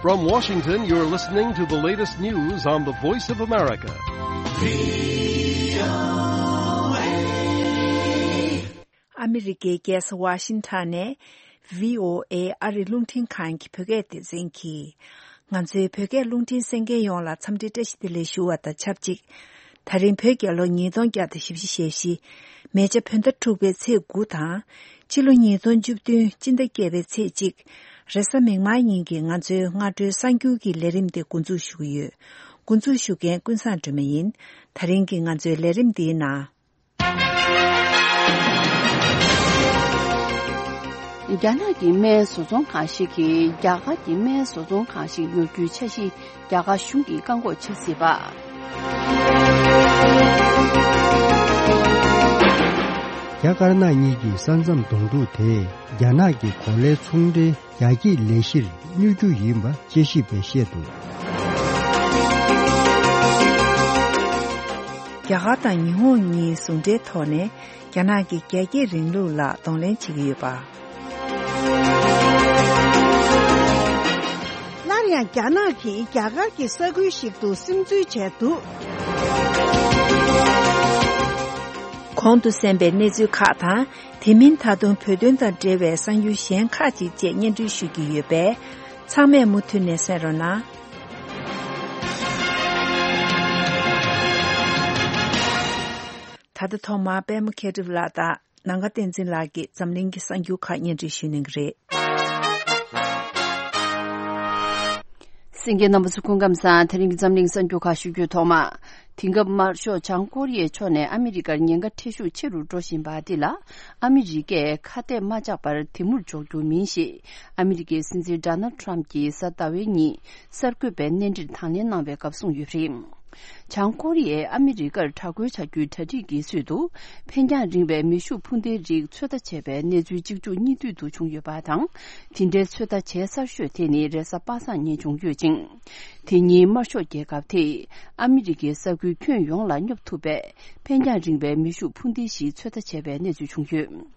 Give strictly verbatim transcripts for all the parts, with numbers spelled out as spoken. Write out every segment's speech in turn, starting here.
From Washington, you're listening to the latest news on the Voice of America. ཨ་མི་རི་ཀའི་རྒྱལ་ས་ཝ་ཤིང་ཊོན་ནས་བྷི་ཨོ་ཨེ་ཨ་རིའི་རླུང་འཕྲིན་ཁང་གི་བོད་སྐད་སྡེ་ཚན་གྱིས། ང་ཚོའི་བོད་སྐད་རླུང་འཕྲིན་གསན་མཁན་ཡོངས་ལ་འཚམས་འདྲི་བཀྲ་ཤིས་བདེ་ལེགས་ཞུ་བ་དང་ཆབས་ཅིག་ད་རིང་བོད་རྒྱལ་ལོ་ཉིས་སྟོང་བརྒྱ་དང་བཞི་བཅུ་ཞེ་བཞི། མེ་བྱ་བོད་ཟླ་དྲུག་པའི་ཚེས་དགུ་དང་། ཕྱི་ལོ་ཉིས་སྟོང་བཅུ་བདུན་སྤྱི་ཟླ་བརྒྱད་པའི་ཚེས་གཅིག་རེས་གཟའ་མིག་དམར་ཉིན་གྱི་ང་ཚོའི་སྔ་དྲོའི་གསར་འགྱུར་གྱི་ལས་རིམ་དེ་འགོ་འཛུགས་ཞུ་གི་ཡོད། འགོ་འཛུགས་ཞུ་མཁན་ཀུན་བཟང་སྒྲོལ་མ་ཡིན། ད་རིང་གི་ང་ཚོའི་ལས་རིམ་འདིའི་ནང་། རྒྱ་ནག་གི་སྨན་བཟོ་ཚོང་ཁང་ཞིག་གིས་རྒྱ་གར་གྱི་སྨན་བཟོ་ཚོང་ཁང་ཞིག་ཉོ་རྒྱུའི་འཆར་གཞི་རྒྱ་གར་གཞུང་གིས་བཀག་འགོག་བྱེད་སྲིད་པ། རྒྱ་དཀར་ནག་གཉིས་ཀྱི་ས་མཚམས་གདོང་ཐུག་དེས་རྒྱ་ནག་གི་གོ་ལའི་ཚོང་འབྲེལ་རྒྱ་སྐྱེད་ལས་གཞིར་གནོད་རྒྱུ་ཡིན་པ་དཔྱད་ཞིབ་པས་བཤད་འདུག་རྒྱ་གར་དང་ཉི་ཧོང་གཉིས་ཟུང་འབྲེལ་ཐོག་ནས་རྒྱ་ནག་གི་རྒྱ་སྐྱེད་རིང་ལུགས་ལ་གདོང་ལེན་བྱེད་ཀྱི་ཡོད་པ། སླར་ཡང་རྒྱ་ནག་གིས་རྒྱ་གར་གྱི་ས་ཁུལ་ཞིག་ཏུ་སིམ་འཛུལ་བྱས་འདུག་གོང་དུ་གསན་པའི་གནས་ཚུལ་ཁག་དང་། དེ་མིན་ད་དུང་བོད་དོན་དང་འབྲེལ་བའི་གསར་འགྱུར་གཞན་ཁག་ཅིག་བཅས་སྙན་སྒྲོན་ཞུ་རྒྱུ་ཡོད་པས། ཚང་མས་མུ་མཐུད་ནས་གསན་རོགས་གནང་། ད་ལྟ་ཐོག་མར་པད་མ་མཁས་གྲུབ་ལགས་དང་། ནམ་མཁའ་བསྟན་འཛིན་ལགས་ཀྱིས་འཛམ་གླིང་གི་གསར་འགྱུར་ཁག་སྙན་སྒྲོན་ཞུ་གནང་གི་རེད། གསན་མཁན་རྣམ་པ་ཚོ་སྐུ་ཁམས་བཟང་། དེ་རིང་གི་འཛམ་གླིང་གསར་འགྱུར་ཁག་ཞུ་རྒྱུའི་ཐོག་མ། དེང་སྐབས་དམར་ཤོག་བྱང་ཀོ་རི་ཡའི་ཕྱོགས་ནས་ཨ་མི་རི་ཀར་ཉེན་ཁ་ཁྲེལ་ཤུགས་ཆེ་རུ་འགྲོ་བཞིན་པ་འདི་ལ། ཨ་མི་རི་ཀས་ཁ་གཏད་མ་བཅག་པར་དེ་མུར་འཇོག་རྒྱུ་མིན་ཞེས། ཨ་མི་རི་ཀའི་སྲིད་འཛིན་ཌོ་ནལ་ཊམ་གྱིས་གཟའ་ཟླ་བའི་ཉིན་གསར་འགོད་པའི་གནས་འདྲིར་དང་ལེན་གནང་བའི་སྐབས་གསུངས་ཡོད་པ་རེད། བྱང་ཀོ་རི་ཡས་ཨ་མི་རི་ཀར་དྲག་རྒོལ་བྱ་རྒྱུའི་གྲ་སྒྲིག་གི་ཚུལ་དུ། འཕེན་རྒྱང་རིང་བའི་མེ་ཤུགས་འཕུར་མདེལ་རིགས་ཚོད་ལྟ་བྱས་པའི་གནས་ཚུལ་གཅིག་མཇུག་གཉིས་མཐུད་དུ་བྱུང་ཡོད་པ་དང་། དེ་འདྲའི་ཚོད་ལྟ་བྱེད་གསར་ཤོས་དེ་ནི་རེས་གཟའ་པ་སངས་ཉིན་བྱུང་ཡོད་ཅིང་། དེ་ཉིན་དམར་ཤོག་རྒྱལ་ཁབ་དེས་ཨ་མི་རི་ཀའི་ས་ཁུལ་ཁྱོན་ཡོངས་ལ་སྙོབ་ཐུབ་པའི་འཕེན་རྒྱང་རིང་བའི་མེ་ཤུགས་འཕུར་མདེལ་ཞིག་ཚོད་ལྟ་བྱས་པའི་གནས་ཚུལ་བྱུང་ཡོད།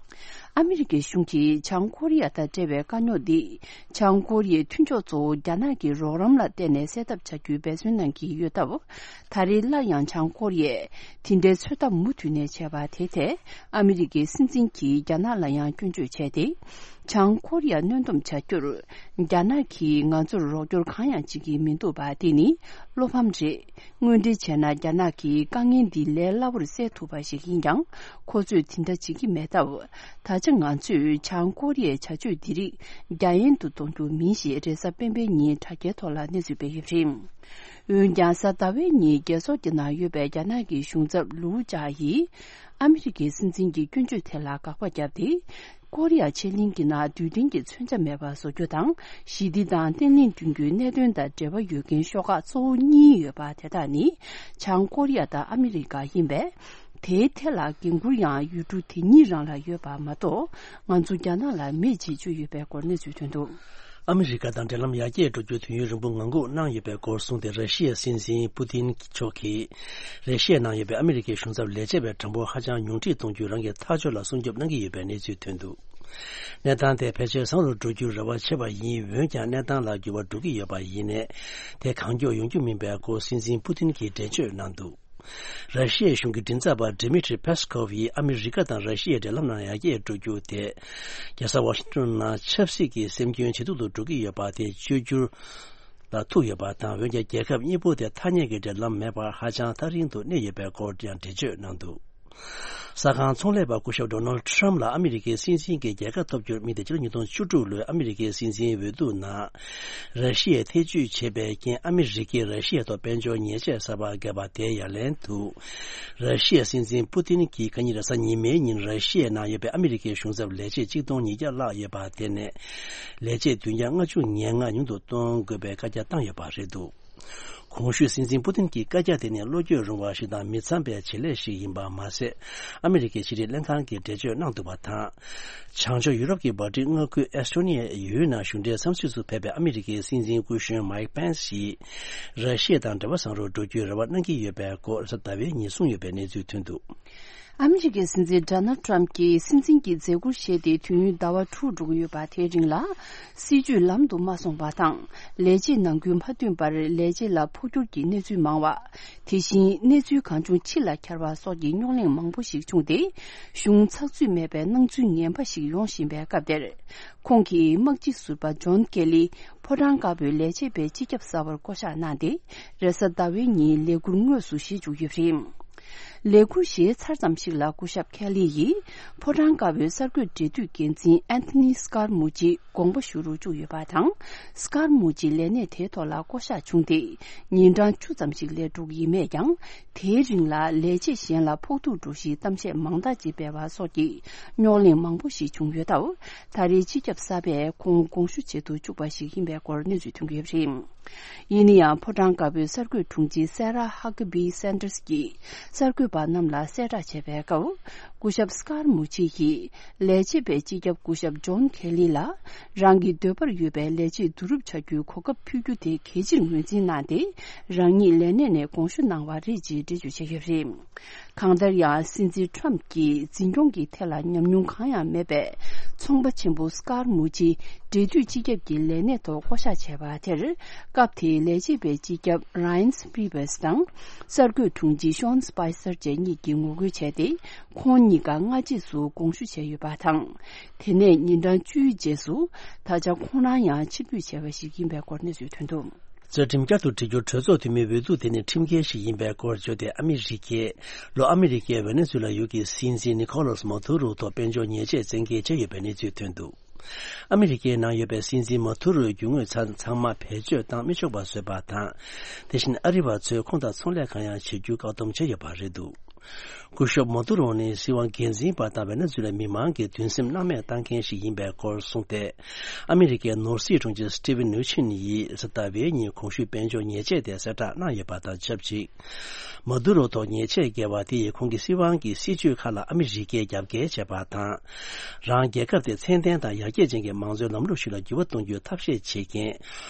ཨ་མི་རི་ཀའི་གཞུང་གིས་བྱང་ཀོ་རི་ཡ་དང་འབྲེལ་བའི་དཀའ་རྙོག་འདི། བྱང་ཀོ་རི་ཡའི་མཐུན་ཕྱོགས་གཙོ་བོ་རྒྱ་ནག་གི་རོགས་རམ་ལ་བརྟེན་ནས་སེལ་ཐབས་བྱ་རྒྱུའི་འབད་བརྩོན་གནང་གི་ཡོད་སྟབས། ད་རེས་སླར་ཡང་བྱང་ཀོ་རི་ཡས་དེ་འདྲའི་ཚོད་ལྟ་མུ་མཐུད་ནས་བྱས་པ་དེ་ཐད། ཨ་མི་རི་ཀའི་སྲིད་འཛིན་གྱིས་རྒྱ་ནག་ལ་ཡང་སྐྱོན་བརྗོད་བྱས་ཏེ། བྱང་ཀོ་རི་ཡ་གནོན་སྡོམ་བྱ་རྒྱུར། རྒྱ་ནག་གིས་ང་ཚོར་རོགས་སྐྱོར་གང་ཡང་བྱེད་ཀྱི་མི་འདུག་པ་དེ་ནི་བློ་ཕམ་རེད། དངོས་འབྲེལ་བྱས་ན་རྒྱ་ནག་གིས་དཀའ་ངལ་འདི་ལས་སླ་པོར་སེལ་ཐུབ་པ་ཞིག་ཡིན་ཀྱང་། ཁོ་ཚོས་དེ་འདྲ་བྱེད་ཀྱི་མེད་སྟབས། ད་ཆ་ང་ཚོས་བྱང་ཀོ་རི་ཡའི་བྱ་སྤྱོད་འདི་རིགས་རྒྱ་ཡན་དུ་གཏོང་རྒྱུ་མིན་ཞེས་རེས་གཟའ་སྤེན་པའི་ཉིན་དྲ་རྒྱའི་ཐོག་ལ་གནས་ཚུལ་སྤེལ་ཡོད་པ་རེད། འོན་ཀྱང་། གཟའ་ཟླ་བའི་ཉིན་རྒྱལ་ཚོགས་ཀྱི་ནང་ཡོད་པའི་རྒྱ་ནག་གི་གཞུང་ཚབ་ལུའུ་ཅཱ་ཡིས། ཨ་མི་རི་ཀའི་སྲིད་འཛིན་གྱི་སྐྱོན་བརྗོད་དེ་ལ་དགག་པ་བརྒྱབ་སྟེ། ཀོ་རི་ཡ་ཕྱེད་གླིང་གི་ནང་རྡུལ་ཕྲན་གྱི་མཚོན་ཆ་མེད་པ་བཟོ་རྒྱུ་དང་། ཞི་བདེ་དང་བརྟན་ལྷིང་བསྐྲུན་རྒྱུའི་གནད་དོན་དང་འབྲེལ་བ་ཡོད་མཁན་ཤོག་ཁག་གཙོ་བོ་གཉིས་ཡོད་པ་དེ་དག་ནི། བྱང་ཀོ་རི་ཡ་དང་ཨ་མི་རི་ཀ་ཡིན་པས། དེའི་ཐད་ལ་འགན་འཁུར་ཡང་ཡུལ་གྲུ་དེ་གཉིས་རང་ལ་ཡོད་པ་མ་གཏོགས། ང་ཚོ་རྒྱ་ནག་ལ་མེད་ཅེས་བརྗོད་ཡོད་པའི་སྐོར་གནས་ཚུལ་ཐོན་འདུག་ཨ་མི་རི་ཀ་དང་འབྲེལ་ལམ་ཡར་རྒྱས་འགྲོ་རྒྱུར་དུས་ཡུན་རིང་པོ་ངང་སྒུག་གནང་ཡོད་པའི་སྐོར་གསུངས་ཏེ། ར་ཤི་ཡའི་སྲིད་འཛིན་པུ་ཏིན་མཆོག་གིས། ར་ཤི་ཡའི་ནང་ཡོད་པའི་ཨ་མི་རི་ཀའི་གཞུང་ཚབ་ལས་བྱེད་པའི་གྲངས་འབོར་ཧ་ཅང་ཉུང་འཕྲི་གཏོང་རྒྱུ་རང་གི་ཐག་གཅོད་ལ་སྲུང་སྐྱོབ་གནང་གི་ཡོད་པའི་གནས་ཚུལ་ཐོན་འདུག་གནས་སྟངས་དེ་ཕལ་ཆེར་བཟང་རུ་འགྲོ་རྒྱུར་རེ་བ་ཆེ་བ་ཡིན། འོན་ཀྱང་། གནས་སྟངས་ལ་འགྱུར་བ་འགྲོ་གི་ཡོད་པ་ཡིན་ནའི། དེ་གང་མགྱོགས་ཡོང་རྒྱུ་མིན་པའི་སྐོར་སྲིད་འཛིན་པུ་ཏིན་གྱིས་འགྲེལ་བརྗོད་གནང་འདུག་ར་ཤི་ཡའི་གཞུང་གི་མགྲིན་ཚབ་པ་ཌི་མི་ཏྲི་པེ་སི་ཀོབ་ཡིས། ཨ་མི་རི་ཀ་དང་ར་ཤི་ཡའི་འབྲེལ་ལམ་ནང་ཡར་རྒྱས་འགྲོ་རྒྱུ་དེ། རྒྱལ་ས་ཝ་ཤིང་ཏོན་ནང་ཆབ་སྲིད་ཀྱི་སེམས་སྐྱོན་ཇེ་སྡུག་ཏུ་འགྲོ་གི་ཡོད་པ་དེ་བཅོས་བསྒྱུར་ལ་ཐུག་ཡོད་པ་དང་། འོན་ཀྱང་། རྒྱལ་ཁབ་གཉིས་པོ་དེ་ཐ་སྙད་ཀྱི་འབྲེལ་ལམ་མེད་པར་ཧ་ཅང་ཐག་རིང་དུ་གནས་ཡོད་པའི་སྐོར་ཡང་འགྲེལ་བརྗོད་གནང་འདུག་གསར་ཁང་ཚོང་ལས་པ་སྐུ་ཞབས་ཌོ་ནལ་ཌི་ཊརམ་ཕི་ལ་ཨ་མི་རི་ཀའི་སྲིད་འཛིན་གྱི་རྒྱལ་ཁ་ཐོབ་རྒྱུར་དམིགས་ཏེ། ཕྱི་ལོ་ཉིས་སྟོང་བཅུ་དྲུག་ལོའི་ཨ་མི་རི་ཀའི་སྲིད་འཛིན་འོས་བསྡུ་ནང་། ར་ཤི་ཡས་ཐེ་བྱུས་བྱས་པའི་རྐྱེན། ཨ་མི་རི་ཀས་ར་ཤི་ཡའི་ཐོག་དཔལ་འབྱོར་ཉེས་ཆད་གསར་པ་བརྒྱབ་པ་དེའི་ཡ་ལན་དུ། ར་ཤི་ཡའི་སྲིད་འཛིན་པུ་ཏིན་གྱིས་ཁ་ཉིན་རེས་གཟའ་ཉི་མའི་ཉིན་ར་ཤི་ཡའི་ནང་ཡོད་པའི་ཨ་མི་རི་ཀའི་གཞུང་ཚབ་ལས་བྱེད་གཅིག་སྟོང་ཉིས་བརྒྱ་ལྷག་ཡོད་པ་དེ་ནས། ལས་བྱེད་བདུན་བརྒྱ་ལྔ་བཅུ་ང་ལྔ་ཉུང་དུ་གཏོང་དགོས་པའི་བཀའ་རྒྱ་བཏང་ཡོད་པ་རེད་འདུག་གོང་ཞུས་སྲིད་འཛིན་པུ་ཏིན་གྱི་བཀའ་རྒྱ་དེ་ནི་བློ་འགྱོད་རུང་བ་ཞིག་དང་མི་འཚམ་པའི་བྱེད་ལས་ཤིག་ཡིན་པ་མ་ཟད། ཨ་མི་རི་ཀའི་ཕྱི་དྲིལ་ལྷན་ཁང་གིས་འགྲེལ་བརྗོད་གནང་འདུག་པ་དང་། བྱང་ཕྱོགས་ཡུ་རོབ་ཀྱི་འབར་ཏི་མངའ་ཁུལ་ཨེ་སི་ཊོ་ནི་ཡའི་ཡུལ་ནང་གཞུང་འབྲེལ་འཚམས་གཟིགས་སུ་ཕེབས་པའི་ཨ་མི་རི་ཀའི་སྲིད་འཛིན་སྐུ་གཞོན་མའིག་པེན་སི་ཡིས། ར་ཤི་ཡ་དང་འབྲེལ་བ་བཟང་རུ་འགྲོ་རྒྱུའི་རེ་བ་གནང་གི་ཡོད་པའི་སྐོར་རེས་གཟའ་ཟླ་བའི་ཉིན་གསུངས་ཡོད་པའི་གནས་ཚུལ་ཐོན་འདུག་ཨ་མི་རི་ཀའི་སྲིད་འཛིན་ཌོ་ནལ་ཊམ་གྱིས་སྲིད་འཛིན་གྱི་མཛད་ཁུར་བཞེས་ཏེ་དུས་ཡུན་ཟླ་བ་དྲུག་འགྲོ་གི་ཡོད་པ། དེའི་རིང་ལ་སྲིད་ཇུས་ལམ་དུ་མ་སོང་བ་དང་། ལས་བྱེད་ནང་ཁུལ་མ་མཐུན་པར་ལས་བྱེད་ལ་འཕོ་འགྱུར་གྱི་གནས་ཚུལ་མང་བ། དེ་བཞིན་གནས་ཚུལ་གང་བྱུང་ཕྱི་ལ་འཁྱར་བ་སོགས་ཀྱི་རྙོག་གླེང་མང་པོ་ཞིག་བྱུང་སྟེ། གཞུང་ཚགས་ཚུད་མེད་པའི་སྣང་ཚུལ་ངན་པ་ཞིག་ཡོང་བཞིན་པའི་སྐབས་དེར། ཁོང་གིས་དམག་སྤྱི་ཟུར་པ་ཇོན་ཀེ་ལི་ཕོ་བྲང་དཀར་པོའི་ལས་བྱེད་པའི་སྤྱི་ཁྱབ་གསར་པར་བསྐོ་གཞག་གནང་སྟེ། རེས་གཟའ་ཟླ་བའི་ཉིན་ལས་ཁུར་དངོས་སུ་བཞེས་བཅུག་ཡོད་པ་རེད། ལས་ཁུར་བཞེས་ཚར་ཙམ་ཞིག་ལ་སྐུ་ཞབས་ཁེ་ལི་ཡིས་ཕོ་བྲང་དཀར་པོའི་གསར་འགོད་འབྲེལ་མཐུད་འགན་འཛིན་ཨན་ཐོ་ནི་སྐར་མུ་ཅི་དགོངས་པ་ཞུ་རུ་བཅུག་ཡོད་པ་དང་། སྐར་མུ་ཅི་ལས་གནས་དེའི་ཐོག་ལ་བསྐོ་གཞག་བྱུང་སྟེ། ཉིན་གྲངས་བཅུ་ཙམ་ཞིག་ལས་འགྲོ་གི་ཡིན་མོད་ཀྱང་། དེའི་རིང་ལ་ལས་བྱེད་གཞན་ལ་ཕོག་ཐུག་འགྲོ་གཞིའི་གཏམ་བཤད་མང་དག་ཅིག་སྤེལ་བ་སོགས་ཀྱི་རྙོག་གླེང་མང་པོ་ཞིག་བྱུང་ཡོད་སྟབས། ད་རེས་སྤྱི་ཁྱབ་གསར་པས་ཁོང་དགོངས་ཞུ་བྱེད་དུ་བཅུག་པ་ཞིག་ཡིན་པའི་སྐོར་གནས་ཚུལ་ཐོན་གྱི་ཡོད་པ་རེད། ཡིན་ན་ཡང་། ཕོ་བྲང་དཀར་པོའི་གསར་འགོད་དྲུང་ཆེ་སེ་ར་ཧ་ཀ་བི་སན་ཏར་སི་གྱིས་གསར་འགོད་པ་རྣམས་ལ་གསལ་བསྒྲགས་བྱས་པའི་སྐབས། སྐུ་ཞབས་སྐར་མུ་ཆེ་ཡིས་ལས་བྱེད་པའི་སྤྱི་ཁྱབ་སྐུ་ཞབས་ཇོན་ཁེ་ལི་ལ། རང་གི་འདོད་པར་ཡོད་པའི་ལས་བྱེད་བསྡུ་རུབ་བྱ་རྒྱུའི་གོ་སྐབས་ཕུལ་རྒྱུ་དེ་གལ་ཆེར་ངོས་འཛིན་གནང་སྟེ། རང་ཉིད་ལས་གནས་ནས་དགོངས་ཞུ་གནང་བ་རེད་ཅེས་འགྲེལ་བརྗོད་བྱས་ཡོད་པ་རེད། གང་ལྟར་ཡང་། སྲིད་འཛིན་ཊམ་གྱིས་འཛིན་སྐྱོང་གི་ཐད་ལ་ཉམས་མྱོང་གང་ཡང་མེད་པའི་ཚོང་པ་ཆེན་པོ་སི་ཀར་མུ་ཅི་འབྲེལ་མཐུད་སྤྱི་ཁྱབ་ཀྱི་ལས་གནས་ཐོག་བསྐོ་གཞག་བྱས་པ་དེར། སྐབས་དེའི་ལས་བྱེད་པའི་སྤྱི་ཁྱབ་ར་ཡན་སི་པི་བེ་སི་དང་། གསར་འགོད་དྲུང་ཆེ་ཤོན་སི་པའི་སར་བཅས་གཉིས་ཀྱིས་ངོ་རྒོལ་བྱས་ཏེ། ཁོང་གཉིས་ཀ་སྔ་རྗེས་སུ་དགོངས་ཞུ་བྱས་ཡོད་པ་དང་། དེ་ནས་ཉིན་གྲངས་བཅུའི་རྗེས་སུ། ད་ཆ་ཁོང་རང་ཡང་ཕྱིར་འབུད་བྱས་པ་ཞིག་ཡིན་པའི་སྐོར་གནས་ཚུལ་ཐོན་འདུག། རྩ་ཁྲིམས་བསྐྱར་དུ་སྒྲིག་རྒྱུར་གྲོས་ཚོགས་འཐུས་མིའི་འོས་བསྡུ་དེ་ནི་ཁྲིམས་འགལ་ཞིག་ཡིན་པའི་སྐོར་བརྗོད་དེ། ཨ་མི་རི་ཀས་ལྷོ་ཨ་མི་རི་ཀའི་ཝེ་ནེ་ཛུ་ལ་ཡུལ་གྱི་སྲིད་འཛིན་ནི་ཁོ་ལོ་སི་མ་དུ་རོ་ཐོག་དཔལ་འབྱོར་ཉེས་ཆད་བཙན་འགེལ་བྱས་ཡོད་པའི་གནས་ཚུལ་ཐོན་འདུག། ཨ་མི་རི་ཀའི་ནང་ཡོད་པའི་སྲིད་འཛིན་མ་དུ་རོའི་རྒྱུ་དངོས་ཚང་ཚང་མ་བེད་སྤྱོད་བཏང་མི་ཆོག་པ་བཟོས་པ་དང་། དེ་བཞིན་ཨ་རི་བ་ཚོས་ཁོང་དང་ཚོང་ལས་གང་ཡང་བྱེད་རྒྱུ་བཀག་སྡོམ་བྱས་ཡོད་པ་རེད་འདུག། སྐུ་ཞབས་མ་དུ་རོ་ནི་སྲིད་དབང་སྒེར་འཛིན་པ་དང་ཝེ་ནེ་ཛུ་ལའི་མི་མང་གི་འདུན་སེམས་སྣང་མེད་བཏང་མཁན་ཞིག་ཡིན་པའི་སྐོར་གསུངས་ཏེ། ཨ་མི་རི་ཀའི་ནོར་སྲིད་དྲུང་ཆེ་སི་ཊི་ཝན་ནུ་ཆིན་ཡིས་གཟའ་ཟླ་བའི་ཉིན་གོང་ཞུས་དཔལ་འབྱོར་ཉེས་ཆད་དེ་གསལ་བསྒྲགས་གནང་ཡོད་པ་དང་ཆབས་ཅིག། མ་དུ་རོ་ཐོག་ཉེས་ཆད་བཀལ་བ་དེ་ཡིས་ཁོང་གི་སྲིད་དབང་གི་སྲིད་ཇུས་ཁག་ལ་ཨ་མི་རི་ཀས་རྒྱབ་འགལ་བྱས་པ་དང་། རང་རྒྱལ་ཁབ་དེ་ཚད་ལྡན་དང་ཡར་རྒྱས་ཅན་གྱི་མང་གཙོའི་ལམ་ལུགས་ཤིག་ལ་འགྱུར་བ་གཏོང་རྒྱུའི་ཐབས་ཤེས་བྱེད་མཁན།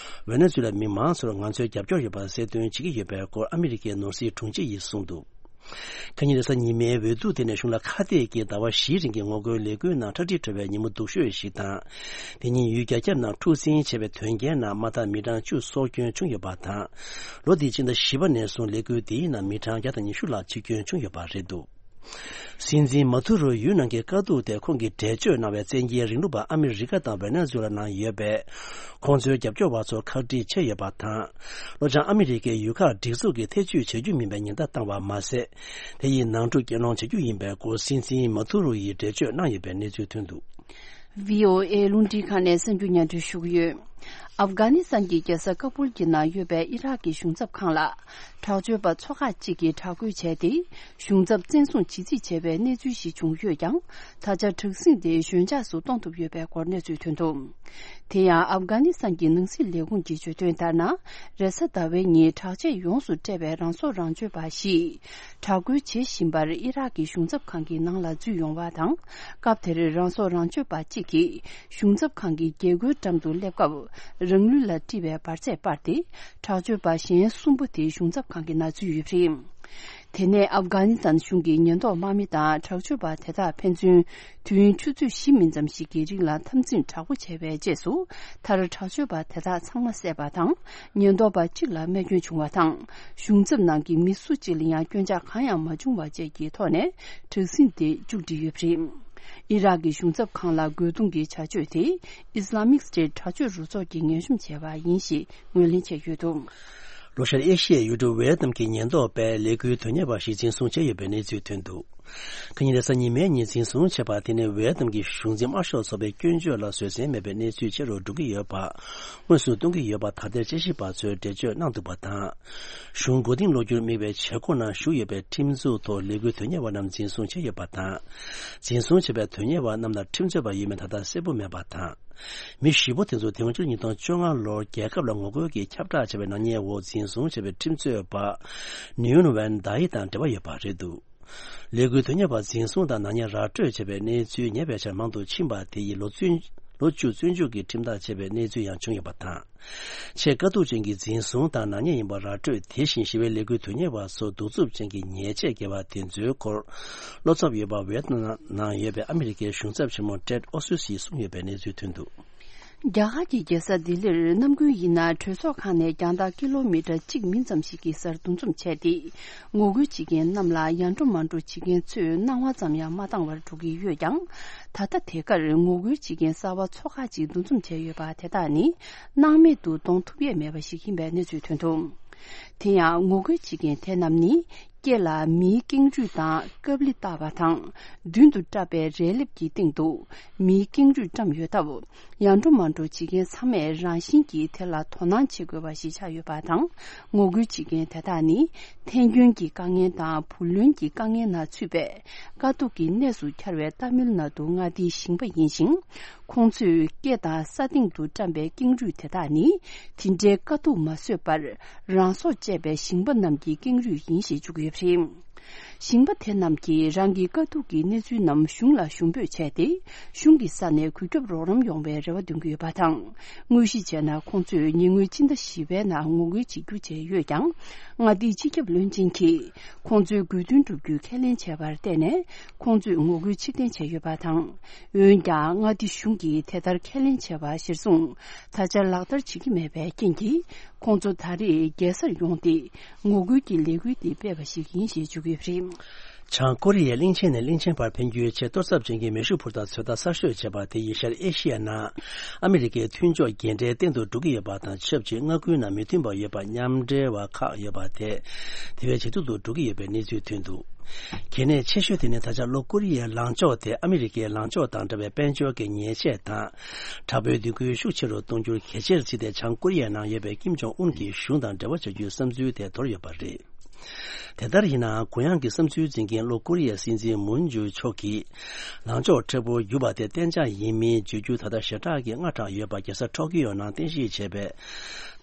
ཝེ་ནེ་ཛུ་ལའི་མི་མང་ཚོར་ང་ཚོའི་རྒྱབ་སྐྱོར་ཡོད་པ་གསལ་སྟོན་བྱེད་ཀྱི་ཡོད་པའི་སྐོར་ཨ་མི་རི་ཀའི་ནོར་སྲིད་དྲུང་ཆེ་ཡིས་གསུངས་འདུག། ཁ་ཉིན་རེས་གཟའ་ཉི་མའི་འོས་བསྡུ་དེ་ནི་གཞུང་ལ་ཁ་གཏད་ཀྱིས་ཟླ་བ་བཞིའི་རིང་གི་ངོ་རྒོལ་ལས་འགུལ་ནང་ཁྲག་དྲི་བྲོ་བའི་ཉིན་མོ་སྡུག་ཤོས་ཤིག་དང་། དེ་ཉིན་ཡུལ་རྒྱ་ཁྱབ་ནང་འཁྲུག་འཛིང་བྱས་པའི་དོན་རྐྱེན་ནང་མ་མཐའ་མི་གྲངས་བཅུ་སྲོག་སྐྱོན་བྱུང་ཡོད་པ་དང་། ལོ་འདིའི་སྤྱི་ཟླ་བཞི་པ་ནས་བཟུང་ལས་འགུལ་འདིའི་ནང་མི་གྲངས་བརྒྱ་དང་ཉི་ཤུ་ལྷག་འཆི་སྐྱོན་བྱུང་ཡོད་པ་རེད་འདུག། སྲིད་འཛིན་མ་དུ་རོའི་ཡུལ་ནང་གི་དཀའ་སྡུག་དེ་ཁོང་གིས་འགྲེལ་བརྗོད་གནང་བའི་བཙན་རྒྱལ་རིང་ལུགས་པ་ཨ་མི་རི་ཀ་དང་ཝེ་ནེ་ཛུ་ལ་ནང་ཡོད་པའི་ཁོང་ཚོའི་རྒྱབ་སྐྱོར་བ་ཚོར་ཁག་དཀྲིས་བྱས་ཡོད་པ་དང་། ལྷོ་བྱང་ཨ་མི་རི་ཀའི་ཡུལ་ཁག་སྒྲིག་འཛུགས་ཀྱིས་ཐེ་བྱུས་བྱེད་རྒྱུ་མིན་པའི་ཉེན་བརྡ་བཏང་བ་མ་ཟད། དེ་ཡིས་ནང་འཁྲུག་སྐུལ་སློང་བྱེད་རྒྱུ་ཡིན་པའི་སྐོར་སྲིད་འཛིན་མ་དུ་རུ་ཡིས་འགྲེལ་བརྗོད་གནང་ཡོད་པའི་གནས་ཚུལ་ཐོན་འདུག། ཝི་ཨོ་ཨེ་རླུང་འཕྲིན་ཁང་ནས་གསར་འགྱུར་སྙན་སྒྲོན་ཞུ་གི་ཡོད། ཨབ་གྷ་ནི་སི་ཐན་གྱི་རྒྱལ་ས་ཀ་བུལ་གྱི་ནང་ཡོད་པའི་ཨི་རག་གི་གཞུང་ཚབ་ཁང་ལ། དྲག་སྤྱོད་པ་ཚོ་ཁག་ཅིག་གིས་དྲག་རྒོལ་བྱས་ཏེ། གཞུང་ཚབ་བཙན་བཟུང་བྱེད་རྩིས་བྱས་པའི་གནས་ཚུལ་ཞིག་བྱུང་ཡོད་ཀྱང་། ད་ཆ་དྲག་ཟིང་དེ་ཞོད་འཇགས་སུ་གཏོང་ཐུབ་ཡོད་པའི་སྐོར་གནས་ཚུལ་ཐོན་འདུག། དེ་ཡང་ཨབ་གྷ་ནི་སི་ཐན་གྱི་ནང་སྲིད་ལས་ཁུངས་ཀྱིས་བརྗོད་དོན་ལྟར་ན། རེས་གཟའ་ཟླ་བའི་ཉིན་དྲག་ཆས་ཡོངས་སུ་སྤྲས་པའི་རང་སྲོག་རང་གཅོད་པ་ཞིག་དྲག་རྒོལ་བྱེད་བཞིན་པར་ཨི་རག་གི་གཞུང་ཚབ་ཁང་གི་ནང་ལ་འཛུལ་ཡོང་བ་དང་། སྐབས་དེར་རང་སྲོག་རང་གཅོད་པ་གཅིག་གིས་གཞུང་ཚབ་ཁང་གི་རྒྱལ་སྒོའི་འགྲམ་དུ་སླེབས་སྐབས། རང་ལུས་ལ་དཀྲིས་པའི་འབར་རྫས་སྤར་ཏེ། དྲག་སྤྱོད་པ་གཞན་གསུམ་པོ་དེ་གཞུང་ཚབ་ཁང་གི་ནང་འཛུལ་ཡོད་པ་རེད། དེ་ནས་ཨབ་གྷ་ནི་སི་ཐན་གཞུང་གི་ཉེན་རྟོག་དམག་མི་དང་དྲག་སྤྱོད་པ་དེ་དག་ཕན་ཚུན་དུས་ཡུན་ཆུ་ཚོད་བཞི་མིན་ཙམ་ཞིག་གི་རིང་ལ་འཐབ་འཛིང་དྲག་པོ་བྱས་པའི་རྗེས་སུ། མཐར་དྲག་སྤྱོད་པ་དེ་དག་ཚང་མ་བསད་པ་དང་། ཉེན་རྟོག་པ་གཅིག་ལ་རྨས་སྐྱོན་བྱུང་བ་དང་། གཞུང་ཚབ་ནང་གི་མི་སུ་གཅིག་ལ་ཡང་སྐྱོན་ཆག་གང་ཡང་མ་བྱུང་བ་བཅས་ཀྱི་ཐོག་ནས་དྲག་ཟིང་དེ་མཇུག་སྒྲིལ་ཡོད་པ་རེད། ཨི་རག་གི་གཞུང་ཚབ་ཁང་ལ་རྒོལ་རྡུང་གི་བྱ་སྤྱོད་དེ་ཨི་སི་ལ་མིག་སི་ཊེ་ཊི་དྲག་སྤྱོད་རུ་ཚོགས་ཀྱིས་ངན་ཞུམ་བྱས་པ་ཡིན་ཞེས་ངོས་ལེན་བྱས་ཡོད་འདུག། ལྷོ་ཤར་ཨེ་ཤི་ཡའི་ཡུལ་གྲུ་ཝེ་ཡེ་ཏམ་གྱི་ཉེན་རྟོག་པས་ལས་འགུལ་དོན་གཉེར་བ་ཞིག་འཛིན་བཟུང་བྱས་ཡོད་པའི་གནས་ཚུལ་ཐོན་འདུག། ཁ་ཉིན་རེས་གཟའ་ཉི་མའི་ཉིན་འཛིན་བཟུང་བྱས་པ་དེ་ནི་ཝེ་ཡེ་ཏམ་གྱི་གཞུང་འཛིན་དམར་ཤོག་ཚོགས་པའི་སྐྱོན་བརྗོད་ལ་བཟོད་བསྲན་མེད་པའི་གནས་ཚུལ་ཆེ་རུ་འགྲོ་གི་ཡོད་པ་དངོས་སུ་གཏོང་གི་ཡོད་པ་ད་ལྟའི་དཔྱད་ཞིབ་པ་ཚོས་འགྲེལ་བརྗོད་གནང་འདུག་པ་དང་། གཞུང་མགོ་རྟིང་སློག་རྒྱུར་དམིགས་པའི་བྱེད་སྒོ་ནང་ཞུགས་ཡོད་པའི་ཁྲིམས་འཛུགས་ཐོག་ལས་འགུལ་དོན་གཉེར་བ་རྣམས་འཛིན་བཟུང་བྱས་ཡོད་པ་དང་། འཛིན་བཟུང་བྱས་པའི་དོན་གཉེར་བ་རྣམས་ལ་ཁྲིམས་རྩོད་པ་ཡོད་མེད་ད་ལྟ་གསལ་པོ་མེད་པ་དང་། མི་བཞི་པོ་དེ་ཚོ་དེ་སྔ་ཕྱི་ལོ་ཉིས་སྟོང་བཅོ་ལྔ་ལོར་རྒྱལ་ཁབ་ལ་ངོ་རྒོལ་གྱི་ཁྱབ་བསྒྲགས་བྱས་པའི་ནག་ཉེས་འོག་འཛིན་བཟུང་བྱས་པའི་ཁྲིམས་རྩོད་པ་ནིའུན་ཝན་དཱ་ཡི་དང་འབྲེལ་བ་ཡོད་པ་རེད་འདུག། ལས་འགུལ་དོན་གཉེར་བ་འཛིན་བཟུང་དང་ནག་ཉེས་ར་སྤྲོད་བྱས་པའི་གནས་ཚུལ་ཉེ་བའི་ཆར་མང་དུ་ཕྱིན་པ་དེ་ཡིས་ལོ་ཚུན་ ལོ་བཅུ་བཙོན་འཇུག་གི་ཁྲིམས་ཐག་བཅད་པའི་གནས་ཚུལ་ཡང་བྱུང་ཡོད་པ་དང་། ཆེས་དཀའ་སྡུག་ཅན་གྱི་འཛིན་བཟུང་དང་ནག་ཉེས་ཡིན་པ་ར་སྤྲོད། དེ་བཞིན་ཞི་བའི་ལས་འགུལ་དོན་གཉེར་བ་ཚོ་གདུག་རྩུབ་ཅན་གྱི་ཉེས་ཆད་འགེལ་བ་དེ་ཚོའི་སྐོར། བློ་འཚབ་ཡོད་པ་ཝེ་ཏི་ནམ་ནང་ཡོད་པའི་ཨ་མི་རི་ཀའི་གཞུང་ཚབ་ཆེན་མོ་ཏྲེད་ཨོ་སུ་སིས་གསུངས་ཡོད་པའི་གནས་ཚུལ་ཐོན་འདུག། རྒྱ་གར་གྱི་རྒྱལ་ས་ལྡི་ལིར་གནམ་དགུན་ཡིན་ན་གྲོས་ཚོགས་ཁང་ནས་རྒྱང་ཐག་ཀི་ལོ་མི་ཊར་གཅིག་མིན་ཙམ་ཞིག་གི་སར་འདུ་འཛོམས་བྱས་ཏེ། ངོ་རྒོལ་བྱེད་མཁན་རྣམས་ལ་ཡ་འགྲོ་མ་འགྲོ་བྱེད་མཁན་ཚོས་སྣང་བ་ཙམ་ཡང་མ་བཏང་བར་འགྲོ་གི་ཡོད་ཀྱང་། ད་ལྟ་དེ་གར་ངོ་རྒོལ་བྱེད་མཁན་གསར་པ་ཚོ་ཁག་ཅིག་འདུ་འཛོམས་བྱས་ཡོད་པ་དེ་དག་ནི་སྣང་མེད་དུ་གཏོང་ཐུབ་ཡས་མེད་པ་ཞིག་ཡིན་པའི་གནས་ཚུལ་ཐོན་འདུག། དེ་ཡང་ངོ་རྒོལ་བྱེད་མཁན་དེ་རྣམས་ནི། སྐེ་ལ་མིའི་ཀེང་རུས་དང་ཀབ་ལི་བཏགས་པ་དང་། མདུན་དུ་བཀྲབ་པའི་རས་ལེབ་ཀྱི་སྟེང་དུ་མིའི་ཀེང་རུས་བཀྲམ་ཡོད་སྟབས། ཡ་འགྲོ་མ་འགྲོ་བྱེད་མཁན་ཚང་མས་རང་བཞིན་གྱིས་དེ་ལ་དོ་སྣང་བྱེད་དགོས་པ་ཞིག་ཆགས་ཡོད་པ་དང་། ངོ་རྒོལ་བྱེད་མཁན་དེ་དག་ནི་ཐན་སྐྱོན་གྱི་དཀའ་ངལ་དང་བུ་ལོན་གྱི་དཀའ་ངལ་ནང་ཚུད་པའི་དཀའ་སྡུག་གི་གནས་སུ་གྱར་བའི་ཏཱ་མིལ་ནཱ་ཏུ་མངའ་སྡེའི་ཞིང་པ་ཡིན་ཞིང་། ཁོང་ཚོས་སྐེ་དང་ས་སྟེང་དུ་བཀྲམ་པའི་ཀེང་རུས་དེ་དག་ནི་དེ་འདྲའི་དཀའ་སྡུག་མ་བཟོད་པར། རང་སྲོག་བཅད་པའི་ཞིང་པ་རྣམས་ཀྱི་ཀེང་རུས་ཡིན་ཞེས་བརྗོད་ཀྱི་ཡོད་པ་རེད། ཞིང་པ་དེ་རྣམས་ཀྱིས་རང་གི་དཀའ་སྡུག་གི་གནས་ཚུལ་རྣམས་གཞུང་ལ་ཞུ་འབོད་བྱས་ཏེ། གཞུང་གི་ས་ནས་གུས་སྐྱོབ་རོགས་རམ་ཡོང་བའི་རེ་བ་འདོན་གྱི་ཡོད་པ་དང་། དངོས་གཞི་བྱས་ན་ཁོང་ཚོས་ཉེ་སྔོན་སྤྱི་ཟླ་བཞི་པའི་ནང་ངོ་རྒོལ་བྱེད་རྒྱུ་བྱས་ཡོད་ཀྱང་། མངའ་སྡེའི་སྤྱི་ཁྱབ་བློན་ཆེན་གྱིས་ཁོང་ཚོའི་དགོས་འདུན་བསྒྲུབ་རྒྱུའི་ཁས་ལེན་བྱས་པར་བརྟེན་ནས། ཁོང་ཚོས་ངོ་རྒོལ་ཕྱིར་འཐེན་བྱས་ཡོད་པ་དང་། འོན་ཀྱང་། མངའ་སྡེ་གཞུང་གིས་དེ་ལྟར་ཁས་ལེན་བྱས་པ་གཞིར་བཟུང་། ད་ཆ་ལག་བསྟར་བྱེད་ཀྱི་མེད་པའི་རྐྱེན་གྱིས། ཁོང་ཚོ་ད་རེས་རྒྱལ་སར་ཡོང་སྟེ། ངོ་རྒོལ་གྱི་ལས་འགུལ་འདི་སྤེལ་བ་ཞིག་ཡིན་ཞེས་བརྗོད་ཀྱི་ཡོད་པ་རེད། བྱང་ཀོ་རི་ཡས་གླིང་ཆེན་ནས་གླིང་ཆེན་བར་འཕེན་རྒྱུའི་ཆེས་གཏོར་ཚབས་ཅན་གྱི་མེ་ཤུགས་འཕུར་མདའ་ཚོད་ལྟ་གསར་ཤོས་བྱས་པ་དེ་ཡིས་ཤར་ཨེ་ཤི་ཡའི་ནང་ཨ་མི་རི་ཀའི་མཐུན་ཕྱོགས་རྒྱས་འབྲས་སྟེང་དུ་འགྲོ་གི་ཡོད་པ་དང་ཆབས་ཅིག། མངའ་ཁུལ་ནང་མི་མཐུན་པ་ཡོད་པ་མཉམ་འབྲེལ་བ་ཁག་ཡོད་པ་དེ། དེ་བས་ཇེ་སྡུག་ཏུ་འགྲོ་གི་ཡོད་པའི་གནས་ཚུལ་ཐོན་འདུག། གལ་གནད་ཆེ་ཤོས་དེ་ནི་ད་ཆ་ལྷོ་ཀོ་རི་ཡའི་ལངས་ཕྱོགས་དེ་ཨ་མི་རི་ཀའི་ལངས་ཕྱོགས་དང་འདྲ་བའི་དཔལ་འབྱོར་གྱི་ཉེས་ཆད་དང་། དྲག་པོའི་སྡིགས་སྐུལ་ཤུགས་ཆེ་རུ་གཏོང་རྒྱུར་གལ་ཆེར་བརྩིས་ཏེ། བྱང་ཀོ་རི་ཡའི་ནང་ཡོད་པའི་ཀིམ་ཇོང་ཨུན་གྱི་གཞུང་དང་འབྲེལ་བ་བྱ་རྒྱུའི་བསམ་ཚུལ་དེ་དོར་ཡོད་པ་རེད། དེ་ལྟར་ཡིན་ནའང་། གུ་ཡངས་ཀྱི་བསམ་ཚུལ་འཛིན་མཁན་ལྷོ་ཀོ་རི་ཡའི་སྲིད་འཛིན་མུན་ཇུ་མཆོག་གིས། ལངས་ཕྱོགས་མཁྲེགས་པོར་གྱུར་པ་དེ་གཏན་འཇགས་ཡིན་མིན་བརྗོད་རྒྱུ་ད་ལྟ་ཞེ་དྲག་གི་སྔ་དྲགས་ཡོད་པ་རྒྱལ་ས་ཊོ་ཀི་ཡོ་ནང་རྟེན་གཞི་བྱས་པའི་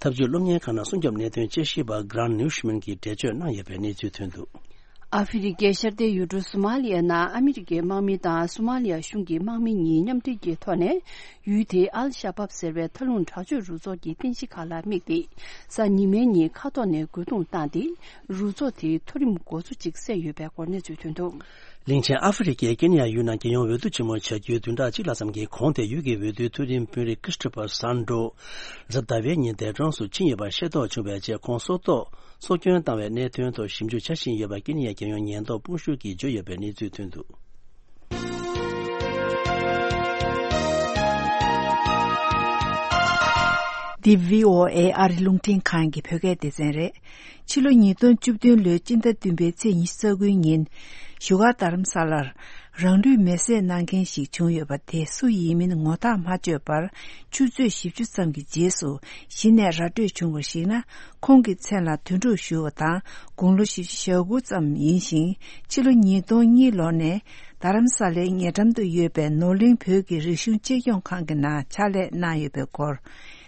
ཐབས་ཇུས་སློབ་གཉེར་ཁང་ནང་སྲུང་སྐྱོབ་གནད་དོན་དཔྱད་ཞིབ་པ་Grant Newsham གྱིས་འགྲེལ་བརྗོད་གནང་ཡོད་པའི་གནས་ཚུལ་ཐོན་འདུག། ཨ་ཧྥེ་རི་ཀའི་ཤར་མཐའི་ཡུལ་གྲུ་སོ་མ་ལི་ཡ་ནང་ཨ་མི་རི་ཀའི་དམག་མི་དང་སོ་མ་ལི་ཡ་གཞུང་གི་དམག་མི་གཉིས་མཉམ་འབྲེལ་གྱི་ཐོག་ནས། ཡུལ་དེའི་ཨལ་ཤ་བབ་ཟེར་བའི་མཐའ་ལྷུང་དྲག་སྤྱོད་རུ་ཚོགས་ཀྱི་རྟེན་གཞི་ཁག་ལ་དམིགས་ཏེ། གཟའ་ཉི་མའི་ཉིན་མཁའ་ཐོག་ནས་རྒོལ་རྡུང་བཏང་སྟེ། རུ་ཚོགས་དེའི་མཐོ་རིམ་འགོ་གཙོ་གཅིག་བསད་ཡོད་པའི་སྐོར་གནས་ཚུལ་ཐོན་འདུག། གླིང་ཆེན་ཨ་ཧྥེ་རི་ཀའི་ཀེན་ཡ་ཡུལ་ནང་རྒྱལ་ཡོངས་འོས་བསྡུ་ཆེན་མོ་བྱ་རྒྱུའི་བདུན་ཕྲག་གཅིག་ལྷག་ཙམ་གྱི་གོང་དེ། ཡུལ་གྱི་འོས་བསྡུའི་མཐོ་རིམ་དཔོན་རིགས་Christopher Sandro གཟའ་ཟླ་བའི་ཉིན་འདས་གྲོངས་སུ་ཕྱིན་ཡོད་པ་ཤེས་རྟོགས་བྱུང་བའི་རྗེས། ཁོང་སྲོག་ཐོག་སྲོག་སྐྱོན་བཏང་བའི་གནད་དོན་ཐོག་ཞིབ་འཇུག་བྱ་བཞིན་ཡོད་པ་ཀེན་ཡའི་རྒྱལ་ཡོངས་ཉེན་རྟོག་དཔུང་ཤུགས་ཀྱིས་བརྗོད་ཡོད་པའི་གནས་ཚུལ་ཐོན་འདུག། འདི་བྷི་ཨོ་ཨེ་ཨ་རི་རླུང་འཕྲིན་ཁང་གི་བོད་སྐད་སྡེ་ཚན་རེད། ཕྱི་ལོ་ཉིས་སྟོང་བཅུ་བདུན་ལོའི་སྤྱི་ཟླ་བདུན་པའི་ཚེས་ཉི་ཤུ་རྩ་དགུའི་ཉིན། བཞུགས་སྒར་རྡ་རམ་ས་ལར་རང་ལུས་མེར་སྲེག་གནང་མཁན་ཞིག་བྱུང་ཡོད་པ་དེ་སུ་ཡིན་མིན་ངོ་ཐག་མ་ཆོད་པར། ཆུ་ཚོད་བཞི་བཅུ་ཙམ་གྱི་རྗེས་སུ་གཞི་ནས་ར་སྤྲོད་བྱུང་བར་གཞིགས་ན། ཁོང་གི་མཚན་ལ་དོན་གྲུབ་ཞུ་བ་དང་། དགུང་ལོ་བཞི་བཅུ་ཞེ་དགུ་ཙམ་ཡིན་ཞིང་། ཕྱི་ལོ་ཉིས་སྟོང་གཉིས་ལོ་ནས་རྡ་རམ་ས་ལའི་ཉེ་འགྲམ་དུ་ཡོད་པའི་ནོར་གླིང་བོད་ཀྱི་རིག་གཞུང་གཅེས་སྐྱོང་ཁང་གི་ནང་ཕྱག་ལས་གནང་ཡོད་པའི་སྐོར།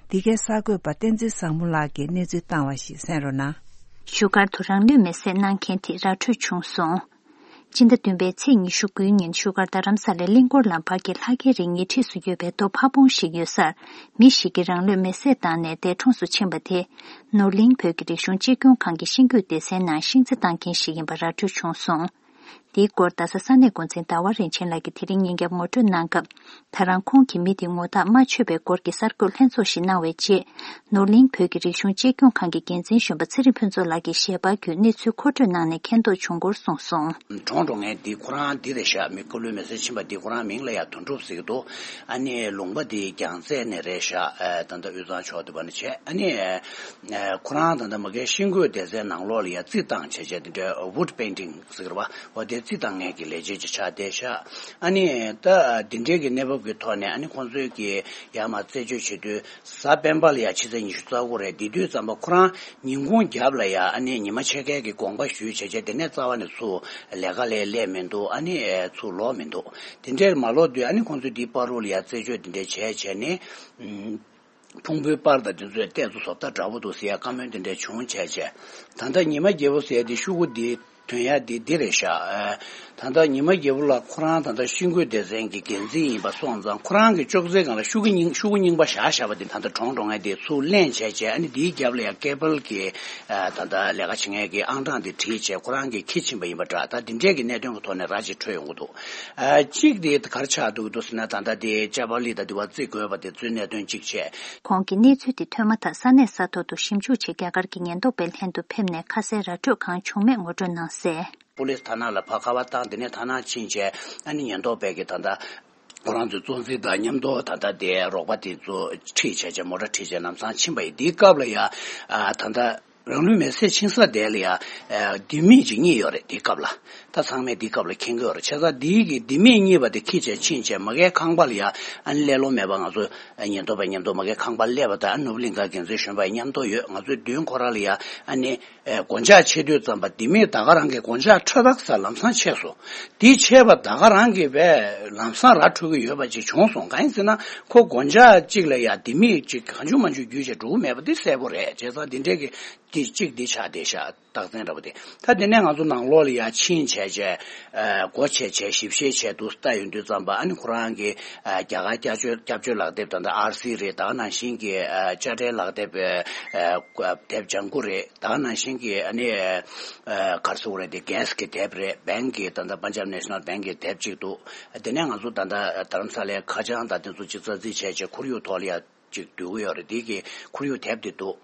འདི་གའི་གསར་འགོད་པ་བསྟན་འཛིན་བཟང་མོ་ལགས་ཀྱིས་གནས་ཚུལ་བཏང་བ་ཞིག་གསན་རོགས་གནང་། བཞུགས་སྒར་དུ་རང་ལུས་མེར་སྲེག་གནང་མཁན་དེ་ར་འཕྲོད་བྱུང་སོང་། སྤྱི་ཟླ་བདུན་པའི་ཚེས་ཉི་ཤུ་དགུའི་ཉིན་བཞུགས་སྒར་རྡ་རམ་ས་ལའི་གླིང་སྐོར་ལམ་བར་གྱི་ལྷ་སྐལ་རི་ཉེ་འཁྲིས་སུ་ཡོད་པའི་རྡོ་ཕ་བོང་ཞིག་ཡོད་སར། མི་ཞིག་གིས་རང་ལུས་མེར་སྲེག་བཏང་ནས་འདས་གྲོངས་སུ་ཕྱིན་པ་དེ། ནོར་གླིང་བོད་ཀྱི་རིག་གཞུང་གཅེས་སྐྱོང་ཁང་གི་ཤིང་བརྐོས་སྡེ་ཚན་ནང་ཤིང་རྩི་བཏང་མཁན་ཞིག་ཡིན་པ་ར་འཕྲོད་བྱུང་སོང་། འདིའི་སྐོར་རྡ་ས་ས་གནས་འགོ་འཛིན་ཟླ་བ་རིན་ཆེན་ལགས་ཀྱིས་དེ་རིང་ཉིན་རྒྱབ་ངོ་སྤྲོད་གནང་སྐབས། ད་རང་ཁོང་གིས་མི་དེ་ངོ་ཐག་མ་ཆོད་པའི་སྐོར་གྱི་གསར་འགོད་ལྷན་ཚོགས་ཤིག་གནང་བའི་རྗེས། ནོར་གླིང་བོད་ཀྱི་རིག་གཞུང་གཅེས་སྐྱོང་ཁང་གི་འགན་འཛིན་གཞོན་པ་ཚེ་རིང་ཕུན་ཚོགས་ལགས་ཀྱིས་ཞལ་པར་བརྒྱུད་གནས་ཚུལ་མཁོ་སྤྲོད་གནང་ནས་མཁྱེན་རྟོགས་བྱུང་སྐོར་གསུངས་སོང་། གྲོངས་འགྲོ་མཁན་འདི་ཁོ་རང་འདི་རེད་ཤག། མི་སྐུ་ལུས་མེར་སྲེག་ཕྱིན་པ་འདི་ཁོ་རང་མིང་ལ་ཡ་དོན་གྲུབ་ཟེར་གྱི་འདུག། ཨ་ནི་ལུང་པ་འདི་རྒྱལ་རྩེ་ནས་རེད་ཤག། ཨ་ད་ལྟ་དབུས་གཙང་ཕྱོགས་དེ་བ་ནས་བྱས། ཨ་ནི་ཨ་ཁོ་རང་ད་ལྟ་མ་གིའི་ཤིང་བརྐོས་སྡེ་ཚན་ནང་ལོགས་ལ་ཡ་རྩི་བཏང་བྱས་བྱས་དེ་འདྲའི་wood painting ཟེར་གྱི་རེད་བ། འོ་དེ་རྩི་བཏང་མཁན་གྱི་ལས་བྱེད་ཅིག་ཆགས་བསྡད་ཤག། ཨ་ནི་ད་འདི་འདྲའི་གི་གནས་བབ་ཀྱི་ཐོག་ནས། ཨ་ནི་ཁོང་ཚོས་ཀྱི་ཡར་མར་རྩད་གཅོད་བྱེད་དུས། གཟའ་སྤེན་པ་ལ་ཡ་ཕྱི་ཚེས་ཉི་ཤུ་རྩ་དགུ་རེད། དེ་དུས་ཙམ་པ་ཁོ་རང་ཉིན་གུང་རྒྱབ་ལ་ཡ། ཨ་ནི་ཉི་མ་ཕྱེད་ཀའི་གི་དགོངས་པ་ཞུས་བྱས་བྱས། དེ་ནས་རྩ་བ་ནས་ཚུར་ལས་ཀ་ལ་སླེབས་མི་འདུག། ཨ་ནི་ཚུར་ལོག་མི་འདུག། དེ་འདྲའི་མ་ལོག་དུས། ཨ་ནི་ཁོང་ཚོས་འདིའི་བར་དུ་ལ་ཡ་རྩད་གཅོད་དེ་འདྲ་བྱས་བྱས་ནས། ཨུམ། ཕུང་པོའི་པར་དང་དེ་ཚོའི་ལྟས་ཚོ་བཟོ་ལྟ་འདྲ་པོ་འདུག་ཟེར་ཡ་བཀའ་མོལ་དེ་འདྲ་བྱུང་བྱས་བྱས། ད་ལྟ་ཉི་མ་རྒྱལ་པོ་ཟེར་ཡ་དེ་ཤོག་གུ་འདི་ཐོན་ཡ་དེ་འདི་རེད་ཤག། ཨ། ད་ལྟ་ཉི་མ་རྒྱལ་པོ་ལགས་ཁོ་རང་ད་ལྟ་ཤིང་བརྐོས་སྡེ་ཚན་གྱི་འགན་འཛིན་ཡིན་པ་སོང་ཙང་ཁོ་རང་གི་ཅོག་ཙེའི་སྒང་ལ་ཤོག་གུ་རྙིང་ཤོག་གུ་རྙིང་པ་བཞག་བཞག་པ་དེ་ད་ལྟ་གྲོངས་འགྲོ་མཁན་དེ་ཚུར་ལེན་བྱས་བྱས། ཨ་ནི་དེའི་རྒྱབ་ལ་ཡང་ཀེ་བལ་གྱི་ད་ལྟ་ལས་ཀ་བྱེད་མཁན་གྱི་ཨང་གྲངས་དེ་བྲིས་བྱས་ཁོ་རང་གིས་འཁྱེར་ཕྱིན་པ་ཡིན་པ་འདྲ། ད་འདི་འདྲས་ཀྱི་གནད་དོན་གྱི་ཐོག་ནས་ར་ཅིག་འཕྲོད་ཡོང་གི་འདུག་ཨ་གཅིག་དེ་ག་རེ་ཆགས་འདུག་འདུག་ཟེར་ན། ད་ལྟ་དེ་ཅ་པ་ལི་ད་དེ་བ་རྩིས་དགོས་པ་དེ་ཚོའི་གནད་དོན་གཅིག་བྱས། ཁོང་གིས་གནས་ཚུལ་དེ་ཐོས་མ་ཐག་ས་གནས་ས་ཐོག་ཏུ་ཞིབ་འཇུག་ཆེད་རྒྱ་གར་གྱི་ཉེན་རྟོག་པའི་ལྷན་དུ་ཕེབས་ནས་ཁ་གསལ་ར་འཕྲོད་གང་བྱུང་མེད་ངོ་སྤྲོད་གནང་གསལ། པུ་ལིས་ཐ་ན་ལ་ཕར་ཁ་པར་བཏང་། དེ་ནས་ཐ་ན་ཕྱིན་བྱས་ཨ་ནི་ཉེན་རྟོག་པས་ཀྱི་ད་ལྟ་ཁོ་རང་ཚོའི་གཙོ་འཛིན་དང་མཉམ་དུ་ད་ལྟ་དེ་རོགས་པ་དེ་ཚོ་ཁྲིད་བྱས་བྱས་མོ་ཊ་ཁྲིད་བྱས་ལམ་སང་ཕྱིན་པ་ཡིན། དེའི་སྐབས་ལ་ཡ་ཨ་ད་ལྟ་རང་ལུས་མེར་སྲེག་ཕྱིན་ས་དེ་ལ་ཡ་ཨ་ལྡེ་མིག་ཅིག་རྙེད་ཡོད་རེད། དེའི་སྐབས་ལ་ད་ཚང་མས་དེའི་སྐབས་ལ་མཁྱེན་གྱི་ཡོད་རེད། བྱས་ཙང་དེའི་གི་ལྡེ་མིག་རྙེད་པ་དེ་ཁྱེར་བྱས་ཕྱིན་བྱས་མ་གིའི་ཁང་པ་ལ་ཡ་ཨ་ནི་ཀླད་ལོང་མེད་པ་ང་ཚོ་ཉེན་རྟོག་པ་མཉམ་དུ་མ་གིའི་ཁང་པ་སླེབས་པ་དང་ཨ་ནི་ནོར་བུ་གླིང་ག་འགན་འཛིན་གཞོན་པ་མཉམ་དུ་ཡོད། ང་ཚོའི་མདུན་ཁོ་ར་ལ་ཡ་ཨ་ནི། ཨེ་སྒོ་ལྕགས་ཕྱེ་དུས་ཙམ་པ་ལྡེ་མིག་ད་ག་རང་གི་སྒོ་ལྕགས་འཕྲོད་ཐག་ས་ལམ་སང་ཆད་སོང་། དེ་ཆད་པ་ད་ག་རང་གི་བས་ལམ་སང་ར་འཕྲོད་ཀྱི་ཡོད་པ་ཅིག་བྱུང་སོང་། གང་ཡིན་ཟེར་ན་ཁོ་སྒོ་ལྕགས་གཅིག་ལ་ཡ་ལྡེ་མིག་ཅིག་གང་བྱུང་མང་བྱུང་བརྒྱུད་བྱས་འགྲོ་གི་མེད་པ་དེ་གསལ་པོ་རེད། བྱས་ཙང་འདི་འདྲས་ཀྱི་དེ་གཅིག་འདི་ཆགས་བསྡད་ཤག་རྟགས་མཚན་འདྲ་པོ་དེ། ད་དེ་ནས་ང་ཚོ་ནང་ལོགས་ལ་ཡ་ཕྱིན་བྱས་བྱས་ཨ་སྒོ་ཕྱེ་བྱས་ཞིབ་བཤེར་བྱས་འདུག་ལྟ་ཡོང་དུས་ཙམ་པ་ཨ་ནི་ཁོ་རང་གི་ཨ་རྒྱ་གར་སྐྱབས་བཅོལ་སྐྱབས་བཅོལ་ལག་དེབ་ད་ལྟ་ཨར་སི་རེད། ད་ག་ནང་བཞིན་གྱི་ཨ་དཔྱ་ཁྲལ་ལག་དེབ་ཨ་དེབ་ལྗང་ཁུ་རེད། ད་ག་ནང་བཞིན་གྱི་ཨ་ནི་ཨ་ག་རེ་ཟེར་དགོས་རེད། དེ་གྷེ་སི་གི་དེབ་རེད། བེང་གི་ད་ལྟ་པན་ཇབ་ནེ་ཤ་ནལ་བེང་གི་དེབ་ཅིག་འདུག་དེ་ནས་ང་ཚོ་ད་ལྟ་རྡ་རམ་ས་ལའི་ཁ་བྱང་དང་དེ་ཚོ་ཅིག་རྩ་རྩིས་བྱས་བྱས་ཁོར་ཡུག་ཐོག་ལ་ཡ་ཅིག་བསྡུ་གི་ཡོད་རེད། དེ་གི་ཁོར་ཡུག་དེབ་དེ་འདུག་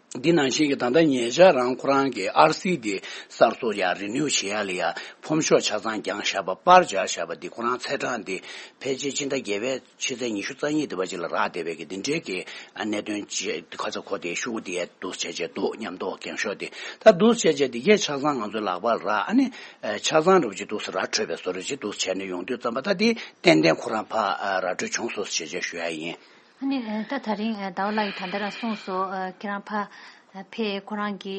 འདི་ནང་བཞིན་གྱི་ད་ལྟ་ཉེ་ཆར་རང་ཁོ་རང་གི་ཨར་སི་འདི་གསར་བཟོ་ཡ་རི་ནིའུ་བྱེད་ཡ་ལ་ཡ་ཕོམ་ཤོག་ཆ་ཚང་བརྒྱངས་བཞག་པ་པར་སྦྱར་བཞག་པ་འདི་ཁོ་རང་ཚེས་གྲངས་འདི་ཕལ་ཆེར་སྤྱི་ཟླ་བརྒྱད་པའི་ཕྱི་ཚེས་ཉི་ཤུ་རྩ་གཉིས་འདི་བ་ཅིག་ལ་རག་བསྡད་པའི་གི་འདི་འདྲའི་གི་ཨ་གནད་དོན་ཅིག་ཁ་ཚ་ཁོ་དེ་ཤུ་གུ་དེ་ཡ་འདུག་བྱས་བྱས་འདུག་མཉམ་དུ་འགེངས་ཤོག་དེ་ད་འདུག་བྱས་བྱས་འདི་གས་ཆ་ཚང་ང་ཚོའི་ལག་པ་ལ་རག་ཨ་ནི་ཆ་ཚང་འདྲ་བོ་ཅིག་འདུག་སེ་ར་འཕྲོད་པའི་བཟོ་འདྲ་ཅིག་འདུག་བྱས་ནས་ཡོང་དུས་ཙམ་པ་ད་དེ་ཏན་ཏན་ཁོ་རང་ཕ་ར་འཕྲོད་བྱུང་སོང་ཟེར་བྱས་བྱས་ཞུ་ཡ་ཡིན། ཨ་ནི་ད་ད་རིང་ཟླ་བ་ལགས་ཀྱིས་ད་ལྟ་རང་གསུངས་སོང་། ཁྱེད་རང་ཕ་ཕེབས་ཁོ་རང་གི་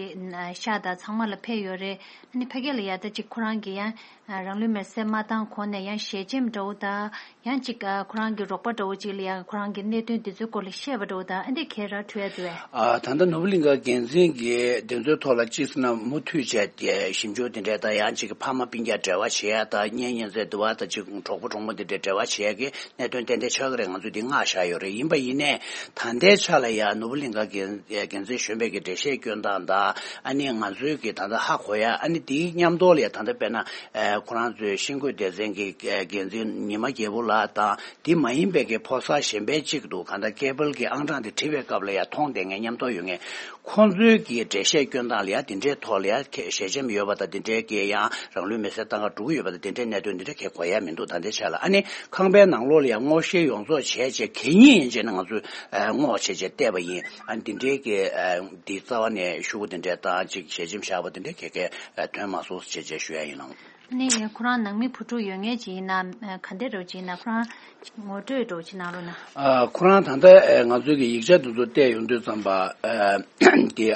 ཤག་དང་ཚང་མ་ལ་ཕེབས་ཡོད་རེད། ཨ་ནི་ཕ་གི་ལ་ཡ་ད་ཅིག་ཁོ་རང་གི་ཡང་རང་ལུས་མེར་སྲེག་མ་བཏང་གོང་ནས་ཡང་ཞལ་ཆེམས་འདྲ་བོ་དང་ཡང་ཅིག་ཁོ་རང་གི་རོགས་པ་འདྲ་བོ་ཅིག་ལ་ཡང་ཁོ་རང་གི་གནད་དོན་འདི་ཚོའི་སྐོར་ལ་བཤད་པ་འདྲ་བོ་དང་ཨ་འདི་གས་ར་འཕྲོད་ཡ་འདུག་བས། ཨ་ད་ལྟ་ནོར་བུ་གླིང་ག་འགན་འཛིན་གྱིས་དེ་ཚོའི་ཐོག་ལ་ཅིག་ཟེར་ན་མུ་མཐུད་བྱས་ཏེ་ཞིབ་འཇུག་དེ་འདྲས་དང་ཡང་ཅིག་ཕ་མ་སྤུན་ཀྱག་འབྲེལ་བ་བྱེད་ཡ་དང་གཉེན་ཉེ་ཚན་འདི་བ་དང་ཅིག་གྲོགས་པོ་གྲོགས་མོ་དེ་འདྲས་འབྲེལ་བ་བྱེད་ཡ་གི་གནད་དོན་ཏན་ཏན་ཆགས་ཀྱི་རེད། ང་ཚོས་འདི་མངགས་བཞག་ཡོད་རེད། ཡིན་པ་ཡིན་ནའི་ད་ལྟའི་ཆ་ལ་ཡ་ནོར་བུ་གླིང་ག་འགན་འགན་འཛིན་གཞོན་པའི་གི་འགྲེལ་བཤད་སྐྱོན་སྟངས་དང་ཨ་ནི་ང་ཚོའི་གི་ད་ལྟ་ཧ་གོ་ཡ་ཨ་ནི་དེའི་མཉམ་དུ་ལ་ཡ་ད་ལྟ་དཔེར་ན་ཁོ་རང་ཚོའི་ཤིང་བརྐོས་སྡེ་ཚན་གི་འགན་འཛིན་ཉི་མ་རྒྱལ་པོ་ལགས་དང་དེ་མ་ཡིན་པའི་གི་ཕོ་གསར་གཞན་པའི་གཅིག་འདུག་གང་ལྟར་ཀེ་བལ་གི་ཨང་གྲངས་དེ་བྲིས་པའི་སྐབས་ལ་ཡ་མཐོང་བསྡད་མཁན་མཉམ་དུ་ཡོད་མཁན་ཁོང་ཚོའི་གི་འགྲེལ་བཤད་སྐྱོན་སྟངས་ལ་ཡ་དེ་འདྲའི་ཐོག་ལ་ཡ་ཞལ་ཆེམས་ཡོད་པ་དང་དེ་འདྲའི་གི་ཡང་རང་ལུས་མེར་སྲེག་བཏང་ག་འགྲོ་གི་ཡོད་པ་དང་དེ་འདྲའི་གནད་དོན་དེ་འདྲ་གས་གོ་ཡ་མི་འདུག་ད་ལྟའི་ཆ་ལ་ཨ་ནི་ཁང་པའི་ནང་ལོགས་ལ་ཡང་སྔོག་བཤེར་ཡོངས་རྫོགས་བྱས་བྱས་གད་སྙིགས་ཡིན་བྱས་ནས་ང་ཚོས་སྔོག་བྱས་བྱས་བལྟས་པ་ཡིན། ཨ་ནི་འདི་འདྲའི་གི་འདི་རྩ་བ་ནས་ཤུ་གུ་འདི་འདྲའི་བཏང་ཅིག་ཞལ་ཆེམས་བཞག་པ་འདི་འདྲའི་གས་གས་ཐོན་མ་སོང་བྱས་བྱས་ཞུ་ཡ་ཡིན་ལགས། ནི་ཁོ་རང་ནང་མི་བུ་ཕྲུག་ཡོད་མཁན་ཅིག་ཡིན་ན་ག་འདྲ་འདྲ་བོ་ཅིག་ཡིན་ན་ཁོ་རང་ངོ་སྤྲོད་འདྲ་བོ་ཅིག་གནང་རོགས་གནང་། ཨ་ཁོ་རང་ད་ལྟ་ང་ཚོའི་གི་ཡིག་ཆ་འདི་ཚོ་བལྟས་ཡོང་དུས་ཙམ་པ་འདི།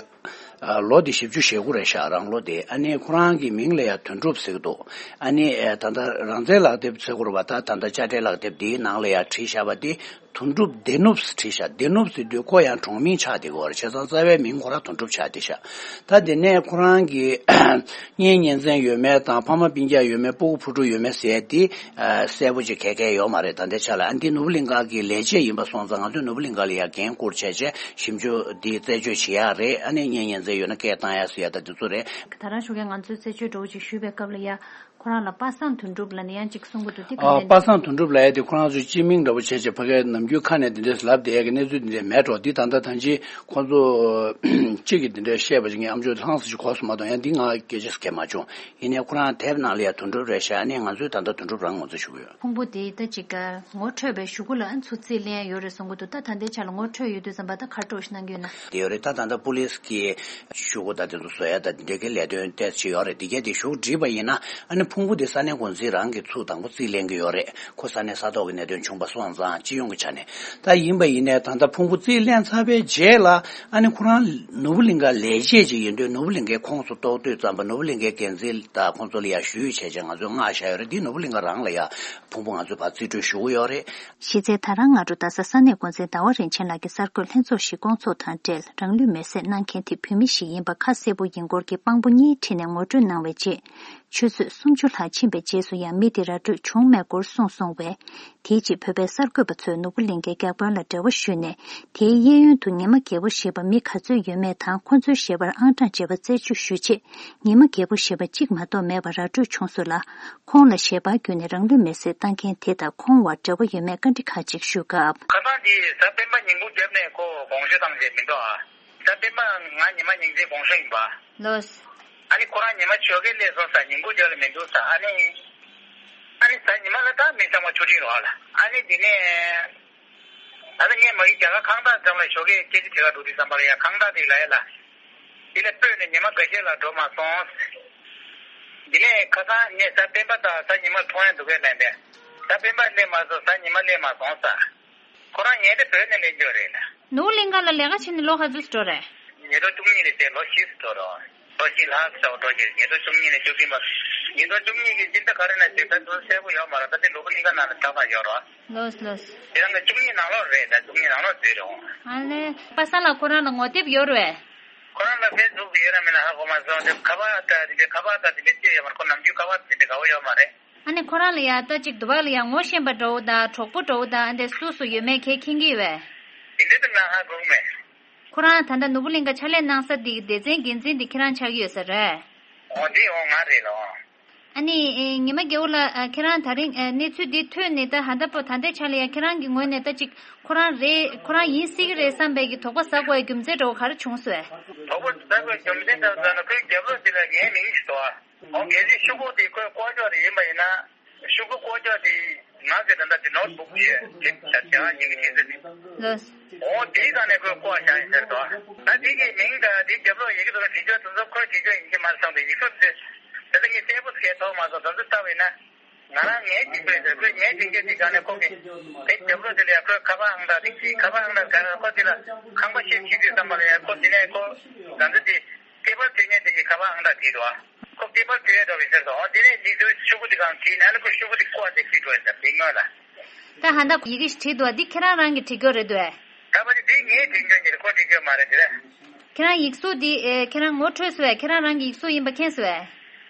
ལོ་འདི་བཞི་བཅུ་ཞེ་དགུ་རེད་ཤག་རང་ལོ་འདི། ཨ་ནི་ཁོ་རང་གི་མིང་ལ་ཡ་དོན་གྲུབ་ཟེར་གི་འདུག་ཨ་ནི་ད་ལྟ་རང་བཙན་ལག་དེབ་ཟེར་དགོས་རེད་པ། ད་ད་ལྟ་དཔྱ་ཁྲལ་ལག་དེབ་འདིའི་ནང་ལ་ཡ་བྲིས་བཞག་པ་འདི་དོན་གྲུབ་བདེ་ནུབ་བྲིས་ཤག་བདེ་ནུབ་ཟེར་དུས་ཁོ་ཡང་གྲོང་མིང་ཆགས་བསྡད་ཀྱི་ཡོད་རེད། བྱས་ཙང་རྩ་བའི་མིང་ཁོ་རང་དོན་གྲུབ་ཆགས་བསྡད་ཤག་ད་དེ་ནས་ཁོ་རང་གི་གཉེན་ཉེ་ཚན་ཡོད་མེད་དང་ཕ་མ་སྤུན་ཀྱག་ཡོད་མེད་སྤུ་གུ་བུ་ཕྲུག་ཡོད་མེད་ཟེར་དེ་གསལ་པོ་ཅིག་ག་གས་ཡོད་མ་རེད། ད་ལྟའི་ཆ་ལ་ཨ་འདི་ནོར་བུ་གླིང་ག་གི་ལས་བྱེད་ཡིན་པ་སོང་ཙང་ང་ཚོས་ནོར་བུ་གླིང་ག་ལ་ཡ་འགན་བསྐུར་བྱས་བྱས་ཞིབ་འཇུག་འདི་རྩད་གཅོད་བྱེད་ཡག་རེད། ཨ་ནི་གཉེན་ཉེ་ཚན་ཡོད་ན་སྐད་བཏང་ཡག་ཟེར་ཡ་ད་དེ་ཚོ་རེད། ད་རང་ཞུ་མཁན་ང་ཚོས་རྩད་གཅོད་འདྲ་བོ་ཅིག་ཞུས་པའི་སྐབས་ལ་ཡ་ཁོ་རང་ལ་པ་སངས་དོན་གྲུབ་ལབ་ནས་ཡང་ཅིག་གསུང་གི་འདུག་འདི་ག་ཨ་འདྲ་པ་སངས་དོན་གྲུབ་ལབ་ཡ་དེ་ཁོ་རང་ཚོའི་སྤྱི་མིང་འདྲ་བོ་བྱས་བྱས་ཕ་གིའི་ནམ་རྒྱུན་ཁ་ནས་དེ་འདྲས་ལབ་བསྡད་ཡ་གི་གནས་ཚུལ་དེ་འདྲས་མེད་འགྲོ། འདི་ད་ལྟ་ཐང་ཅིག་ཁོང་ཚོ་གཅིག་གིས་དེ་འདྲས་བཤད་པ་ཅིག་ངས་ཨམ་ཅོག་ལྷང་སུ་ཞིག་གོ་སོང་མ་གཏོགས་ཡང་འདི་ང་སྐད་ཆ་སྐད་མ་བྱུང་། ཡིན་ནའི་ཁོ་རང་དེབ་ནང་ལ་ཡ་དོན་གྲུབ་རེད་ཤག་ཨ་ནི་ང་ཚོས་ད་ལྟ་དོན་གྲུབ་རང་ངོ་ཚ་ཞུ་གི་ཡོད། ཕུང་པོ་དེ་ད་ཅིག་ངོ་འཕྲོད་པའི་གཞུག་གུ་ལ་ཨ་ཚུར་རྩིས་ལེན་ཡོད་རེད་གསུང་གི་འདུག་ད་ད་ལྟའི་ཆ་ལ་ངོ་འཕྲོད་ཡོད་དུས་ཙམ་པ་ད་ག་རེ་འདྲ་ཞིག་གནང་གི་ཡོད་ན། དེ་ཡོད་རེད། ད་ད་ལྟ་པུ་ལིས་ཀྱི་ཤུ་གུ་ད་དེ་ཚོ་བཟོ་ཡ་ད་འདི་འདྲའི་གི་ལས་དོན་ཏོག་ཙམ་ཡོད་རེད། འདི་གས་དེ་ཤུ་གུ་བྲིས་པ་ཡིན་ན་ཨ་ནི་ཕུང་པོ་དེ་ས་གནས་འགོ་འཛིན་རང་གིས་ཚུར་དང་པོ་རྩིས་ལེན་གི་ཡོད་རེད། ཁོ་ས་གནས་ས་ཐོག་གི་གནད་དོན་བྱུང་པ་སོང་ཙང་སྤྱི་ཡོངས་ཀྱི་ཆ་ནས་ད་ཡིན་པ་ཡིན་ནའི་ད་ལྟ་ཕུང་པོ་རྩིས་ལེན་ཚར་བའི་རྗེས་ལ་ཨ་ནི་ཁོ་རང་ནོར་བུ་གླིང་ག་ལས་བྱེད་ཅིག་ཡིན་དུས་ནོར་བུ་གླིང་གའི་ཁོངས་སུ་གཏོགས་དུས་ཙམ་པ་ནོར་བུ་གླིང་གའི་འགན་འཛིན་དང་ཁོང་ཚོ་ལ་ཡ་ཞུས་བྱས་བྱས་ང་ཚོས་མངགས་བཞག་ཡོད་རེད། འདི་ནོར་བུ་གླིང་ག་རང་ལ་ཡ་ཕུང་པོ་ང་ཚོས་ཕར་རྩིས་སྤྲོད་ཞུ་གི་ཡོད་རེད། གཞི་རྩའི་ད་རང་སྔ་དྲོ་རྡ་ས་ས་གནས་འགོ་འཛིན་ཟླ་བ་རིན་ཆེན་ལགས་ཀྱིས་གསར་འགོད་ལྷན་ཚོགས་ཤིག་བསྐོང་ཚོགས་དང་འབྲེལ་རང་ལུས་མེར་སྲེག་གནང་མཁན་དེ་བོད་མི་ཞིག་ཡིན་པ་ཁ་གསལ་པོ་ཡིན་སྐོར་གྱི་དཔང་པོ་གཉིས་ཁྲིད་ནས་ངོ་སྤྲོད་གནང་བའི་རྗེས། ཆུ་ཚོད་སུམ་ཅུ་ལྷག་ཕྱིན་པའི་རྗེས་སུ་ཡང་མི་དེ་ར་སྤྲོད་བྱུང་མེད་སྐོར་གསུངས་སོང་བས། དེའི་རྗེས་བོད་པའི་གསར་འགོད་པ་ཚོས་ནོར་བུ་གླིང་གའི་རྒྱག་དཔོན་ལ་འབྲེལ་བ་ཞུས་ནས། དེའི་གཡས་གཡོན་དུ་ཉི་མ་རྒྱལ་པོ་ཞེས་པ་མི་ག་ཚོད་ཡོད་མེད་དང་ཁོ་ཚོའི་ཞལ་པར་ཨང་གྲངས་བཅས་པ་རྩད་གཅོད་ཞུས་རྗེས། ཉི་མ་རྒྱལ་པོ་ཞེས་པ་གཅིག་མ་གཏོགས་མེད་པ་ར་སྤྲོད་བྱུང་སོང་ལ། ཁོང་ལ་ཞལ་པར་བརྒྱུད་ནས་རང་ལུས་མེར་སྲེག་བཏང་མཁན་དེ་དང་ཁོང་བར་འབྲེལ་བ་ཡོད་མེད་བཀའ་འདྲི་ཁག་ཅིག་ཞུས་སྐབས། ཁ་སང་དེ་གཟའ་སྤེན་པ་ཉིན་གུང་རྒྱབ་ནས་ཁོ་དགོངས་ཞུ་བཏང་རྗེས་མི་འདུག་ཨ། གཟའ་སྤེན་པ་ང་ཉི་མ་ཉིན་མཚན་དགོངས་ཞུ་ཡིན་པ། ལོས། ཨ་ནི་ཁོ་རང་ཉི་མ་ཞོགས་ཀས་སླེབས་སོང་ས་ཉིན་གུང་རྒྱབ་ལ་མི་འདུག་ས་ཨ་ནི། ཨ་ནི་གཟའ་ཉི་མ་ལ་ད་མི་ཚང་མ་ཆུ་ཕྲན་རོགས་ལ་ཨ་ནི་དེ་ནས། ད་ལྟ་ངས་མ་གི་རྒྱ་གར་ཁང་བདག་འགྲམ་ལ་ཞོགས་ཀས་སྐད་ཆ་དྲི་ག་འགྲོ་དུས་ཙམ་པ་ལ་ཡ་ཁང་བདག་དེ་ལ་ཡ་ལ། དེ་ལ་སྤོས་ནས་ཉི་མ་འགའ་ཤས་ལ་འགྲོ་མ་སོང་། དེ་ནས་ཁ་སང་ངས་གཟའ་སྤེན་པ་དང་གཟའ་ཉི་མ་མཐོང་ཡ་འདུག་གས་ལན་པས། གཟའ་སྤེན་པ་སླེབས་མ་སོང་གཟའ་ཉི་མ་སླེབས་མ་སོང་ས། ཁོ་རང་ངས་དེ་བོད་ནས་ལེན་འཇོག་རེད་ལ། ནོར་བུ་གླིང་ག་ལ་ལས་ཀ་བྱེད་ནས་ལོ་ག་ཚོད་འགྲོ་རེད། ཉིས་སྟོང་བཅུ་གཉིས་ནས་བྱས་ལོ་བཞི་འགྲོ་རོགས། ལོ་གཅིག་ལྷག་ཙམ་འགྲོ་རྒྱུ་ཉིས་སྟོང་བཅུ་གཉིས་ནས་བཅུ་བདུན་བར། ཉིས་སྟོང་བཅུ་གཉིས་ཀྱི་སྤྱི་ཟླ་ག་རེ་ན་ཞིག་ད་དུང་གསལ་པོ་ཡོད་མ་རེད། ད་དེ་ལོ་གི་གླིང་ག་ནང་ལ་ད་བར་ཡོད་རོགས། ལོས་ལོས། དེ་རང་གི་བཅུ་གཉིས་ནང་ལོགས་རེད། ད་བཅུ་གཉིས་ནང་ལོགས་འཛུལ་རེད་འོང་། ཨ་ལེ། པ་སངས་ལགས་ཁོ་རང་ལ་ངོ་དེབ་ཡོད་རེད། ཁོ་རང་ལ་ཕེ་སི་བུག་ཡོད་ར་མེད་ན་ཧ་གོ་མ་སོང་། དེ་ཁ་པར་ད་དེ་འདྲའི་ཁ་པར་ད་དེ་འདྲའི་ཅི་ཡོད་མ་རེད། ཁོ་ནམ་རྒྱུན་ཁ་པར་དེ་འདྲའི་དགའ་བོ་ཡོད་མ་རེད། ཨ་ནི་ཁོ་རང་ལ་ཡ་ད་ཅིག་དུ་བ་ལ་ཡ་ངོ་ཤེས་པ་འདྲ་བོ་དང་གྲོགས་པོ་འདྲ་བོ་དང་ཨ་འདྲ་སུ་སུ་ཡོད་མེད་ཁྱེད་མཁྱེན་གྱི་ཡོད་པས། དེ་འདྲ་དུ་ང་ཧ་གོ་གི་མེད། ཁོ་རང་ད་ལྟ་ནོར་བུ་གླིང་ག་ཕྱག་ལས་གནང་ས་འདི་གི་སྡེ་ཚན་འགན་འཛིན་འདི་ཁྱེད་རང་ཆགས་ཀྱི་ཡོད་ས་རེད། འོ་འདི་འོ་ང་རེད་ལོ། ཨ་ནི་ཨེ་ཉི་མ་རྒྱལ་པོ་ལགས། ཨ་ཁྱེད་རང་ད་རིང་ཨ་གནས་ཚུལ་འདི་ཐོས་ནས་ད་ཧ་ད་པོ་ད་ལྟའི་ཆ་ལ་ཡ་ཁྱེད་རང་གི་ངོས་ནས་ད་ཅིག་ཁོ་རང་རེད་ཁོ་རང་ཡིན་སྲིད་ཀྱི་རེད་བསམ་པའི་གི་དོགས་པ་ཟ་དགོས་ཡ་རྒྱུ་མཚན་འདྲ་བོ་ག་རེ་བྱུང་སོང་། དོགས་པ་ཟ་དགོས་རྒྱུ་མཚན་འདྲ་བོ་ཟ་ན་ཁོའི་རྒྱབ་ལོགས་འདི་ལ་ངའི་མིང་ཞིག་འདུག་ཨ། འོ་གལ་སྲིད་ཤོག་གུ་དེ་ཁོའི་ལྐོག་ཇོག་དེ་ཡིན་པ་ཡིན་ན། ཤོག་གུ་ལྐོག་ཇོག་དེ་ང་ཚོས་ད་ལྟ་དེ་ནོར་བུག་ཞེས་དེ་ད་བྱ་བ་ཡིན་གྱི་ཤེས་ཚོད་འདི། ལོས། འོ་དེའི་སྒང་ནས་ཁོས་བཀོག་བཞག་ཡིན་ཟེར་དོ། ད་དེ་གི་མིང་དང་དེའི་རྒྱབ་ལོགས་ཡི་གེ་དེ་ལ་དེ་ཇོ་དེ་ཚོ་ཁོའི་དེ་ཇོ་ཡིན་གྱི་མ་རེད་བསམ་པའི་ཡིག་གཟུགས་དེ། ད་ལྟ་ངས་གསལ་པོ་ཞིག་མཐོང་མ་སོང་། དེ་ཚོ་ལྟ་བས་ན། ང་རང་ངའི་འཇིགས་པས་ཟེར་ཁོས་ངའི་འཇིགས་སྐད་དེ་སྒང་ནས་ཁོ་གི་དེ་རྒྱབ་ལོགས་དེ་ལ་ཡ་ཁོའི་ཁ་པར་ཨང་གྲངས་དེ་གི་ཁ་པར་ཨང་གྲངས་ག་རེ་ཁོ་དེ་ལ་ཁང་པ་ཤེད་བྱེད་དུས་བསམ་པ་ལ་ཡ་ཁོ་དེ་ནས་ཁོ་ང་ཚོ་དེ་སྐད་པར་བྲིས་མཁན་དེ་གི་ཁ་པར་ཨང་གྲངས་དེ་རེད་བ། ཁོ་སྐད་པར་བྲིས་ཡས་འགྲོ་བའི་ཕྱིར་དུ་འོ་དེ་ནས་ཡིག་ཚོའི་ཤོག་གུ་དེ་གང་བྲིས་ནས་ཨ་ནི་ཁོ་ཤོག་གུ་དེ་བཀོག་སྟེ་བྲིས་འགྲོ་ཡིན་ད་དེ་སྔོན་ལ། ད་ཧ་ད་ཡི་གེ་ཞིག་བྲིས་འདུག་བ་འདི་ཁྱེད་རང་རང་གིས་བྲིས་རྒྱུ་རེད་འདུག་ཨེ། ད་བ་དེ་དེ་ངས་བྲིས་རྒྱུ་ཉིད་ཁོ་བྲིས་རྒྱུ་མ་རེད་དེ་རེད། ཁྱེད་རང་ཡིག་གཟུགས་འདི་ཨེ་ཁྱེད་རང་ངོ་འཕྲོད་སོང་ཨེ། ཁྱེད་རང་རང་གི་ཡིག་གཟུགས་ཡིན་པ་མཁྱེན་སོང་ཨེ།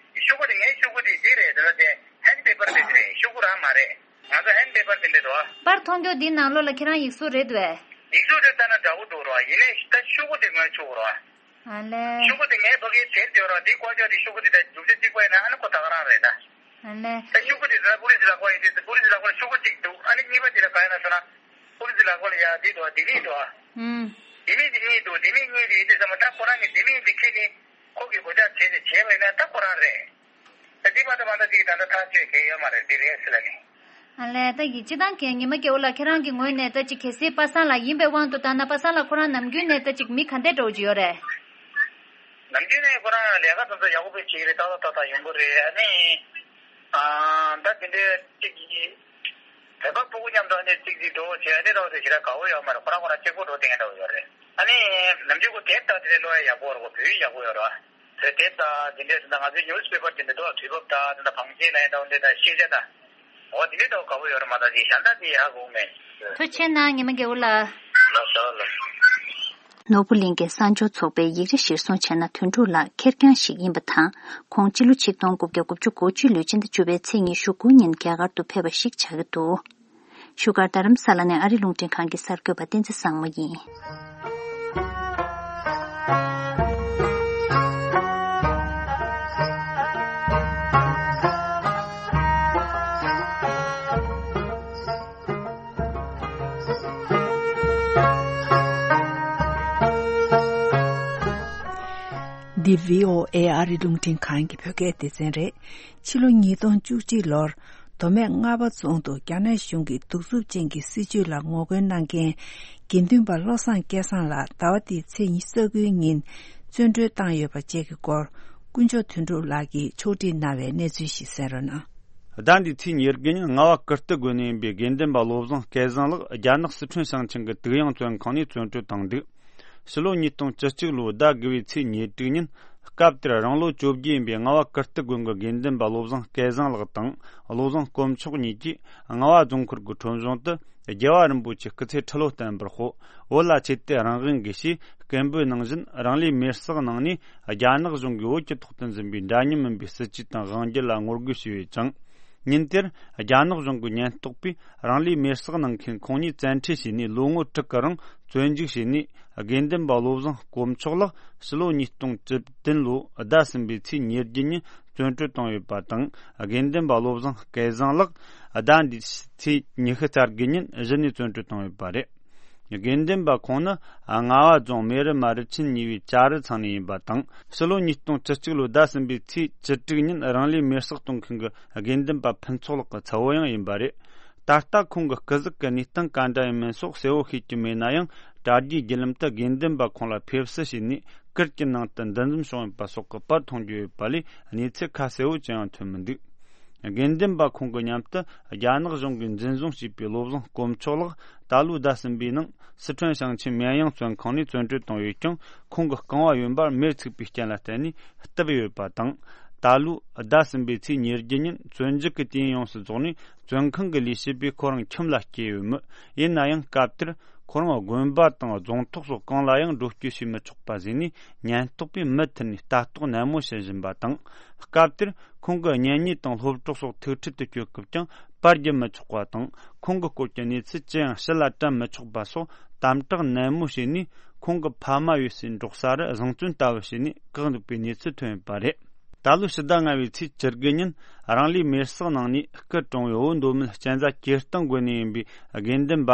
ཤོག་གུ་དེ་ངའི་ཤོག་གུ་དེ་འདི་རེད་དེ་ལ་དེ་ཧན་པེ་པར་དེ་རེད། ཤོག་གུ་རང་མ་རེད། ང་ཚོ་ཧན་པེ་པར་དེ་འདྲ་རེད་བ། པར་མཐོང་རྒྱུ་འདི་ནང་ལོགས་ལ་ཁྱེད་རང་ཡིག་གཟུགས་རེད་འདུག་ཨེ། ཡིག་གཟུགས་དེ་ལྟ་ན་འདྲ་བོ་འདུག་རེད་བ། ཡིན་ནའི་ད་ཤོག་གུ་དེ་ངའི་ཤོག་གུ་རེད་བ། ཨ་ལེ། ཤོག་གུ་དེ་ངའི་ཕ་གིར་དེར་དེ་རང་དེའི་བཀོག་ཆོག་དེ་ཤོག་གུ་དེ་ད་རྒྱུ་ཆ་གཅིག་པ་ཡིན་ན་ཨ་ནི་ཁོ་ད་ག་རང་རེད་ད། ཨ་ལེ། ད་ཤོག་གུ་དེ་ད་པུ་ལི་སི་ལག་པ་ཡིན་དུས་པུ་ལི་སི་ལག་པ་ལ་ཤོག་གུ་གཅིག་འདུག་ཨ་ནི་གཉིས་པ་དེ་ལ་ག་ཡིན་ན་ཟེར་ན། པུ་ལི་སི་ལག་པ་ལ་ཡ་དེ་འདུག་ལྡེ་མིག་འདུག་ཨུམ། ལྡེ་མིག་དེ་གཉིས་འདུག་ལྡེ་མིག་གཉིས་དེ་ཡིན་དུས་ཙམ་པ་ད་ཁོ་རང་གི་ལྡེ་མིག་དེ་ཁྱེར་ནས་ཁོ་གི་སྒོ་ལྕགས་བྱས་ཏེ་བྱས་པ་ཡིན་ན་ད་ཁོ་རང་རེད། ད་དེ་མ་གཏོགས་མ་གཏོགས་དེ་ད་ལྟ་ཐག་གཅོད་མཁན་ཡོད་མ་རེད་དེ་རེད་ཟེར་ལབ་ནས། ཨ་ལས་ད་ཡིག་སྤྱི་བཏང་གི་ཉི་མ་རྒྱལ་པོ་ལགས་ཁྱེད་རང་གི་ངོས་ནས་ད་ཅིག་གལ་སྲིད་པ་སངས་ལགས་ཡིན་པའི་དབང་དུ་བཏང་ན་པ་སངས་ལགས་ཁོ་རང་ནམ་རྒྱུན་ནས་ད་ཅིག་མི་ག་འདྲས་འདྲ་བོ་ཅིག་ཡོད་རེད། ནམ་རྒྱུན་ནས་ཁོ་རང་ལས་ཀ་དེ་ཚོ་ཡག་པོ་དཔེ་བྱེད་ཀྱི་རེད། ཏག་ཏག་ཏག་ཏག་ཡོང་གི་རེད། ཨ་ནི་ཨ་ད་དེ་འདྲའི་ཅིག་བོད་པ་ཕྲུ་གུ་མཉམ་དུ་ཨ་ནི་ཅིག་ཅིག་འགྲོ་བྱེད་ཨ་ནི་རོགས་དེ་ཞེ་དྲག་དགའ་བོ་ཡོད་མ་རེད། ཁོ་རང་ཁོ་རང་གཅིག་པོ་འགྲོ་བསྡད་མཁན་འདྲ་བོ་ཡོད་རེད། ཨ་ནི་ནམ་རྒྱུན་ཁོ་དེབ་དང་དེ་འདྲའི་ཀློག་ཡ་ཡག་པོ་རེད། ཁོ་བོད་ཡིག་ཡག་པོ་ཡོད་རེད་བ། དེ་དེབ་དང་དེ་འདྲའི་ད་ང་ཚོའི་ནིའུ་སི་པེ་པར་དེ་འདྲ་འདུག་དུས་བབ་དང་དེ་འདྲ་བང་ཆེན་ལ་ཡང་འདྲ་བོ་འདྲ་དང་ཤེས་བྱ་དང་། འོ་དེ་འདྲའི་ཐོག་དགའ་བོ་ཡོད་རེད་མ་གཏོགས་ཅིག་གཞན་དག་དེ་ཧ་གོ་མེད། ཐུགས་རྗེ་གནང་ཉི་མ་རྒྱལ་པོ་ལགས། ལགས་སོ་ལགས། ནོར་བུ་གླིང་གའི་གསར་འབྱོར་ཚོགས་པའི་ཡིག་ར་གཞིར་བཟུང་བྱས་ན་དོན་གྲུབ་ལགས་ཁེར་རྐྱང་ཞིག་ཡིན་པ་དང་། ཁོང་སྤྱི་ལོ་ཆིག་སྟོང་དགུ་བརྒྱ་དགུ་བཅུ་གོ་གཅིག་ལོའི་སྤྱི་ཟླ་བཅུ་པའི་ཚེས་ཉི་ཤུ་དགུ་ཉིན་རྒྱ་གར་དུ་ཕེབས་པ་ཞིག་ཆགས་ཀྱི་འདུག་བཞུགས་སྒར་རྡ་རམ་ས་ལ་ནས་ཨ་རི་རླུང་འཕྲིན་ཁང་གི་གསར་འགོད་པ་བསྟན་འཛིན་བཟང་མོ་ཡིན། འདི་བྷི་ཨོ་ཨེ་ཨ་རི་རླུང་འཕྲིན་ཁང་གི་བོད་སྐད་སྡེ་ཚན་རེད། ཕྱི་ལོ་ཉིས་སྟོང་བཅུ་གཅིག་ལོར་མདོ་སྨད་རྔ་བ་རྫོང་དུ་རྒྱ་ནག་གཞུང་གི་གདུག་རྩུབ་ཅན་གྱི་སྲིད་བྱུས་ལ་ངོ་རྒོལ་གནང་མཁན་དགེ་འདུན་པ་བློ་བཟང་སྐལ་བཟང་ལགས་ཟླ་བ་འདིའི་ཚེས་ཉི་ཤུ་རྩ་དགུའི་ཉིན་བཙོན་གྲོལ་བཏང་ཡོད་པ་བཅས་ཀྱི་སྐོར་དཀོན་མཆོག་དོན་གྲུབ་ལགས་ཀྱིས་ཕྱོགས་སྒྲིག་གནང་བའི་གནས་ཚུལ་ཞིག་གསན་རོགས་གནང་། ཟླ་འདིའི་ཚེས་ཉེར་དགུ་ཉིན་རྔ་བ་ཀིརྟི་དགོན་ནས་ཡིན་པའི་དགེ་འདུན་པ་བློ་བཟང་སྐལ་བཟང་ལགས་རྒྱ་ནག་སི་ཁྲོན་ཞིང་ཆེན་གྱི་དུག་ཡང་བཙོན་ཁང་ནས་བཙོན་གྲོལ་བཏང་འདུག་ཕྱི་ལོ་ཉིས་སྟོང་བཅུ་གཅིག་ལོའི་ཟླ་དགུ་བའི་ཚེས་ཉེར་དྲུག་ཉིན་སྐབས་དེར་རང་ལོ་བཅོ་བརྒྱད་ཡིན་པའི་རྔ་བ་ཀིརྟི་དགོན་གྱི་དགེ་འདུན་པ་བློ་བཟང་སྐལ་བཟང་ལགས་དང་བློ་བཟང་དཀོན་མཆོག་གཉིས་ཀྱིས་རྔ་བ་རྫོང་ཁུལ་གྱི་ཁྲོམ་གཞུང་དུ་རྒྱལ་བ་རིན་པོ་ཆེའི་སྐུ་ཚེ་ཁྲི་ལོ་བརྟན་པར་ཤོག་བོད་ལ་ཆེད་དུ་རང་དབང་དགོས་ཞེས། སྐད་འབོད་ནང་བཞིན་རང་ལུས་མེར་བསྲེགས་གནང་ནས། རྒྱ་ནག་གཞུང་གིས་བོད་ཀྱི་ཐོག་ཏུ་འཛིན་པའི་འདྲ་མཉམ་མིན་པའི་སྲིད་ཇུས་དང་དབང་སྒྱུར་ལ་ངོ་རྒོལ་བྱས་ཡོད་ཅིང་། ཉིན་དེར་རྒྱ་ནག་གཞུང་གི་ཉེན་རྟོག་པས་རང་ལུས་མེར་བསྲེགས་གནང་མཁན་ཁོང་ཉིད་བཙན་ཁྲིད་བྱས་ནས། ལོ་ངོ་དྲུག་གི་རིང་བཙོན་འཇུག་བྱས་ནས། དགེ་འདུན་པ་བློ་བཟང་དཀོན་མཆོག་ལགས་ཕྱི་ལོ་ཉིས་སྟོང་བཅུ་བདུན་ལོའི་ཟླ་གསུམ་པའི་ཚེས་ཉེར་བརྒྱད་ཉིན་བཙོན་གྲོལ་བཏང་ཡོད་པ་དང་། དགེ་འདུན་པ་བློ་བཟང་སྐལ་བཟང་ལགས་ཟླ་འདིའི་ཚེས་ཉི་ཤུ་རྩ་དགུ་ཉིན་གཞི་ནས་བཙོན་གྲོལ་བཏང་ཡོད་པ་རེད། དགེ་འདུན་པ་ཁོང་ནི་རྔ་བ་རྫོང་མེ་རི་མ་རི་ཆེན་གཉིས་པའི་ཅ་རི་ཚང་ནས་ཡིན་པ་དང་། ཕྱི་ལོ་ཉིས་སྟོང་བཅུ་གཅིག་ལོའི་ཟླ་གསུམ་པའི་ཚེས་བཅུ་དྲུག་ཉིན་རང་ལུས་མེར་བསྲེགས་གཏོང་མཁན་གྱི་དགེ་འདུན་པ་ཕུན་ཚོགས་ལགས་ཀྱི་ཚ་བོ་ཡང་ཡིན་པ་རེད། ད་ལྟ་ཁོང་གི་སྐུ་གཟུགས་ཀྱི་གནས་སྟངས་ག་འདྲ་ཡིན་མིན་སོགས་གསལ་བོ་ཤེས་ཀྱི་མེད་ན་ཡང་། གྲ་སྒྲིག་བརྒྱུད་ལམ་དུ་དགེ་འདུན་པ་ཁོང་ལ་ཕེབས་བསུ་བྱས་ནས། གུར་གྱི་ནང་དུ་འདུ་འཛོམས་བྱུང་ཡོད་པ་སོགས་ཀྱི་པར་མཐོང་རྒྱུ་ཡོད་པ་ལས། གནས་ཚུལ་ཁ་གསལ་བོ་ཅི་ཡང་ཐོན་མི་འདུག་དགེ་འདུན་པ་ཁོང་གི་མཉམ་དུ་རྒྱ་ནག་གཞུང་གིས་འཛིན་བཟུང་བྱས་པའི་བློ་བཟང་དཀོན་མཆོག་ལགས་ད་ལོའི་ཟླ་གསུམ་པའི་ནང་སི་ཁྲོན་ཞིང་ཆེན་མེན་དབྱང་བཙོན་ཁང་ནས་བཙོན་གྲོལ་བཏང་ཡོད་ཀྱང་། ཁོང་གི་རྐང་བ་གཡོན་པར་མེར་ཚིག་པའི་རྐྱེན་ལ་བརྟེན་ནས་བཏབ་ཡོད་པ་དང་། ད་ལོའི་ཟླ་གསུམ་པའི་ཚེས་ཉེར་བརྒྱད་ཉིན་བཙོན་འཇུག་གི་དུས་ཡུན་ཡོངས་སུ་རྫོགས་ནས། བཙོན་ཁང་གི་ལས་བྱེད་པས་ཁོ་རང་ཁྱིམ་ལ་སྐྱེལ་ཡོད་མོད། ཡིན་ན་ཡང་སྐབས་དེར་ཁོ་རང་དགོན་པ་དང་རྫོང་ཐོག་སོགས་གང་ལ་ཡང་འགྲོ་སྐྱོད་བྱེད་མི་ཆོག་པ་བཟོས་ནས། ཉེན་རྟོག་པས་མུ་མཐུད་ནས་ལྟ་རྟོག་ནན་མོ་བྱེད་བཞིན་པ་དང་། སྐབས་དེར་ཁོང་གི་གཉེན་ཉེ་དང་སློབ་གྲོགས་སོགས་ཐུག་འཕྲད་དུ་སྐྱོད་སྐབས་ཀྱང་པར་རྒྱག་མི་ཆོག་པ་དང་། ཁོང་གི་སྐོར་གྱི་གནས་ཚུལ་ཅི་ཡང་ཕྱི་ལ་དྲན་མི་ཆོག་པ་སོགས་དམ་དྲག་ནན་མོ་བྱས་ནས། ཁོང་གི་ཕ་མ་ཡོད་སའི་འབྲོག་ས་རུ་བཟང་བཙོན་ལྟ་བུ་བྱས་ནས་བཀག་འདུག་པའི་གནས་ཚུལ་ཐོན་ཡོད་པ་རེད། ད་ལོའི་ཕྱི་ཟླ་ལྔ་པའི་ཚེས་བཅུ་དགུ་ཉིན་རང་ལུས་མེར་བསྲེགས་གནང་ནས། སྐུ་གྲོངས་པའི་བོད་མདོ་སྨད་གཅན་ཚ་གྱེར་སྟོང་དགོན་ནས་ཡིན་པའི་དགེ་འདུན་པ་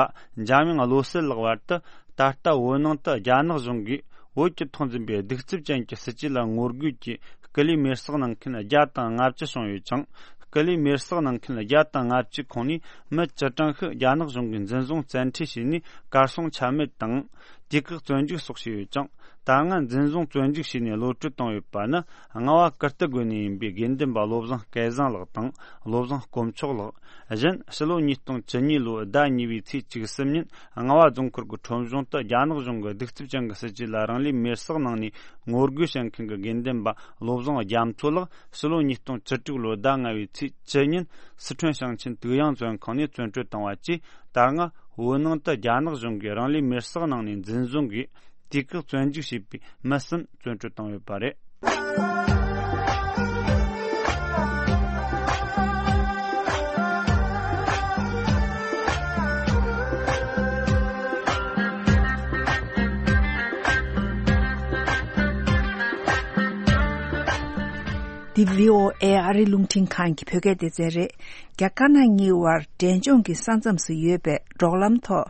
འཇམ་དབྱངས་བློ་གསལ་ལགས་བར་དུ། ད་ལྟ་བོད་ནང་དུ་རྒྱ་ནག་གཞུང་གིས་བོད་ཀྱི་ཐོག་འཛིན་པའི་གདུག་རྩུབ་ཅན་གྱི་སྲིད་ཇུས་ལ་ངོ་རྒོལ་གྱིས་སྐུ་ལུས་མེར་བསྲེགས་གནང་མཁན་བརྒྱ་དང་ལྔ་བཅུ་བྱུང་ཡོད་ཅིང་། སྐུ་ལུས་མེར་བསྲེགས་གནང་མཁན་བརྒྱ་དང་ལྔ་བཅུའི་ཁོངས་ནས་མི་བཅུ་གྲངས་ཤིག་རྒྱ་ནག་གཞུང་གིས་འཛིན་བཟུང་བཙན་ཁྲིད་བྱས་ནས། གར་སོང་ཆ་མེད་དང་། དུས་བཀག་བཙོན་འཇུག་སོགས་བྱས་ཡོད་ཅིང་། ད་སྔ་འཛིན་བཟུང་བཙོན་འཇུག་བྱས་ནས་གློད་གྲོལ་བཏང་ཡོད་པ་ནི། རྔ་བ་ཀིརྟི་དགོན་ནས་ཡིན་པའི་དགེ་འདུན་པ་བློ་བཟང་སྐལ་བཟང་ལགས་དང་། བློ་བཟང་དཀོན་མཆོག་ལགས། གཞན་ཕྱི་ལོ་ཉིས་སྟོང་བཅུ་གཉིས་ལོའི་ཟླ་གཉིས་པའི་ཚེས་བཅུ་གསུམ་ཉིན་རྔ་བ་རྫོང་ཁུལ་གྱི་ཁྲོམ་གཞུང་དུ་རྒྱ་ནག་གཞུང་གི་གདུག་རྩུབ་ཅན་གྱི་སྲིད་ཇུས་ལ་རང་ལུས་མེར་བསྲེགས་གནང་ནས་ངོ་རྒོལ་བྱེད་མཁན་གྱི་དགེ་འདུན་པ་བློ་བཟང་རྒྱ་མཚོ་ལགས། ཕྱི་ལོ་ཉིས་སྟོང་བཅུ་དྲུག་ལོའི་ཟླ་ལྔ་པའི་ཚེས་བཅུ་ཉིན་སི་ཁྲོན་ཞིང་ཆེན་དུག་ཡང་བཙོན་ཁང་ནས་བཙོན་གྲོལ་བཏང་བ་བཅས། ད་སྔ་བོད་ནང་དུ་རྒྱ་ནག་གཞུང་གིས་རང་ལུས་མེར་བསྲེགས་གནང་ནས་འཛིན་བཟུང་གིས། དུས་བཀག་བཙོན་འཇུག་བྱས་པའི་མི་གསུམ་བཙོན་གྲོལ་བཏང་ཡོད་པ་རེད། འདི་བྷི་ཨོ་ཨེ་ཨ་རིའི་རླུང་འཕྲིན་ཁང་གི་བོད་སྐད་སྡེ་ཚན་རེད། རྒྱ་དཀར་ནག་གཉིས་དབར་འབྲས་ལྗོངས་ཀྱི་ས་མཚམས་སུ་ཡོད་པའི་འབྲོག་ལམ་ཐོག་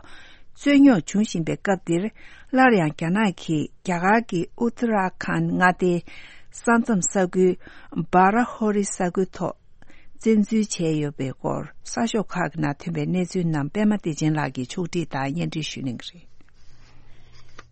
རྩོད་རྙོག་འབྱུང་བཞིན་པའི་སྐབས་འདིར། སླར་ཡང་རྒྱ་ནག་གིས་རྒྱ་གར་གྱི་ཨུ་ཏ་ར་ཁཱན་མངའ་སྡེའི་ས་མཚམས་ས་ཁུལ་སྦ་ར་ཧོ་རི་ས་ཁུལ་ཐོག་བཙན་འཛུལ་བྱས་ཡོད་པའི་སྐོར་གསར་ཤོག་ཁག་གི་ནང་ཐོན་པའི་གནས་ཚུལ་རྣམས་པད་མ་བདེ་ཆེན་ལགས་ཀྱིས་ཕྱོགས་སྒྲིག་དང་སྙན་སྒྲོན་ཞུ་གནང་གི་རེད།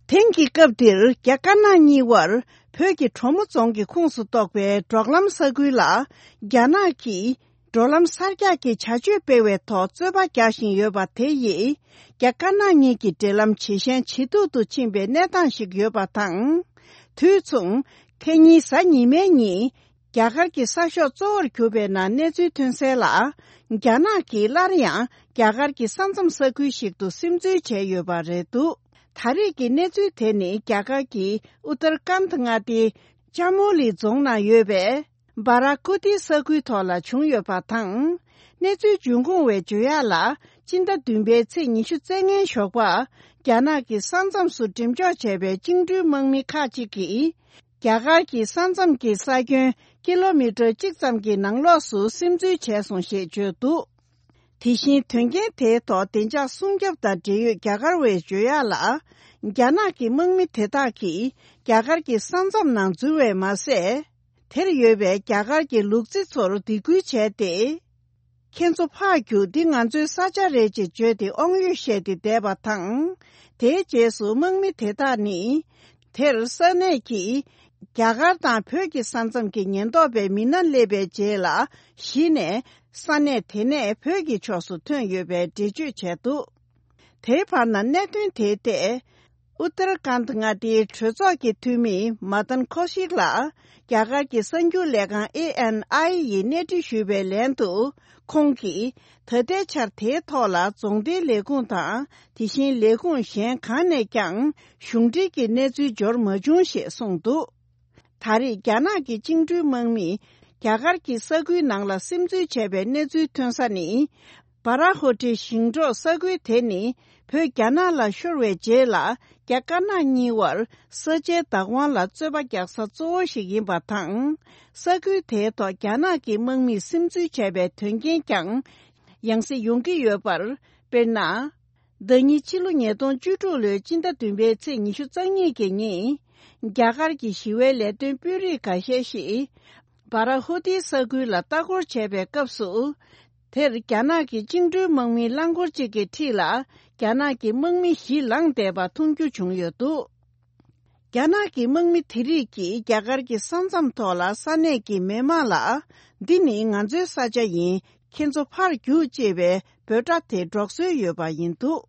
དེང་གི་སྐབས་འདིར་རྒྱ་དཀར་ནག་གཉིས་དབར་བོད་ཀྱི་གྲོ་མོ་རྫོང་གི་ཁོངས་སུ་གཏོགས་པའི་འབྲོག་ལམ་ས་ཁུལ་ལ་རྒྱ་ནག་གིས་འགྲོ་ལམ་གསར་རྒྱག་གི་བྱ་སྤྱོད་སྤེལ་བའི་ཐོག་རྩོད་པ་རྒྱག་བཞིན་ཡོད་པ་དེ་ཡིས་རྒྱ་དཀར་ནག་གཉིས་ཀྱི་འབྲེལ་ལམ་ཇེ་ཞན་ཇེ་སྡུག་ཏུ་ཕྱིན་པའི་གནས་སྟངས་ཤིག་ཡོད་པ་དང་། དུས་མཚུངས་ཁ་ཉིན་གཟའ་ཉི་མའི་ཉིན་རྒྱ་གར་གྱི་གསར་ཤོག་གཙོ་བོར་གྱུར་པའི་ནང་གནས་ཚུལ་ཐོན་གསལ་ལ། རྒྱ་ནག་གིས་སླར་ཡང་རྒྱ་གར་གྱི་ས་མཚམས་ས་ཁུལ་ཞིག་ཏུ་སིམ་འཛུལ་བྱས་ཡོད་པ་རེད་འདུག་ད་རེས་ཀྱི་གནས་ཚུལ་དེ་ནི་རྒྱ་གར་གྱི་ཨུ་ཏར་ཀཱནད་མངའ་སྡེའི་ཅ་མུ་ལི་རྫོང་ནང་ཡོད་པའི་སྦ་ར་ཀུ་ཏི་ས་ཁུལ་ཐོག་ལ་བྱུང་ཡོད་པ་དང་། གནས་ཚུལ་འབྱུང་ཁུངས་བས་བརྗོད་ཡག་ལ། སྤྱི་ཟླ་བདུན་པའི་ཚེས་ཉི་ཤུ་རྩ་ལྔའི་ཞོགས་པ། རྒྱ་ནག་གི་ས་མཚམས་སུ་འགྲེམས་འཇོག་བྱས་པའི་བཅིངས་འགྲོལ་དམག་མི་ཁག་ཅིག་གིས། རྒྱ་གར་གྱི་ས་མཚམས་ཀྱི་ས་ཁྱོན་ཀི་ལོ་མི་ཊར་གཅིག་ཙམ་གྱི་ནང་ལོགས་སུ་སིམ་འཛུལ་བྱས་སོང་ཞེས་བརྗོད་འདུག་དེ་བཞིན་དོན་རྐྱེན་དེའི་ཐོག་བདེ་འཇགས་སྲུང་སྐྱོབ་དང་འབྲེལ་ཡོད་རྒྱ་གར་བས་བརྗོད་ཡག་ལ། རྒྱ་ནག་གི་དམག་མི་དེ་དག་གིས་རྒྱ་གར་གྱི་ས་མཚམས་ནང་འཛུལ་བས་མ་ཟད། དེར་ཡོད་པའི་རྒྱ་གར་གྱི་ལུག་རྫི་ཚོར་སྡིགས་སྐུལ་བྱས་ཏེ། ཁྱེད་ཚོ་ཕར་རྒྱུགས། འདི་ང་ཚོའི་ས་ཆ་རེད་ཅེས་བརྗོད་དེ་དབང་ཡོད་བཤད་དེ་བསྡད་པ་དང་། དེའི་རྗེས་སུ་དམག་མི་དེ་དག་ནི། དེར་ས་གནས་ཀྱི་རྒྱ་གར་དང་བོད་ཀྱི་ས་མཚམས་ཀྱི་ཉེན་རྟོག་པའི་མི་སྣ་སླེབས་པའི་རྗེས་ལ་གཞི་ནས་ས་གནས་དེ་ནས་བོད་ཀྱི་ཕྱོགས་སུ་ཐོན་ཡོད་པའི་འགྲེལ་བརྗོད་བྱས་འདུག་དེའི་བར་ན་གནད་དོན་དེའི་ཐད། ཨུ་ཏར་ཀན་མངའ་སྡེའི་གྲོས་ཚོགས་ཀྱི་འཐུས་མི་མ་དན་ཁོ་ཤིག་ལ། རྒྱ་གར་གྱི་གསར་འགྱུར་ལས་ཁང་ཨེ་ཨེན་ཨའི་ཡིས་གནས་འདྲི་ཞུས་པའི་ལན་དུ། ཁོང་གིས་ད་ལྟའི་ཆར་དེའི་ཐོག་ལ་རྫོང་སྡེའི་ལས་ཁུངས་དང་། དེ་བཞིན་ལས་ཁུངས་གཞན་གང་ནས་ཀྱང་གཞུང་འབྲེལ་གྱི་གནས་ཚུལ་འབྱོར་མ་བྱུང་ཞེས་གསུངས་འདུག། ད་རེས་རྒྱ་ནག་གི་བཅིངས་འགྲོལ་དམག་མིས་རྒྱ་གར་གྱི་ས་ཁུལ་ནང་ལ་སིམ་འཛུལ་བྱས་པའི་གནས་ཚུལ་ཐོན་ས་ནི། སྦ་ར་ཧོ་ཏི་ཞིང་འབྲོག་ས་ཁུལ་དེ་ནི། བོད་རྒྱ་ནག་ལ་ཤོར་བའི་རྗེས་ལ། རྒྱ་དཀར་ནག་གཉིས་བར་ས་ཆའི་བདག་དབང་ལ་རྩོད་པ་རྒྱག་ས་གཙོ་བོ་ཞིག་ཡིན་པ་དང་། ས་ཁུལ་དེའི་ཐོག་རྒྱ་ནག་གི་དམག་མིས་སིམ་འཛུལ་བྱས་པའི་དོན་རྐྱེན་ཀྱང་ཡང་སེ་ཡོང་གི་ཡོད་པར། དཔེར་ན། ཟླ་ཉིན་ཕྱི་ལོ་ཉིས་སྟོང་བཅུ་དྲུག་ལོའི་སྤྱི་ཟླ་བདུན་པའི་ཚེས་ཉི་ཤུ་རྩ་གཉིས་ཀྱི་ཉིན། རྒྱ་གར་གྱི་ཞི་བའི་ལས་དོན་དཔོན་རིགས་འགའ་ཤས་ཤིག་སྦ་ར་ཧོ་ཏི་ས་ཁུལ་ལ་ལྟ་སྐོར་བྱས་པའི་སྐབས་སུ། དེར་རྒྱ་ནག་གི་བཅིངས་འགྲོལ་དམག་མིའི་རླངས་འཁོར་གཅིག་གི་འཁྲིས་ལ། རྒྱ་ནག་གི་དམག་མི་བཞི་ལངས་བསྡད་པ་མཐོང་རྒྱུ་བྱུང་ཡོད་འདུག། རྒྱ་ནག་གི་དམག་མི་དེ་རིགས་ཀྱིས་རྒྱ་གར་གྱི་ས་མཚམས་ཐོག་ལ་ས་གནས་ཀྱི་མི་མང་ལ། འདི་ནི་ང་ཚོའི་ས་ཆ་ཡིན། ཁྱེད་ཚོ་ཕར་རྒྱུགས་ཅེས་པའི་འབོད་སྒྲ་དེ་སྒྲོག་སྲོལ་ཡོད་པ་ཡིན་འདུག།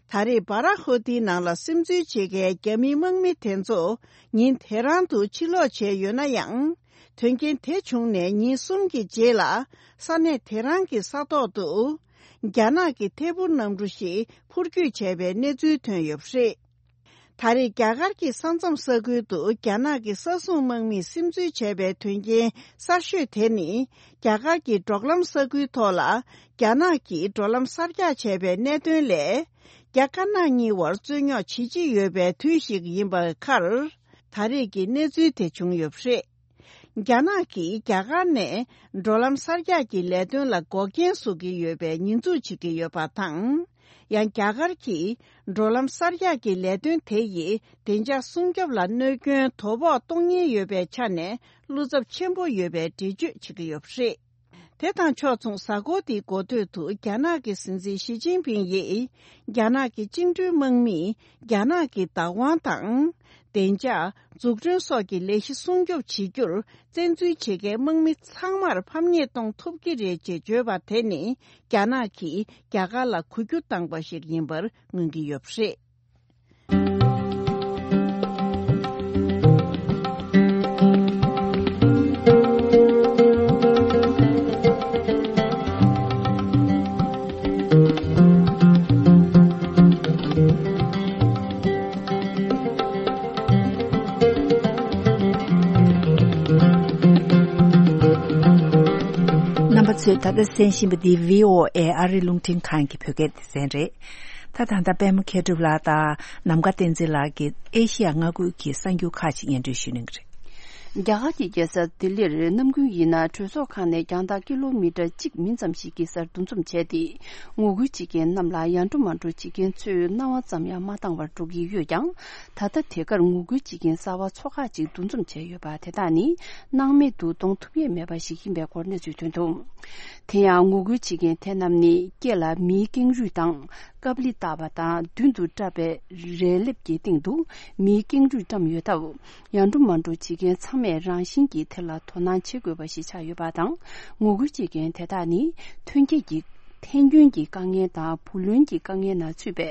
ད་རེས་སྦ་ར་ཧོ་ཏིའི་ནང་ལ་སིམ་འཛུལ་བྱེད་མཁན་རྒྱ་མིའི་དམག་མི་དེ་ཚོ་ཉིན་དེ་རང་དུ་ཕྱིར་ལོག་བྱས་ཡོད་ན་ཡང་། དོན་རྐྱེན་དེ་བྱུང་ནས་ཉིན་གསུམ་གྱི་རྗེས་ལ་ས་གནས་དེ་རང་གི་ས་ཐོག་ཏུ་རྒྱ་ནག་གི་ཐད་འཕུར་གནམ་གྲུ་ཞིག་འཕུར་སྐྱོད་བྱས་པའི་གནས་ཚུལ་ཐོན་ཡོད་པ་རེད། ད་རེས་རྒྱ་གར་གྱི་ས་མཚམས་ས་ཁུལ་དུ་རྒྱ་ནག་གི་ས་སྲུང་དམག་མིས་སིམ་འཛུལ་བྱས་པའི་དོན་རྐྱེན་གསར་ཤོས་དེ་ནི། རྒྱ་གར་གྱི་འབྲོག་ལམ་ས་ཁུལ་ཐོག་ལ་རྒྱ་ནག་གིས་འགྲོ་ལམ་གསར་རྒྱག་བྱས་པའི་གནད་དོན་ལས། རྒྱ་དཀར་ནག་གཉིས་བར་རྩོད་རྙོག་ཇེ་ཆེ་ཡོད་པའི་དུས་ཤིག་ཡིན་པའི་ཁར། ད་རེས་ཀྱི་གནས་ཚུལ་དེ་བྱུང་ཡོད་པ་རེད། རྒྱ་ནག་གིས་རྒྱ་གར་ནས་འགྲོ་ལམ་གསར་རྒྱག་གི་ལས་དོན་ལ་འགོག་རྐྱེན་བཟོ་གི་ཡོད་པའི་ཉེས་འཛུགས་བྱེད་ཀྱི་ཡོད་པ་དང་། ཡང་རྒྱ་གར་གྱིས་འགྲོ་ལམ་གསར་རྒྱག་གི་ལས་དོན་དེ་ཡིས་བདེ་འཇགས་སྲུང་སྐྱོབ་ལ་གནོད་སྐྱོན་དོ་ཕོག་གཏོང་ཉེན་ཡོད་པའི་ཆ་ནས་བློ་འཚབ་ཆེན་པོ་ཡོད་པའི་འགྲེལ་བརྗོད་བྱེད་ཀྱི་ཡོད་པ་རེད། དེ་དང་ཕྱོགས་མཚུངས། གཟའ་འཁོར་འདིའི་འགོ་སྟོད་དུ་རྒྱ་ནག་གི་སྲིད་འཛིན་ཞི་ཅིན་ཕིང་ཡིས། རྒྱ་ནག་གི་བཅིངས་འགྲོལ་དམག་མིས་རྒྱ་ནག་གི་བདག་དབང་དང་། བདེ་འཇགས། འཛུགས་སྐྲུན་སོགས་ཀྱི་ལས་གཞི་སྲུང་སྐྱོབ་བྱེད་རྒྱུར་བཙན་འཛུལ་བྱེད་མཁན་དམག་མི་ཚང་མར་ཕམ་ཉེས་གཏོང་ཐུབ་ཀྱི་རེད་ཅེས་བརྗོད་པ་དེ་ནི། རྒྱ་ནག་གིས་རྒྱ་གར་ལ་གུ་གྱུར་བཏང་པ་ཞིག་ཡིན་པར་མངོན་གྱི་ཡོད་པ་རེད། རྣམ་པ་ཚོས་ད་ལྟ་གསན་བཞིན་པ་འདི་བྷི་ཨོ་ཨེ་ཨ་རིའི་རླུང་འཕྲིན་ཁང་གི་བོད་སྐད་སྡེ་ཚན་རེད། ད་ད་ལྟ་པད་མ་མཁས་གྲུབ་ལགས་དང་ནམ་མཁའ་བསྟན་འཛིན་ལགས་ཀྱིས་ཨེ་ཤི་ཡ་མངའ་ཁུལ་གྱི་གསར་འགྱུར་ཁག་ཅིག་སྙན་སྒྲོན་ཞུ་གནང་གི་རེད། རྒྱ་གར་གྱི་རྒྱལ་ས་ལྡི་ལིར་ནམ་རྒྱུན་ཡིན་ན་གྲོས་ཚོགས་ཁང་ནས་རྒྱང་ཐག་ཀི་ལོ་མི་ཊར་གཅིག་མིན་ཙམ་ཞིག་གི་སར་འདུ་འཛོམས་བྱས་ཏེ། ངོ་རྒོལ་བྱེད་མཁན་རྣམས་ལ་ཡ་འགྲོ་མ་འགྲོ་བྱེད་མཁན་ཚོས་རྣ་བ་ཙམ་ཡང་མ་བཏང་བར་འགྲོ་གི་ཡོད་ཀྱང་། ད་ལྟ་དེ་གར་ངོ་རྒོལ་བྱེད་མཁན་གསར་པ་ཚོ་ཁག་ཅིག་འདུ་འཛོམས་བྱས་ཡོད་པ་དེ་དག་ནི་སྣང་མེད་དུ་གཏོང་ཐུབ་ཡས་མེད་པ་ཞིག་ཡིན་པའི་སྐོར་གནས་ཚུལ་ཐོན་འདུག། དེ་ཡང་ངོ་རྒོལ་བྱེད་མཁན་དེ་རྣམས་ནི་སྐེ་ལ་མིའི་ཀེང་རུས་དང་། ཀབ་ལི་བཏགས་པ་དང་མདུན་དུ་བཀྲབ་པའི་རས་ལེབ་ཀྱི་སྟེང་དུ་མིའི་ཀེང་རུས་བཀྲམ་ཡོད་སྟབས། ཡ་འགྲོ་མ་འགྲོ་བྱེད་མཁན་ཚང་མས་རང་བཞིན་གྱིས་དེ་ལ་དོ་སྣང་བྱེད་དགོས་པ་ཞིག་ཆགས་ཡོད་པ་དང་། ངོ་རྒོལ་བྱེད་མཁན་དེ་དག་ནི་ཐོན་སྐྱེད་ཀྱི་ཐན་སྐྱོན་གྱི་དཀའ་ངལ་དང་བུ་ལོན་གྱི་དཀའ་ངལ་ནང་ཚུད་པའི་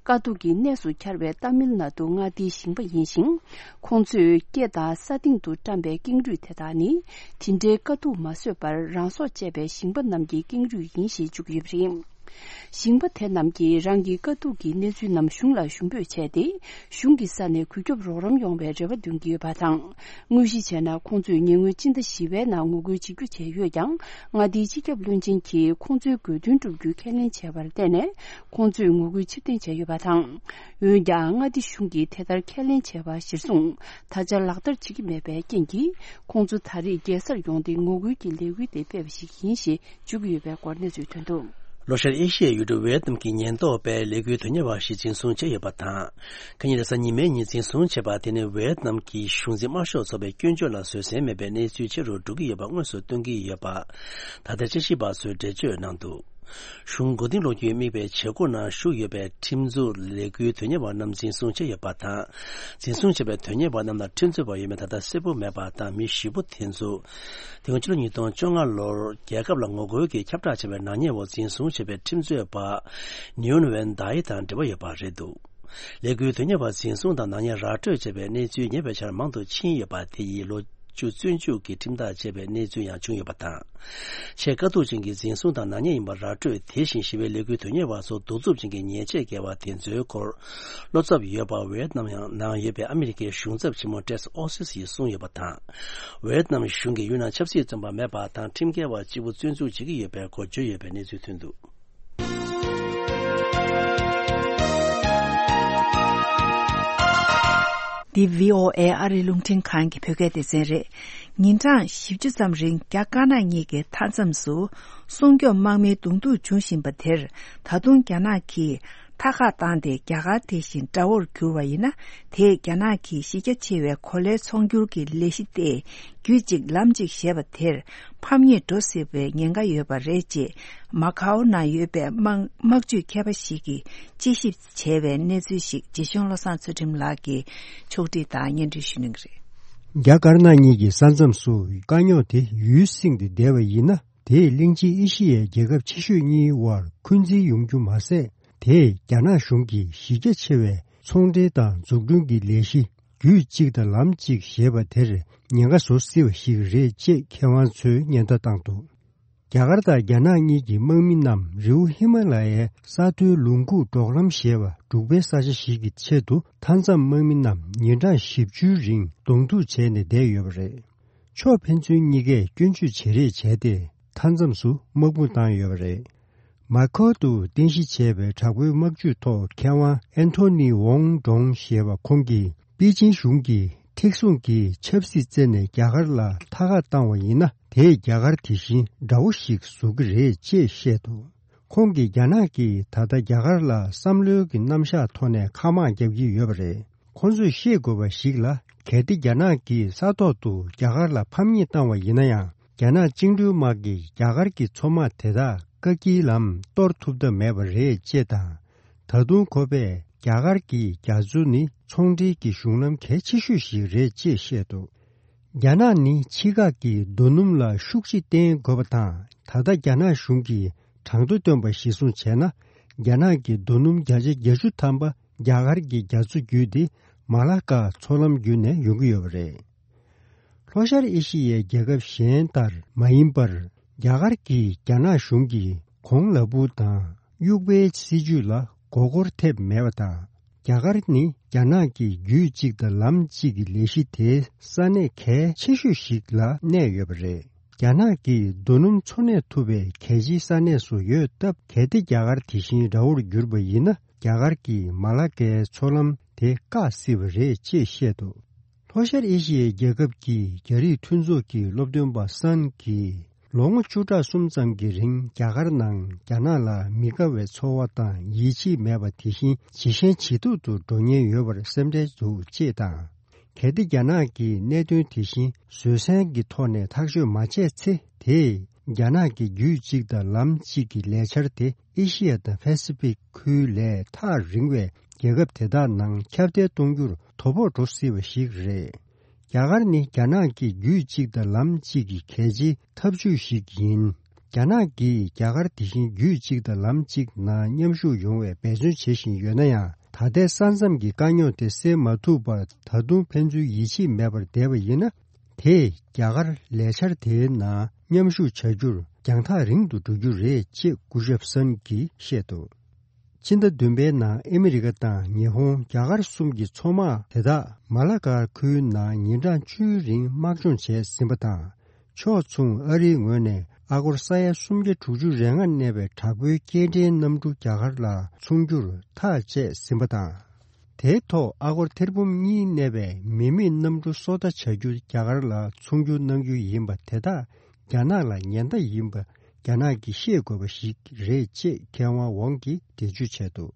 དཀའ་སྡུག་གི་གནས་སུ་གྱར་བའི་ཏཱ་མིལ་ནཱ་ཏུ་མངའ་སྡེའི་ཞིང་པ་ཡིན་ཞིང་། ཁོང་ཚོས་སྐེ་དང་ས་སྟེང་དུ་བཀྲམ་པའི་ཀེང་རུས་དེ་དག་ནི་དེ་འདྲའི་དཀའ་སྡུག་མ་བཟོད་པར་རང་སྲོག་བཅད་པའི་ཞིང་པ་རྣམས་ཀྱི་ཀེང་རུས་ཡིན་ཞེས་བརྗོད་ཀྱི་ཡོད་པ་རེད། ཞིང་པ་དེ་རྣམས་ཀྱིས་རང་གི་དཀའ་སྡུག་གི་གནས་ཚུལ་རྣམས་གཞུང་ལ་ཞུ་འབོད་བྱས་ཏེ། གཞུང་གི་ས་ནས་གུས་སྐྱོབ་རོགས་རམ་ཡོང་བའི་རེ་བ་འདོན་གྱི་ཡོད་པ་དང་། དངོས་གཞི་བྱས་ན་ཁོང་ཚོས་ཉེ་སྔོན་སྤྱི་ཟླ་བཞི་པའི་ནང་ངོ་རྒོལ་བྱེད་རྒྱུ་བྱས་ཡོད་ཀྱང་། མངའ་སྡེའི་སྤྱི་ཁྱབ་བློན་ཆེན་གྱིས་ཁོང་ཚོའི་དགོས་འདུན་སྒྲུབ་རྒྱུ་ཁས་ལེན་བྱས་པར་བརྟེན་ནས། ཁོང་ཚོས་ངོ་རྒོལ་ཕྱིར་འཐེན་བྱས་ཡོད་པ་དང་། འོན་ཀྱང་། མངའ་སྡེ་གཞུང་གིས་དེ་ལྟར་ཁས་ལེན་བྱས་པ་གཞིར་བཟུང་། ད་ཆ་ལག་བསྟར་བྱེད་ཀྱི་མེད་པའི་རྐྱེན་གྱིས། ཁོང་ཚོ་ད་རེས་རྒྱལ་སར་ཡོང་སྟེ་ངོ་རྒོལ་གྱི་ལས་འགུལ་དེ་སྤེལ་བ་ཞིག་ཡིན་ཞེས་བརྗོད་ཀྱི་ཡོད་པའི་སྐོར་གནས་ཚུལ་ཐོན་འདུག། ལྷོ་ཤར་ཨེ་ཤི་ཡའི་ཡུལ་གྲུ་ཝེ་ཏི་ནམ་གྱི་ཉེན་རྟོག་པས་ལས་འགུལ་དོན་གཉེར་བ་ཞིག་འཛིན་བཟུང་བྱས་ཡོད་པ་དང་། ཁ་ཉིན་རེས་གཟའ་ཉི་མའི་ཉིན་འཛིན་བཟུང་བྱས་པ་དེ་ནི་ཝེ་ཏི་ནམ་གྱི་གཞུང་འཛིན་དམར་ཤོག་ཚོགས་པའི་སྐྱོན་བརྗོད་ལ་བཟོད་བསྲན་མེད་པའི་གནས་ཚུལ་ཆེ་རུ་འགྲོ་གི་ཡོད་པ་དངོས་སུ་སྟོན་གྱི་ཡོད་པ། ད་ལྟའི་དཔྱད་ཞིབ་པ་ཚོས་འགྲེལ་བརྗོད་གནང་འདུག། གཞུང་མགོ་རྟིང་སློག་རྒྱུའི་དམིགས་པའི་བྱེད་སྒོ་ནང་ཞུགས་ཡོད་པའི་ཁྲིམས་འཛུགས་ལས་འགུལ་དོན་གཉེར་བ་རྣམས་འཛིན་བཟུང་བྱས་ཡོད་པ་དང་། འཛིན་བཟུང་བྱས་པའི་དོན་གཉེར་བ་རྣམས་ལ་ཁྲིམས་རྩོད་པ་ཡོད་མེད་ད་ལྟ་གསལ་པོ་མེད་པ་དང་། མི་བཞི་པོ་དེ་ཚོ། དེ་སྔོན་ཕྱི་ལོ་ཉིས་སྟོང་བཅོ་ལྔ་ལོར་རྒྱལ་ཁབ་ལ་ངོ་རྒོལ་གྱི་ཁྱབ་བསྒྲགས་བྱས་པའི་ནག་ཉེས་འོག་འཛིན་བཟུང་བྱས་པའི་ཁྲིམས་རྩོད་པ་ནིའུན་ཝེན་དཱ་ཡི་དང་འབྲེལ་བ་ཡོད་པ་རེད་འདུག། ལས་འགུལ་དོན་གཉེར་བ་འཛིན་བཟུང་དང་ནག་ཉེས་ར་སྤྲོད་བྱས་པའི་གནས་ཚུལ་ཉེ་བའི་ཆར་མང་དུ་ཕྱིན་ཡོད་པ་དེ་ཡིས་ལོ་བཅུ་བཙོན་འཇུག་གི་ཁྲིམས་ཐག་བཅད་པའི་གནས་ཚུལ་ཡང་བྱུང་ཡོད་པ་དང་། ཆེས་དཀའ་སྡུག་ཅན་གྱི་འཛིན་བཟུང་དང་ནག་ཉེས་ཡིན་པ་ར་སྤྲོད། དེ་བཞིན་ཞི་བའི་ལས་འགུལ་དོན་གཉེར་བ་སོགས་གདུག་རྩུབ་ཅན་གྱི་ཉེས་ཆད་འགེལ་བ་དེ་ཚོའི་སྐོར་བློ་འཚབ་ཡོད་པ་ཝེ་ཡེད་ནམ་ཡང་ནང་ཡོད་པའི་ཨ་མི་རི་ཀའི་གཞུང་ཚབ་ཆེན་མོ་ཏྲེས་ཨོ་སི་སི་ཡིས་གསུངས་ཡོད་པ་དང་། ཝེ་ཡེད་ནམ་གཞུང་གིས་ཡུལ་ནང་ཆབ་སྲིད་བཙོན་པ་མེད་པ་དང་ཁྲིམས་འགལ་བ་གཅིག་པུ་བཙོན་འཇུག་བྱེད་ཀྱི་ཡོད་པའི་སྐོར་བརྗོད་ཡོད་པའི་གནས་ཚུལ་ཐོན་འདུག། འདི་བྷི་ཨོ་ཨེ་ཨ་རིའི་རླུང་འཕྲིན་ཁང་གི་བོད་སྐད་སྡེ་ཚན་རེད། ཉིན་གྲངས་བཞི་བཅུ་ཙམ་རིང་རྒྱ་དཀར་ནག་གཉིས་ཀྱི་མཐའ་མཚམས་སུ་སྲུང་སྐྱོབ་དམག་མིའི་གདོང་ཐུག་འབྱུང་བཞིན་པ་དེར་ད་དུང་རྒྱ་ནག་གིས་མཐའ་ཁག་བཏང་སྟེ་རྒྱ་གར་དེ་བཞིན་དགྲ་བོར་གྱུར་བ་ཡིན་ན། དེས་རྒྱ་ནག་གི་གཞི་རྒྱ་ཆེ་བའི་གོ་ལའི་ཚོང་སྒྱུར་གྱི་ལས་གཞི་དེ་རྒྱུད་གཅིག་ལམ་གཅིག་ཞེས་པ་དེར་ཕམ་ཉེས་འགྲོ་སྲིད་པའི་ཉེན་ཁ་ཡོད་པ་རེད་ཅེས་མ་ཁའོ་ནང་ཡོད་པའི་དམག་དམག་ཇུས་མཁས་པ་ཞིག་གིས་དཔྱད་ཞིབ་བྱས་པའི་གནས་ཚུལ་ཞིག་རྗེ་ཆུང་བློ་བཟང་ཚུལ་ཁྲིམས་ལགས་ཀྱིས་ཕྱོགས་སྒྲིག་དང་སྙན་སྒྲོན་ཞུ་གནང་གི་རེད། རྒྱ་དཀར་ནག་གཉིས་ཀྱི་ས་མཚམས་སུ་དཀའ་རྙོག་དེ་ཡུལ་སྲིང་སྟེ་བསྡད་པ་ཡིན་ན། དེས་གླིང་ཆེན་ཨེ་ཤི་ཡའི་རྒྱལ་ཁབ་ཆེ་ཤོས་གཉིས་དབར་འཁོན་འཛིན་ཡོང་རྒྱུ་མ་ཟད། དེས་རྒྱ་ནག་གཞུང་གི་གཞི་རྒྱ་ཆེ་བའི་ཚོང་འབྲེལ་དང་འཛུགས་སྐྲུན་གྱི་ལས་གཞི་རྒྱུད་གཅིག་དང་ལམ་གཅིག་ཞེས་པ་དེར་ཉེན་ཁ་བཟོ་སྲིད་པ་ཞིག་རེད་ཅེས་མཁས་དབང་ཚོས་ཉེན་བརྡ་བཏང་འདུག། རྒྱ་གར་དང་རྒྱ་ནག་གཉིས་ཀྱི་དམག་མི་རྣམས་རི་བོ་ཧི་མ་ལ་ཡའི་ས་མཐོའི་ལུང་ཁུག་འབྲོག་ལམ་ཞེས་པ་འབྲུག་པའི་ས་ཆ་ཞིག་གི་ཆེད་དུ་མཐའ་མཚམས་དམག་མི་རྣམས་ཉིན་གྲངས་བཞི་བཅུའི་རིང་གདོང་ཐུག་བྱས་ནས་བསྡད་ཡོད་པ་རེད། ཕྱོགས་ཕན་ཚུན་གཉིས་ཀས་སྐྱོན་བརྗོད་བྱེད་རེས་བྱས་ཏེ་མཐའ་མཚམས་སུ་དམག་དཔུང་བཏང་ཡོད་པ་རེད། མ་ཁའོ་དུ་རྟེན་གཞི་བྱས་པའི་དྲག་པོའི་དམག་ཇུས་ཐོག་མཁས་དབང་ཨན་ཐོ་ནི་ཝོང་ཀྲོང་ཞེས་པ་ཁོང་གིས་པེ་ཅིན་གཞུང་གིས་མཐིལ་ཟུང་གིས་ཆབ་སྲིད་རྩད་ནས་རྒྱ་གར་ལ་མཐའ་ཁ་བཏང་བ་ཡིན་ན། དེས་རྒྱ་གར་དེ་བཞིན་དགྲ་བོ་ཞིག་བཟོ་གི་རེད་ཅེས་བཤད་འདུག། ཁོང་གིས་རྒྱ་ནག་གིས་ད་ལྟ་རྒྱ་གར་ལ་བསམ་བློའི་གི་རྣམ་གཞག་ཐོག་ནས་མཁའ་དམག་རྒྱག་གི་ཡོད་པ་རེད། ཁོང་ཚོས་ཤེས་དགོས་པ་ཞིག་ལ། གལ་ཏེ་རྒྱ་ནག་གིས་ས་ཐོག་ཏུ་རྒྱ་གར་ལ་ཕམ་ཉེས་བཏང་བ་ཡིན་ན་ཡང་། རྒྱ་ནག་བཅིངས་འགྲོལ་དམག་གིས་རྒྱ་གར་གྱི་མཚོ་དམག་དེ་དག་བཀག་སྐྱིལ་ལམ་གཏོར་ཐུབ་ཐབས་མེད་པ་རེད་ཅེས་དང་། ད་དུང་ཁོ་པས་རྒྱ་གར་གྱི་རྒྱ་མཚོ་ནི་ཚོང་འབྲེལ་གྱི་གཞུང་ལམ་གལ་ཆེ་ཤོས་ཤིག་རེད་ཅེས་བཤད་འདུག། རྒྱ་ནག་ནི་ཕྱི་ཁག་གི་རྡོ་སྣུམ་ལ་ཤུགས་ཆེ་བརྟེན་དགོས་པ་དང་། ད་ལྟ་རྒྱ་ནག་གཞུང་གིས་གྲངས་ཐོ་བཏོན་པ་གཞིར་བཟུང་བྱས་ན། རྒྱ་ནག་གི་རྡོ་སྣུམ་བརྒྱ་ཆ་བརྒྱད་ཅུ་ཐམ་པ་རྒྱ་གར་གྱི་རྒྱ་མཚོ་བརྒྱུད་དེ་མ་ལ་ཀ་མཚོ་ལམ་བརྒྱུད་ནས་ཡོང་གི་ཡོད་པ་རེད། ལྷོ་ཤར་ཨེ་ཤི་ཡའི་རྒྱལ་ཁབ་གཞན་ལྟར་མ་ཡིན་པར། རྒྱ་གར་གྱིས་རྒྱ་ནག་གཞུང་གི་གོང་ལ་སྦུག་དང་དབྱུག་པའི་སྲིད་ཇུས་ལ་མགོ་སྐོར་ཐེབས་མེད་པ་དང་། རྒྱ་གར་ནི་རྒྱ་ནག་གི་རྒྱུད་གཅིག་དང་ལམ་གཅིག་གི་ལས་གཞི་དེའི་ས་གནས་གལ་ཆེ་ཤོས་ཤིག་ལ་གནས་ཡོད་པ་རེད། རྒྱ་ནག་གིས་རྡོ་སྣུམ་འཚོ་གནས་ཐུབ་པའི་གལ་ཆེའི་ས་གནས་སུ་ཡོད་སྟབས། གལ་ཏེ་རྒྱ་གར་དེ་བཞིན་དགྲ་བོར་གྱུར་པ་ཡིན་ན། རྒྱ་གར་གྱིས་མ་ལ་ཀའི་མཚོ་ལམ་དེ་བཀག་སྲིད་པ་རེད་ཅེས་བཤད་འདུག། ལྷོ་ཤར་ཨེ་ཤི་ཡའི་རྒྱལ་ཁབ་ཀྱི་རྒྱ་རིགས་མཐུན་ཚོགས་ཀྱི་སློབ་སྟོན་པ་སན་གྱིས། ལོ་ངོ་བཅུ་ཕྲག་གསུམ་ཙམ་གྱི་རིང་རྒྱ་གར་ནང་རྒྱ་ནག་ལ་མི་དགའ་བའི་ཚོར་བ་དང་ཡིད་ཆེས་མེད་པ་དེ་བཞིན་ཇེ་ཞན་ཇེ་སྡུག་ཏུ་འགྲོ་ཉེན་ཡོད་པར་སེམས་ཁྲལ་འདུག་ཅེས་དང་། གལ་ཏེ་རྒྱ་ནག་གིས་གནད་དོན་དེ་བཞིན་བཟོད་བསྲན་གྱི་ཐོག་ནས་ཐག་གཅོད་མ་བྱས་ཚེ། དེས་རྒྱ་ནག་གི་རྒྱུད་གཅིག་དང་ལམ་གཅིག་གི་ལས་འཆར་དེ་ཨེ་ཤི་ཡ་དང་ཕ་སི་ཕིག་ཁུལ་ལས་ཐག་རིང་བའི་རྒྱལ་ཁབ་དེ་དག་ནང་ཁྱབ་གདལ་གཏོང་རྒྱུར་དོ་ཕོག་འགྲོ་སྲིད་པ་ཞིག་རེད། རྒྱ་གར་ནི་རྒྱ་ནག་གི་རྒྱུད་གཅིག་དང་ལམ་གཅིག་གི་གལ་ཆེའི་འཐབ་ཇུས་ཤིག་ཡིན། རྒྱ་ནག་གིས་རྒྱ་གར་དེ་བཞིན་རྒྱུད་གཅིག་དང་ལམ་གཅིག་ནང་མཉམ་ཞུགས་ཡོང་བའི་འབད་བརྩོན་བྱེད་བཞིན་ཡོད་ན་ཡང་། ད་ལྟའི་ས་མཚམས་ཀྱི་དཀའ་རྙོག་དེ་སེལ་མ་ཐུབ་པར་ད་དུང་ཕན་ཚུན་ཡིད་ཆེས་མེད་པར་བསྡད་པ་ཡིན་ན། དེས་རྒྱ་གར་ལས་འཆར་དེའི་ནང་མཉམ་ཞུགས་བྱ་རྒྱུར་རྒྱང་ཐག་རིང་དུ་འགྲོ་རྒྱུ་རེད་ཅེས་སྐུ་ཞབས་སན་གྱིས་བཤད་འདུག། ཕྱི་ཟླ་བདུན་པའི་ནང་ཨ་མི་རི་ཀ་དང་ཉི་ཧོང་། རྒྱ་གར་གསུམ་གྱི་མཚོ་དམག་དེ་དག་མ་ལ་ཀ་ཁུལ་ནང་ཉིན་གྲངས་བཅུའི་རིང་དམག་སྦྱོང་བྱས་ཟིན་པ་དང་། ཕྱོགས་མཚུངས་ཨ་རིའི་ངོས་ནས་ཨ་སྒོར་ས་ཡ་སུམ་བརྒྱ་དྲུག་ཅུ་རེ་ལྔ་གནས་པའི་དྲག་པོའི་སྐྱེལ་འདྲེན་གནམ་གྲུ་རྒྱ་གར་ལ་མཚོན་རྒྱུར་ཐག་བཅད་ཟིན་པ་དང་། དེའི་ཐོག་ཨ་སྒོར་ཐེར་འབུམ་གཉིས་གནས་པའི་མི་མེད་གནམ་གྲུ་སོ་ལྟ་བྱ་རྒྱུ་རྒྱ་གར་ལ་ཚོང་སྒྱུར་གནང་རྒྱུ་ཡིན་པ་དེ་དག་རྒྱ་ནག་ལ་ཉེན་བརྡ་ཡིན་པ་རྒྱ་ནག་གིས་ཤེས་དགོས་པ་ཞིག་རེད་ཅེས་མཁས་དབང་ཝང་གིས་འགྲེལ་བརྗོད་བྱས་འདུག།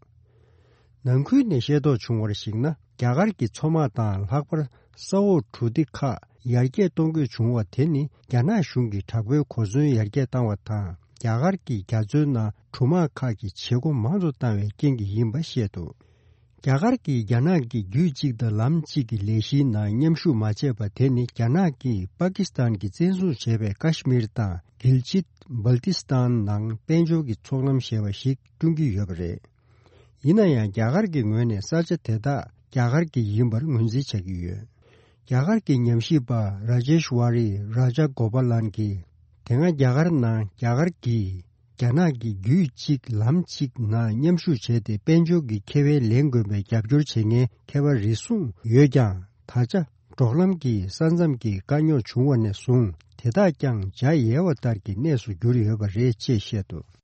ནང་ཁུལ་ནས་ཤེས་རྟོགས་བྱུང་བར་གཞིགས་ན། རྒྱ་གར་གྱི་མཚོ་དམག་དང་ལྷག་པར་ས་འོག་གྲུ་འདེགས་ཁག་ཡར་རྒྱས་གཏོང་དགོས་བྱུང་བ་དེ་ནི་རྒྱ་ནག་གཞུང་གིས་དྲག་པོའི་གོ་མཚོན་ཡར་རྒྱས་བཏང་བ་དང་། རྒྱ་གར་གྱིས་རྒྱ་མཚོའི་ནང་གྲུ་དམག་ཁག་གི་བྱེད་སྒོ་མང་དུ་བཏང་བའི་རྐྱེན་གྱིས་ཡིན་པ་བཤད་འདུག། རྒྱ་གར་གྱིས་རྒྱ་ནག་གི་རྒྱུད་གཅིག་དང་ལམ་གཅིག་གི་ལས་གཞིའི་ནང་མཉམ་ཞུགས་མ་བྱས་པ་དེ་ནི་རྒྱ་ནག་གིས་པ་ཀི་སི་ཐན་གྱིས་བཙན་བཟུང་བྱས་པའི་ཀ་ཤི་མིར་དང་གིལ་ཅིད་བལ་ཏི་སི་ཐན་ནང་དཔལ་འབྱོར་གྱི་ཚོགས་ལམ་ཞེས་པ་ཞིག་བསྐྲུན་གྱི་ཡོད་པ་རེད། ཡིན་ན་ཡང་རྒྱ་གར་གྱི་ངོས་ནས་ས་ཆ་དེ་དག་རྒྱ་གར་གྱི་ཡིན་པར་ངོས་འཛིན་བྱ་གི་ཡོད། རྒྱ་གར་གྱི་ཉམས་ཞིབ་པ་ར་ཇེཤ་ཝ་རི་ར་ཇ་གོ་པ་ལན་གྱིས། དེ་སྔ་རྒྱ་གར་ནང་རྒྱ་གར་གྱིས་རྒྱ་ནག་གི་རྒྱུད་གཅིག་ལམ་གཅིག་ནང་མཉམ་ཞུགས་བྱས་ཏེ་དཔལ་འབྱོར་གྱི་ཁེ་ཕན་ལེན་དགོས་པའི་རྒྱབ་སྐྱོར་བྱེད་མཁན་མཁས་པ་རེ་ཟུང་ཡོད་ཀྱང་། ད་ཆ་འབྲོག་ལམ་གྱི་ས་མཚམས་ཀྱི་དཀའ་རྙོག་བྱུང་བ་ནས་བཟུང་དེ་དག་ཀྱང་འཇའ་ཡལ་བ་ལྟར་གྱི་གནས་སུ་གྱུར་ཡོད་པ་རེད་ཅེས་བཤད་འདུག།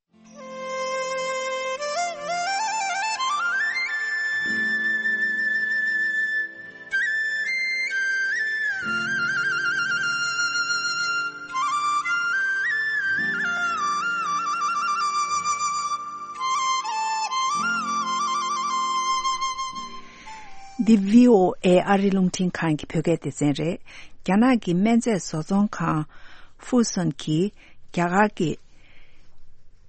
འདི་བྷི་ཨོ་ཨེ་ཨ་རི་རླུང་འཕྲིན་ཁང་གི་བོད་སྐད་སྡེ་ཚན་རེད། རྒྱ་ནག་གི་སྨན་རྫས་བཟོ་ཚོང་ཁང་ཧྥུ་སུན་གྱིས་རྒྱ་གར་གྱི་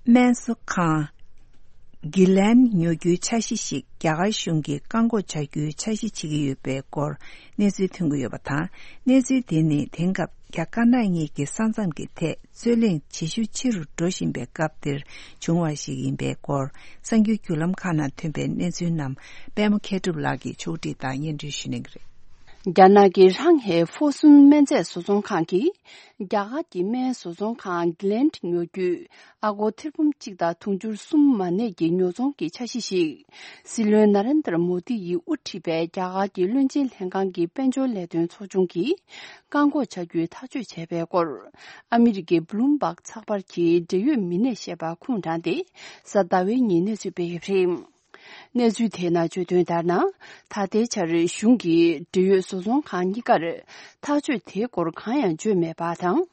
སྨན་བཟོ་ཁང་གི་ལན་ཉོ་རྒྱུའི་འཆར་གཞི་ཞིག་རྒྱ་གར་གཞུང་གིས་བཀག་འགོག་བྱ་རྒྱུའི་འཆར་གཞི་བྱེད་ཀྱི་ཡོད་པའི་སྐོར་གནས་ཚུལ་ཐོན་གྱི་ཡོད་པ་དང་། གནས་ཚུལ་དེ་ནི་དེང་སྐབས་རྒྱ་དཀར་ནག་གཉིས་ཀྱི་ས་མཚམས་ཀྱི་ཐད་རྩོད་གླེང་ཇེ་ཤུགས་ཆེ་རུ་འགྲོ་བཞིན་པའི་སྐབས་འདིར་བྱུང་བ་ཞིག་ཡིན་པའི་སྐོར། གསར་འགྱུར་བརྒྱུད་ལམ་ཁག་ནང་ཐོན་པའི་གནས་ཚུལ་རྣམས་པད་མ་མཁས་གྲུབ་ལགས་ཀྱིས་ཕྱོགས་སྒྲིག་དང་སྙན་སྒྲོན་ཞུ་གནང་གི་རེད། རྒྱ་ནག་གི་ཧྲང་ཧའེ་ཧྥོ་སུན་སྨན་རྫས་བཟོ་ཚོང་ཁང་གིས་རྒྱ་གར་གྱི་སྨན་བཟོ་ཚོང་ཁང་གི་ལན་ཉོ་རྒྱུའི་ཨ་སྒོར་ཐེར་འབུམ་གཅིག་དང་དུང་ཕྱུར་གསུམ་མ་གནས་ཀྱི་ཉོ་ཚོང་གི་འཆར་གཞི་ཞིག་སྲིད་བློན་ན་རེན་དར་མོ་དི་ཡིས་དབུ་ཁྲིད་པའི་རྒྱ་གར་གྱི་བློན་ཆེན་ལྷན་ཁང་གི་དཔལ་འབྱོར་ལས་དོན་ཚོགས་ཆུང་གིས་བཀག་འགོག་བྱ་རྒྱུའི་ཐག་གཅོད་བྱས་པའི་སྐོར། ཨ་མི་རི་ཀའི་བྷ་ལུམ་བྷག་ཚགས་པར་གྱིས་འབྲེལ་ཡོད་མི་སྣས་བཤད་པ་ཁུངས་དྲངས་ཏེ། གཟའ་ཟླ་བའི་ཉིན་གནས་ཚུལ་སྤེལ་ཡོད་པ་རེད། གནས་ཚུལ་དེའི་ནང་བརྗོད་དོན་ལྟར་ན། ད་ལྟའི་ཆར་གཞུང་གིས་འབྲེལ་ཡོད་བཟོ་ཚོང་ཁང་གཉིས་ཀར་ཐག་གཅོད་དེའི་སྐོར་གང་ཡང་བརྗོད་མེད་པ་དང་།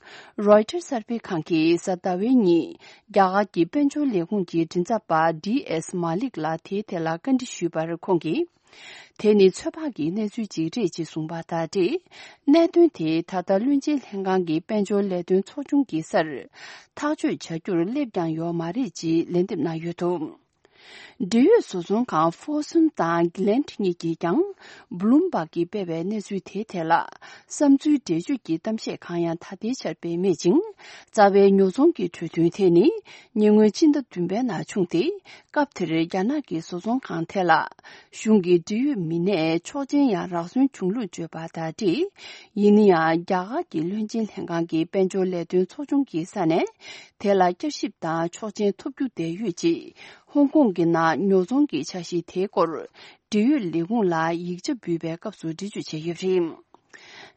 རོའི་ཊར་གསར་སྤེལ་ཁང་གིས་གཟའ་ཟླ་བའི་ཉིན་རྒྱ་གར་གྱི་དཔལ་འབྱོར་ལས་ཁུངས་ཀྱི་མགྲིན་ཚབ་པ་ཌི་ཨེས་མ་ལིག་ལ་དེའི་ཐད་ལ་བཀའ་འདྲི་ཞུས་པར་ཁོང་གིས། དེ་ནི་ཚོད་དཔག་གི་གནས་ཚུལ་ཅིག་རེད་ཅེས་གསུངས་པ་དང་འབྲེལ། གནད་དོན་དེ་ད་ལྟ་བློན་ཆེན་ལྷན་ཁང་གི་དཔལ་འབྱོར་ལས་དོན་ཚོགས་ཆུང་གི་སར་ཐག་གཅོད་བྱ་རྒྱུར་སླེབས་ཀྱང་ཡོད་མ་རེད་ཅེས་ལན་འདེབས་གནང་ཡོད་འདུག། འབྲེལ་ཡོད་བཟོ་ཚོང་ཁང་ཧྥོ་སུན་དང་གི་ལན་གཉིས་ཀྱིས་ཀྱང་བྷ་ལུམ་བྷག་གིས་སྤེལ་བའི་གནས་ཚུལ་དེའི་ཐད་ལ་བསམ་ཚུལ་འགྲེལ་བརྗོད་ཀྱི་གཏམ་བཤད་གང་ཡང་ད་ལྟའི་ཆར་སྤེལ་མེད་ཅིང་། རྩ་བའི་ཉོ་ཚོང་གི་གྲོས་མཐུན་དེ་ནི་ཉེ་སྔོན་ཕྱི་ཟླ་བདུན་པའི་ནང་བྱུང་སྟེ། སྐབས་དེར་རྒྱ་ནག་གི་བཟོ་ཚོང་ཁང་དེ་ལ་གཞུང་གི་འབྲེལ་ཡོད་མི་སྣས་ཆོག་མཆན་ཡང་རག་སོན་བྱུང་ལུགས་བརྗོད་པ་དང་འབྲེལ། ཡིན་ན་ཡང་རྒྱ་གར་གྱི་བློན་ཆེན་ལྷན་ཁང་གི་དཔལ་འབྱོར་ལས་དོན་ཚོགས་ཆུང་གི་ས་ནས་དེ་ལ་བསྐྱར་ཞིབ་དང་ཆོག་མཆན་ཐོབ་རྒྱུ་བསྡད་ཡོད་ཅེས་ཧོང་ཀོང་གི་ནང་ཉོ་ཚོང་གི་འཆར་གཞི་དེའི་སྐོར་འབྲེལ་ཡོད་ལས་ཁུངས་ལ་ཡིག་ཆ་འབུལ་བའི་སྐབས་སུ་འགྲེལ་བརྗོད་བྱས་ཡོད་པ་རེད།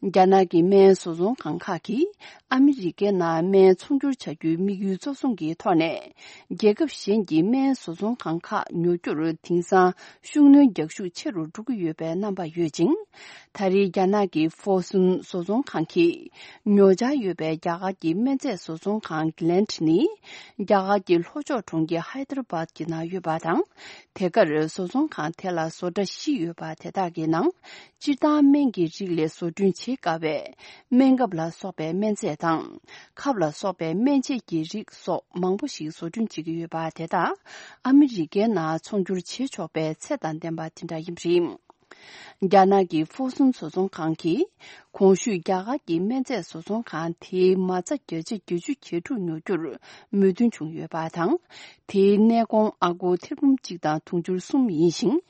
རྒྱ་ནག་གི་སྨན་བཟོ་ཚོང་ཁང་ཁག་གིས་ཨ་མི་རི་ཀའི་ནང་སྨན་ཚོང་སྒྱུར་བྱ་རྒྱུའི་དམིགས་ཡུལ་གཙོ་བཟུང་གི་ཐོག་ནས། རྒྱལ་ཁབ་གཞན་གྱི་སྨན་བཟོ་ཚོང་ཁང་ཁག་ཉོ་རྒྱུར་དེང་སང་ཤུགས་སྣོན་རྒྱག་ཤུགས་ཆེ་རུ་འགྲོ་གི་ཡོད་པའི་རྣམ་པ་ཡོད་ཅིང་། ད་རེས་རྒྱ་ནག་གི་ཧྥོ་སུན་བཟོ་ཚོང་ཁང་གིས་ཉོ་འཆར་ཡོད་པའི་རྒྱ་གར་གྱི་སྨན་རྫས་བཟོ་ཚོང་ཁང་གི་ལན་ནི། རྒྱ་གར་གྱི་ལྷོ་ཕྱོགས་གྲོང་ཁྱེར་ཧའི་ཏར་བཱད་ཀྱི་ནང་ཡོད་པ་དང་། དེ་གར་བཟོ་ཚོང་ཁང་དེ་ལ་བཟོ་གྲྭ་བཞི་ཡོད་པ་དེ་དག་གི་ནང་། སྤྱིར་བཏང་སྨན་གྱི་རིགས་ལས་བཟོ་སྐྲུན་བྱེད་དཀའ་བའི་སྨན་ཁབ་ལ་སོགས་པའི་སྨན་རྫས་དང་། ཁབ་ལ་སོགས་པའི་སྨན་དཔྱད་ཀྱི་རིགས་སོགས་མང་པོ་ཞིག་བཟོ་སྐྲུན་བྱེད་ཀྱི་ཡོད་པ་དེ་དག་ཨ་མི་རི་ཀའི་ནང་ཚོང་སྒྱུར་བྱེད་ཆོག་པའི་ཚད་དང་ལྡན་པ་དེ་འདྲ་ཡིན་པ་རེད། རྒྱ་ནག་གི་ཧྥོ་སུན་བཟོ་ཚོང་ཁང་གིས་གོང་ཞུས་རྒྱ་གར་གྱི་སྨན་རྫས་བཟོ་ཚོང་ཁང་དེའི་མ་རྩ་བརྒྱ་ཆ་བརྒྱད་ཅུ་གྱ་དྲུག་ཉོ་རྒྱུར་མོས་མཐུན་བྱུང་ཡོད་པ་དང་། དེའི་གནས་གོང་ཨ་སྒོར་ཐེར་འབུམ་གཅིག་དང་དུང་ཕྱུར་གསུམ་ཡིན་ཞིང་།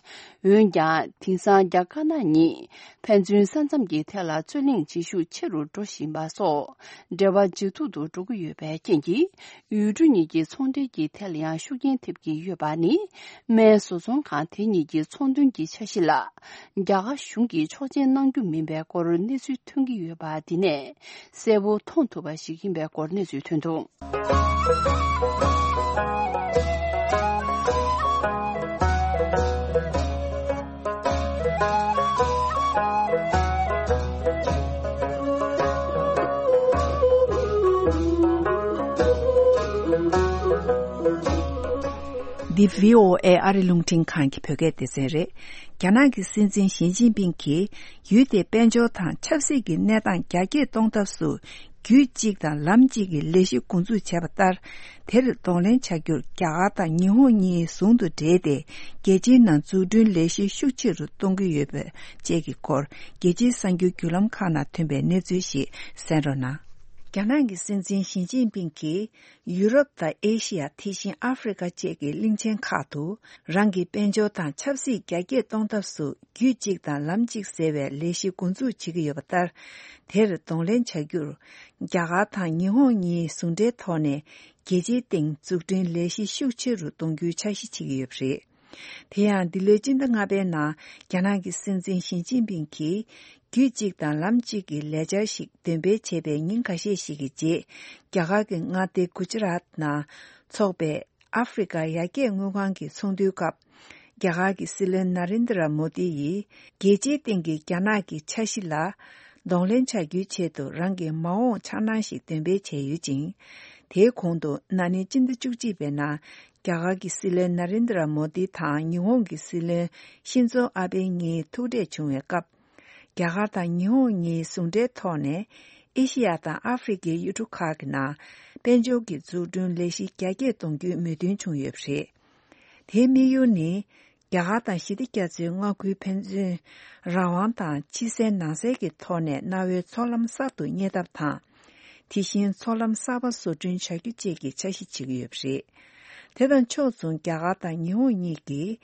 འོན་ཀྱང་དེང་སང་རྒྱ་དཀར་ནག་གཉིས་ཕན་ཚུན་ས་མཚམས་ཀྱི་ཐད་ལ་རྩོད་གླེང་བྱེད་ཤུགས་ཆེ་རུ་འགྲོ་བཞིན་པ་སོགས་འབྲེལ་བ་ཇེ་སྡུག་ཏུ་འགྲོ་གི་ཡོད་པའི་རྐྱེན་གྱིས། ཡུལ་གྲུ་གཉིས་ཀྱི་ཚོང་འབྲེལ་གྱི་ཐད་ལ་ཡང་ཤུགས་རྐྱེན་ཐེབས་ཀྱི་ཡོད་པ་ནི། སྨན་བཟོ་ཚོང་ཁང་དེ་གཉིས་ཀྱི་ཚོང་དོན་གྱི་འཆར་གཞི་ལ། རྒྱ་གར་གཞུང་གིས་ཆོག་མཆན་གནང་རྒྱུ་མིན་པའི་སྐོར་གནས་ཚུལ་ཐོན་གྱི་ཡོད་པ་འདི་ནས་གསལ་པོ་མཐོང་ཐུབ་པ་ཞིག་ཡིན་པའི་སྐོར་གནས་ཚུལ་ཐོན་འདུག། འདི་བྷི་ཨོ་ཨེ་ཨ་རི་རླུང་འཕྲིན་ཁང་གི་བོད་སྐད་སྡེ་ཚན་རེད། རྒྱ་ནག་གི་སྲིད་འཛིན་ཞི་ཅིན་ཕིང་གིས་ཡུལ་དེའི་དཔལ་འབྱོར་དང་ཆབ་སྲིད་ཀྱི་གནས་སྟངས་རྒྱ་སྐྱེད་གཏོང་ཐབས་སུ། རྒྱུད་གཅིག་དང་ལམ་གཅིག་གི་ལས་གཞི་འགོ་འཛུགས་བྱས་པ་ལྟར། དེར་གདོང་ལེན་བྱ་རྒྱུར་རྒྱ་གར་དང་ཉི་ཧོང་གཉིས་ཟུང་དུ་འབྲེལ་ཏེ། རྒྱལ་སྤྱིའི་ནང་འཛུགས་སྐྲུན་ལས་གཞི་ཤུགས་ཆེ་རུ་གཏོང་གི་ཡོད་པ་བཅས་ཀྱི་སྐོར། རྒྱལ་སྤྱིའི་གསར་འགྱུར་བརྒྱུད་ལམ་ཁག་ནང་ཐོན་པའི་གནས་ཚུལ་ཞིག་གསན་རོགས་གནང་། རྒྱ་ནག་གི་སྲིད་འཛིན་ཞི་ཅིན་ཕིང་གིས་ཡུ་རོབ་དང་ཨེ་ཤི་ཡ། དེ་བཞིན་ཨ་ཧྥེ་རི་ཁ་བཅས་ཀྱི་གླིང་ཆེན་ཁག་ཏུ་རང་གི་དཔལ་འབྱོར་དང་ཆབ་སྲིད་རྒྱ་སྐྱེད་གཏོང་ཐབས་སུ་རྒྱུད་གཅིག་དང་ལམ་གཅིག་ཟེར་བའི་ལས་གཞི་འགོ་འཛུགས་བྱེད་ཀྱི་ཡོད་པ་ལྟར། དེར་གདོང་ལེན་བྱ་རྒྱུར། རྒྱ་གར་དང་ཉི་ཧོང་གཉིས་ཟུང་འབྲེལ་ཐོག་ནས་རྒྱལ་སྤྱིའི་སྟེང་འཛུགས་སྐྲུན་ལས་གཞི་ཤུགས་ཆེ་རུ་གཏོང་རྒྱུའི་འཆར་གཞི་བྱེད་ཀྱི་ཡོད་པ་རེད། དེ་ཡང་འདི་ལོའི་སྤྱི་ཟླ་ལྔ་པའི་ནང་རྒྱ་ནག་གི་སྲིད་འཛིན་ཞི་ཅིན་ཕིང་གིས་རྒྱུད་གཅིག་དང་ལམ་གཅིག་གི་ལས་འཆར་ཞིག་འདོན་སྤེལ་བྱས་པའི་ཉིན་ཁ་ཤས་ཤིག་གི་རྗེས། རྒྱ་གར་གྱི་མངའ་སྡེ་གུ་ཇི་རཱཏ་ནང་འཚོགས་པའི་ཨ་ཧྥེ་རི་ཁ་ཡར་རྒྱས་དངུལ་ཁང་གི་ཚོགས་འདུའི་སྐབས། རྒྱ་གར་གྱི་སྲིད་བློན་ན་རེན་དྲ་མོ་དི་ཡིས་རྒྱལ་སྤྱིའི་སྟེང་གི་རྒྱ་ནག་གི་འཆར་གཞི་ལ་གདོང་ལེན་བྱ་རྒྱུའི་ཆེད་དུ་རང་གི་མ་འོངས་འཆར་སྣང་ཞིག་འདོན་སྤེལ་བྱས་ཡོད་ཅིང་། དེའི་གོང་དུ་ན་ནིང་སྤྱི་ཟླ་བཅུ་གཅིག་པའི་ནང་རྒྱ་གར་གྱི་སྲིད་བློན་ན་རེན་དྲ་མོ་དི་དང་ཉི་ཧོང་གི་སྲིད་བློན་ཤིན་ཛོ་ཨ་བྷེ་གཉིས་ཐུག་འཕྲད་བྱུང་བའི་སྐབས། རྒྱ་གར་དང་ཉི་ཧོང་གཉིས་ཟུང་འབྲེལ་ཐོག་ནས་ཨེ་ཤི་ཡ་དང་ཨ་ཧྥེ་རི་ཁའི་ཡུལ་གྲུ་ཁག་གི་ནང་དཔལ་འབྱོར་གྱི་འཛུགས་སྐྲུན་ལས་གཞི་རྒྱ་སྐྱེད་གཏོང་རྒྱུའི་མོས་མཐུན་བྱུང་ཡོད་པ་རེད། དེའི་དམིགས་ཡུལ་ནི། རྒྱ་གར་དང་ཞི་བདེ་རྒྱ་མཚོའི་མངའ་ཁུལ་ཕན་ཚུན་རང་དབང་དང་ཕྱི་གསལ་ནང་གསལ་གྱི་ཐོག་ནས་གནའ་བོའི་མཚོ་ལམ་གསར་དུ་གཉེར་ཐབས་དང་། དེ་བཞིན་མཚོ་ལམ་གསར་པ་བཟོ་སྐྲུན་བྱ་རྒྱུ་བཅས་ཀྱི་འཆར་གཞི་བྱེད་ཀྱི་ཡོད་པ་རེད། དེ་དང་ཕྱོགས་མཚུངས་རྒྱ་གར་དང་ཉི་ཧོང་གཉིས་ཀྱིས་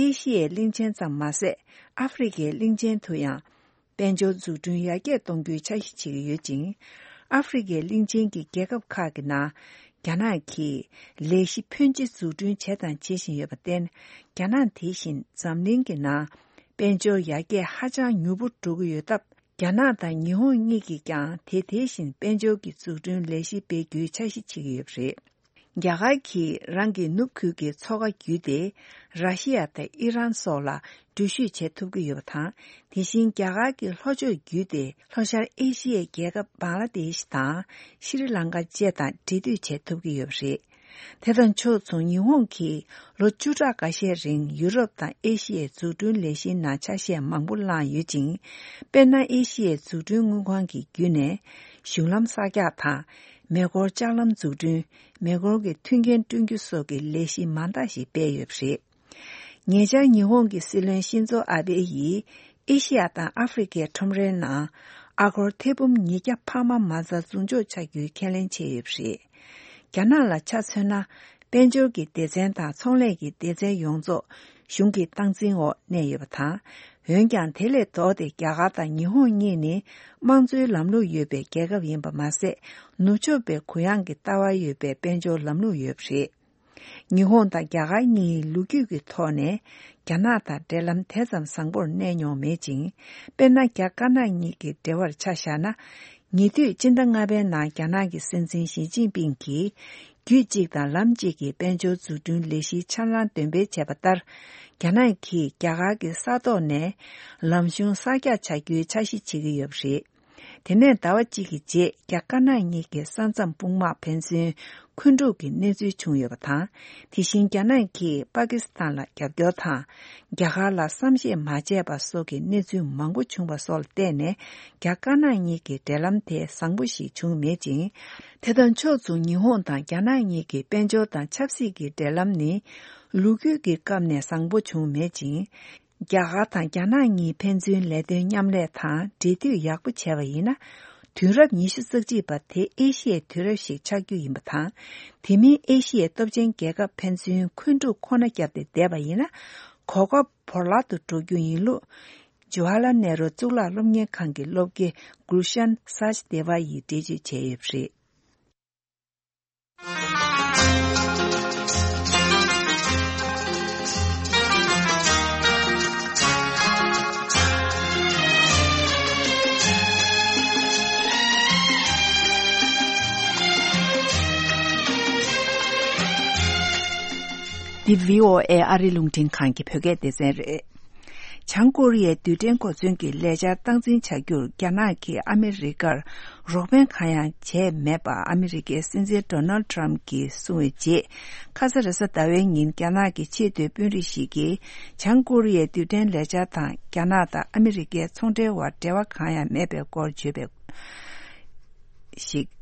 ཨེ་ཤི་ཡའི་གླིང་ཆེན་ཙམ་མ་ཟད་ཨ་ཧྥེ་རི་ཁའི་གླིང་ཆེན་དུ་ཡང་དཔལ་འབྱོར་འཛུགས་སྐྲུན་ཡར་རྒྱས་གཏོང་རྒྱུའི་འཆར་གཞི་བྱེད་ཀྱི་ཡོད་ཅིང་། ཨ་ཧྥེ་རི་ཁའི་གླིང་ཆེན་གྱི་རྒྱལ་ཁབ་ཁག་གི་ནང་རྒྱ་ནག་གིས་ལས་གཞི་ཕོན་ཆེ་འཛུགས་སྐྲུན་བྱས་དང་བྱེད་བཞིན་ཡོད་པར་བརྟེན། རྒྱ་ནག་དེ་བཞིན་འཛམ་གླིང་གི་ནང་དཔལ་འབྱོར་ཡར་རྒྱས་ཧ་ཅང་མྱུར་པོ་འགྲོ་གི་ཡོད་སྟབས། རྒྱ་ནག་དང་ཉི་ཧོང་གཉིས་ཀྱིས་ཀྱང་དེ་དེ་བཞིན་དཔལ་འབྱོར་གྱི་འཛུགས་སྐྲུན་ལས་གཞི་སྤེལ་རྒྱུའི་འཆར་གཞི་བྱེད་ཀྱི་ཡོད་པ་རེད། རྒྱ་གར་གྱིས་རང་གི་ནུབ་ཁུལ་གྱི་མཚོ་ཁ་བརྒྱུད་དེ་ར་ཤི་ཡ་དང་ཨི་རན་སོགས་ལ་འགྲུལ་བཞུད་བྱེད་ཐུབ་ཀྱི་ཡོད་པ་དང་། དེ་བཞིན་རྒྱ་གར་གྱི་ལྷོ་ཕྱོགས་བརྒྱུད་དེ་ལྷོ་ཤར་ཨེ་ཤི་ཡའི་རྒྱལ་ཁབ་བང་ལ་དེཤ་དང་ཤྲི་ལང་ཀ་བཅས་དང་འབྲེལ་མཐུད་བྱེད་ཐུབ་ཀྱི་ཡོད་པ་རེད། དེ་དང་ཕྱོགས་མཚུངས་ཉི་ཧོང་གིས་ལོ་བཅུ་ཕྲག་འགའ་ཤས་རིང་ཡུ་རོབ་དང་ཨེ་ཤི་ཡའི་འཛུགས་སྐྲུན་ལས་གཞིའི་ནང་ཆ་ཤས་མང་པོ་བླངས་ཡོད་ཅིང་། དཔེར་ན། ཨེ་ཤི་ཡའི་འཛུགས་སྐྲུན་དངུལ་ཁང་གི་བརྒྱུད་ནས་གཞུང་ལམ་གསར་རྒྱག་དང་། མེ་འཁོར་ལྕགས་ལམ་འཛུགས་སྐྲུན། མེ་འཁོར་གྱི་མཐུན་རྐྱེན་བསྐྲུན་རྒྱུ་སོགས་ཀྱི་ལས་གཞི་མང་དག་ཞིག་སྤེལ་ཡོད་པ་རེད། ཉེ་ཆར་ཉི་ཧོང་གི་སྲིད་བློན་ཤིན་ཛོ་ཨ་བྷེ་ཡིས་ཨེ་ཤི་ཡ་དང་ཨ་ཧྥེ་རི་ཁའི་ཁྲོམ་རའི་ནང་ཨ་སྒོར་ཐེར་འབུམ་ཉིས་བརྒྱ་འཕར་མ་མ་རྩ་འཛུགས་འཇོག་བྱ་རྒྱུའི་ཁས་ལེན་བྱས་ཡོད་པ་རེད། རྒྱ་ནག་ལ་ཆ་མཚོན་ན། དཔལ་འབྱོར་གྱི་སྡེ་ཚན་དང་ཚོང་ལས་ཀྱི་སྡེ་ཚན་ཡོངས་རྫོགས་གཞུང་གི་སྟངས་འཛིན་འོག་གནས་ཡོད་པ་དང་། འོན་ཀྱང་དེ་ལས་ལྡོག་སྟེ་རྒྱ་གར་དང་ཉི་ཧོང་གཉིས་ནི་དམངས་གཙོའི་ལམ་ལུགས་ཡོད་པའི་རྒྱལ་ཁབ་ཡིན་པ་མ་ཟད། ནུབ་ཕྱོགས་པའི་གུ་ཡངས་ཀྱི་ལྟ་བ་ཡོད་པའི་དཔལ་འབྱོར་ལམ་ལུགས་ཡོད་པ་རེད། ཉི་ཧོང་དང་རྒྱ་གར་གཉིས་ལོ་རྒྱུས་ཀྱི་ཐོག་ནས་རྒྱ་ནག་དང་འབྲེལ་ལམ་དེ་ཙམ་བཟང་པོར་གནས་མྱོང་མེད་ཅིང་། དཔེར་ན། རྒྱ་དཀར་ནག་གཉིས་ཀྱི་འབྲེལ་བར་ཆ་བཞག་ན། ཉེ་དུས་སྤྱི་ཟླ་ལྔ་པའི་ནང་རྒྱ་ནག་གི་སྲིད་འཛིན་ཞི་ཅིན་ཕིང་གིས་རྒྱུད་གཅིག་དང་ལམ་གཅིག་གི་དཔལ་འབྱོར་འཛུགས་སྐྲུན་ལས་གཞིའི་འཆར་སྣང་འདོན་སྤེལ་བྱས་པ་ལྟར། རྒྱ་ནག་གིས་རྒྱ་གར་གྱི་ས་ཐོག་ནས་ལམ་གཞུང་གསར་རྒྱག་བྱ་རྒྱུའི་འཆར་གཞི་བྱེད་ཀྱི་ཡོད་པ་རེད། དེ་ནས་ཟླ་བ་གཅིག་གི་རྗེས་རྒྱ་དཀར་ནག་གཉིས་ཀྱི་ས་མཚམས་དཔུང་དམག་ཕན་ཚུན་འཁོན་འཁྲུག་གི་གནས་ཚུལ་བྱུང་ཡོད་པ་དང་། དེ་བཞིན་རྒྱ་ནག་གིས་པ་ཀི་སི་ཐན་ལ་རྒྱབ་སྐྱོར་དང་། རྒྱ་གར་ལ་བསམ་ཤེས་མ་བྱས་པ་སོགས་ཀྱི་གནས་ཚུལ་མང་པོ་བྱུང་བ་སོགས་ལ་བརྟེན་ནས། རྒྱ་དཀར་ནག་གཉིས་ཀྱི་འབྲེལ་ལམ་དེ་བཟང་པོ་ཞིག་བྱུང་མེད་ཅིང་། དེ་དང་ཕྱོགས་མཚུངས་ཉི་ཧོང་དང་རྒྱ་ནག་གཉིས་ཀྱི་དཔལ་འབྱོར་དང་ཆབ་སྲིད་ཀྱི་འབྲེལ་ལམ་ནི་ལོ་རྒྱུས་ཀྱི་སྐབས་ནས་བཟང་པོ་བྱུང་མེད་ཅིང་། རྒྱ་གར་དང་རྒྱ་ནག་གཉིས་ཕན་ཚུན་ལས་དོན་མཉམ་ལས་དང་འབྲེལ་མཐུད་ཡག་པོ་བྱས་པ་ཡིན་ན། དུས་རབས་ཉི་ཤུ་རྩ་གཅིག་པ་དེ་ཨེ་ཤི་ཡའི་དུས་རབས་ཤིག་ཆགས་རྒྱུ་ཡིན་པ་དང་། དེ་མིན་ཨེ་ཤི་ཡའི་སྟོབས་ཆེན་རྒྱལ་ཁབ་ཕན་ཚུན་འཁོན་འཁྲུག་ཁོ་ན་བརྒྱབ་སྟེ་བསྡད་པ་ཡིན་ན། གོ་སྐབས་བོར་བརླག་ཏུ་འགྲོ་རྒྱུ་ཡིན་ལུགས། ཇུ་ཧ་ལ་ནེ་རུ་གཙུག་ལག་སློབ་གཉེར་ཁང་གི་སློབ་དགེ་གུལ་ཤན་སཱཅ་དེ་ཝ་ཡིས་འགྲེལ་བརྗོད་བྱས་ཡོད་པ་རེད། འདི་བྷི་ཨོ་ཨེ་ཨ་རིའི་རླུང་འཕྲིན་ཁང་གི་བོད་སྐད་སྡེ་ཚན་རེད། བྱང་ཀོ་རི་ཡའི་རྡུལ་ཕྲན་གོ་མཚོན་གྱི་ལས་འཆར་སྟངས་འཛིན་བྱ་རྒྱུར་རྒྱ་ནག་གིས་ཨ་མི་རི་ཀར་རོགས་ཕན་གང་ཡང་བྱས་མེད་པ་ཨ་མི་རི་ཀའི་སྲིད་འཛིན་ཌོ་ནལ་ཌི་ཊརམ་གྱིས་གསུངས་པའི་རྗེས། ཁ་ས་རེས་གཟའ་ཟླ་བའི་ཉིན་རྒྱ་ནག་གི་ཆེས་མཐོའི་དཔོན་རིགས་ཤིག་གིས་བྱང་ཀོ་རི་ཡའི་རྡུལ་ཕྲན་ལས་འཆར་དང་རྒྱ་ནག་དང་ཨ་མི་རི་ཀའི་ཚོང་འབྲེལ་བར་འབྲེལ་བ་གང་ཡང་མེད་པའི་སྐོར་བརྗོད་པའི་ཞིག་